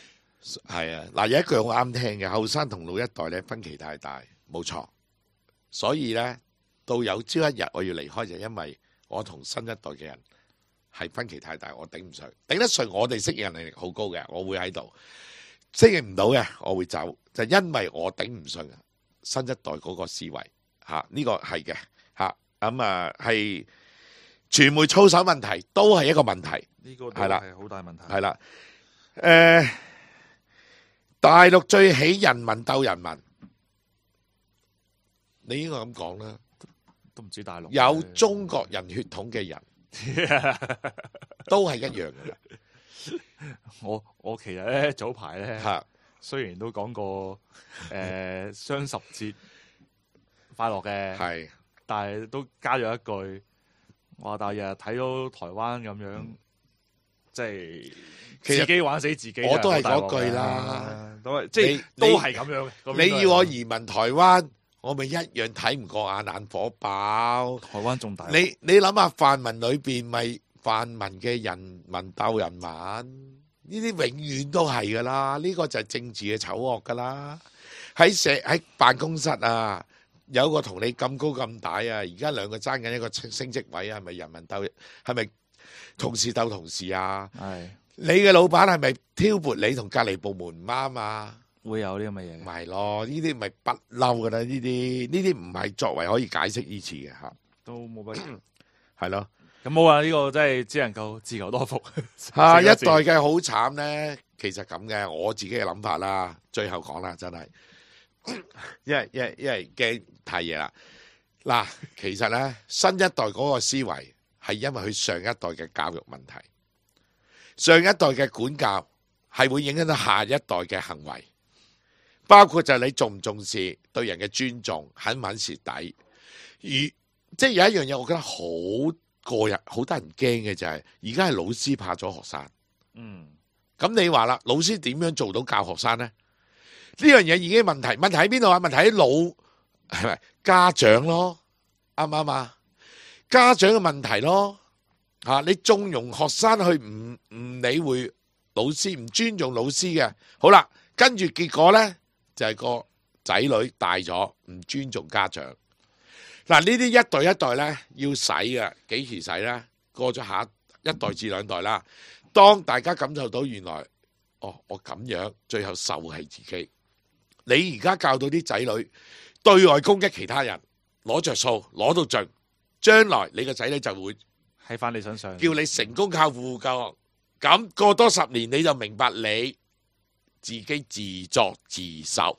係啊，嗱，有一句好啱聽嘅，後生同老一代咧分歧太大，冇錯。所以咧，到有朝一日我要離開，就因為我同新一代嘅人係分歧太大，我頂唔順，頂得順我哋適應能力好高嘅，我會喺度適應唔到嘅，我會走，就因為我頂唔順新一代嗰個思維嚇，呢個係嘅嚇，咁啊係傳媒操守問題都係一個問題，呢個都係啦，係好大問題。係啦，誒。大陸最起人民鬥人民，你應該咁講啦。都唔止大陸有中國人血統嘅人，都係一樣嘅啦。我我其實咧早排咧，嚇，雖然都講過誒雙十節快樂嘅，係，但係都加咗一句，話但係日日睇到台灣咁樣，嗯即係其實自己玩死自己。我都係嗰句好大鑊㗎啦，都係即係你都係咁樣嘅。嗰邊都係你要我移民台灣，我咪一樣睇唔過眼，眼火爆。台灣仲大鑊。你你諗下泛民裏邊咪泛民嘅人民鬥人民，呢啲永遠都係噶啦，呢個就係政治嘅醜惡噶啦。喺社喺辦公室啊，有個同你咁高咁大啊，而家兩個爭緊一個升職位啊，係咪人民鬥？係咪同事鬥同事啊？係你嘅老闆係咪挑撥你同隔離部門唔啱啊？會有呢咁嘅嘢唔嘅。係咯，呢啲咪不嬲噶啦，呢啲呢啲唔係作為可以解釋呢次嘅嚇，都冇乜。係咯。咁冇啊！呢個真係只能夠自求多福。下一代嘅好慘咧，其實咁嘅，我自己嘅諗法啦。最後講啦，真係，因為因為因為驚太夜啦。嗱，其實咧，新一代嗰個思維係因為佢上一代嘅教育問題，上一代嘅管教係會影響到下一代嘅行為，包括就係你重唔重視對人嘅尊重，肯唔肯蝕底。而即係有一樣嘢，我覺得好個人好得人驚嘅就係，而家係老師怕咗學生。嗯，咁你話啦，老師點樣做到教學生呢？呢樣嘢已經問題，問題喺邊度啊？問題喺老係咪家長咯？啱唔啱啊？家長嘅問題咯，吓你縱容學生去唔唔理會老師，唔尊重老師嘅，好啦，跟住結果呢，就係個仔女大咗，唔尊重家長。嗱，呢啲一代一代咧要洗嘅，幾時洗咧？過咗下一代至兩代啦。當大家感受到原來，哦，我咁樣最後受係自己。你而家教到啲仔女對外攻擊其他人，攞着數，攞到盡，將來你個仔女就會喺翻你身上，叫你成功靠父救。咁過多十年你就明白你自己自作自受。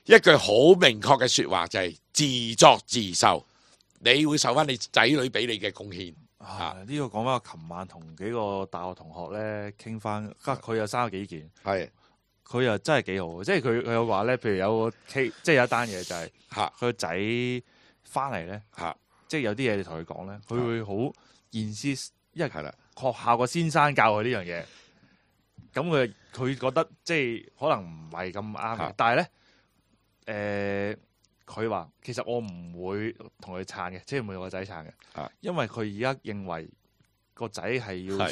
一句好明確嘅說話就係自作自受，你會受翻你仔女俾你嘅貢獻。啊！呢、這個講翻，我琴晚同幾個大學同學咧傾翻，佢又生咗幾件，係佢又真係幾好，即係佢佢有話咧，譬如有個 K，即係有一單嘢就係嚇佢個仔翻嚟咧嚇，即係有啲嘢你同佢講咧，佢會好現思，因為係啦，學校個先生教佢呢樣嘢，咁佢佢覺得即係可能唔係咁啱嘅，但係咧。誒，佢、呃、話其實我唔會同佢撐嘅，即係唔會同個仔撐嘅，啊、因為佢而家認為個仔係要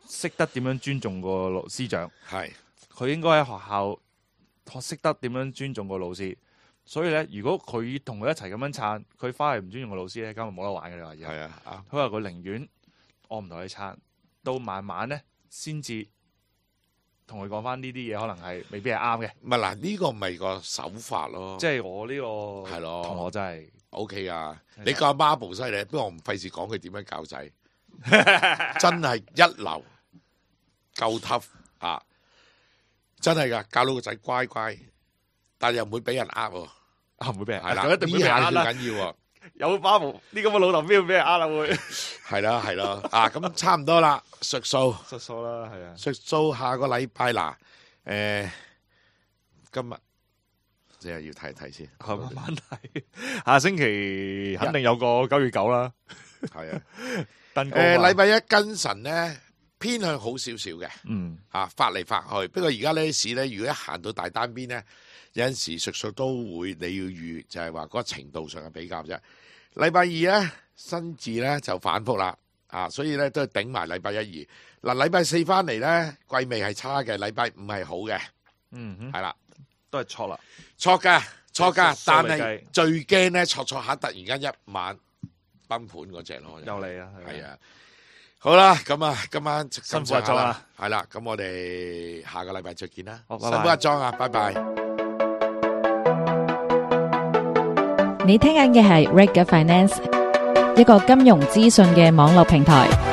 識得點樣尊重個老師長，係佢應該喺學校學識得點樣尊重個老師，所以咧，如果佢同佢一齊咁樣撐，佢翻嚟唔尊重個老師咧，咁就冇得玩嘅。你話而家係啊，佢話佢寧願我唔同佢撐，到慢慢咧先至。同佢講翻呢啲嘢，可能係未必係啱嘅。唔係嗱，呢個咪個手法咯。即係我呢個係咯，同學真係 O K 啊！你個阿媽部犀利，不過我唔費事講佢點樣教仔，真係一流，夠 tough 啊！真係噶，教到個仔乖乖，但係又唔會俾人呃喎。啊，唔會俾人係啦，一定會俾人呃啦。最緊要喎。有巴毛呢咁嘅老豆邊會俾人呃啦會？係啦係啦，啊咁差唔多啦，述數實數啦，係啊。述數下個禮拜嗱，誒今日即係要睇一睇先，慢慢睇，下星期肯定有個九月九啦。係啊，登高誒禮拜一跟神咧偏向好少少嘅，嗯啊發嚟發去，不過而家呢啲市咧，如果一行到大單邊咧，有陣時述數都會你要預，就係話嗰個程度上嘅比較啫。禮拜二咧新字咧就反覆啦，啊所以咧都係頂埋禮拜一二。嗱禮拜四翻嚟咧季味係差嘅，禮拜五係好嘅，嗯哼，係啦。都係錯啦。錯噶，錯噶，數但係嚟計最驚咧，錯錯下突然間一晚崩盤嗰只咯，又嚟啊，係啊，好啦，咁啊，今晚辛苦阿莊啊，係啦，咁我哋下個禮拜再見啦，好拜拜辛苦阿莊啊，拜拜。你聽緊嘅係 Reg Finance，一個金融資訊嘅網絡平台。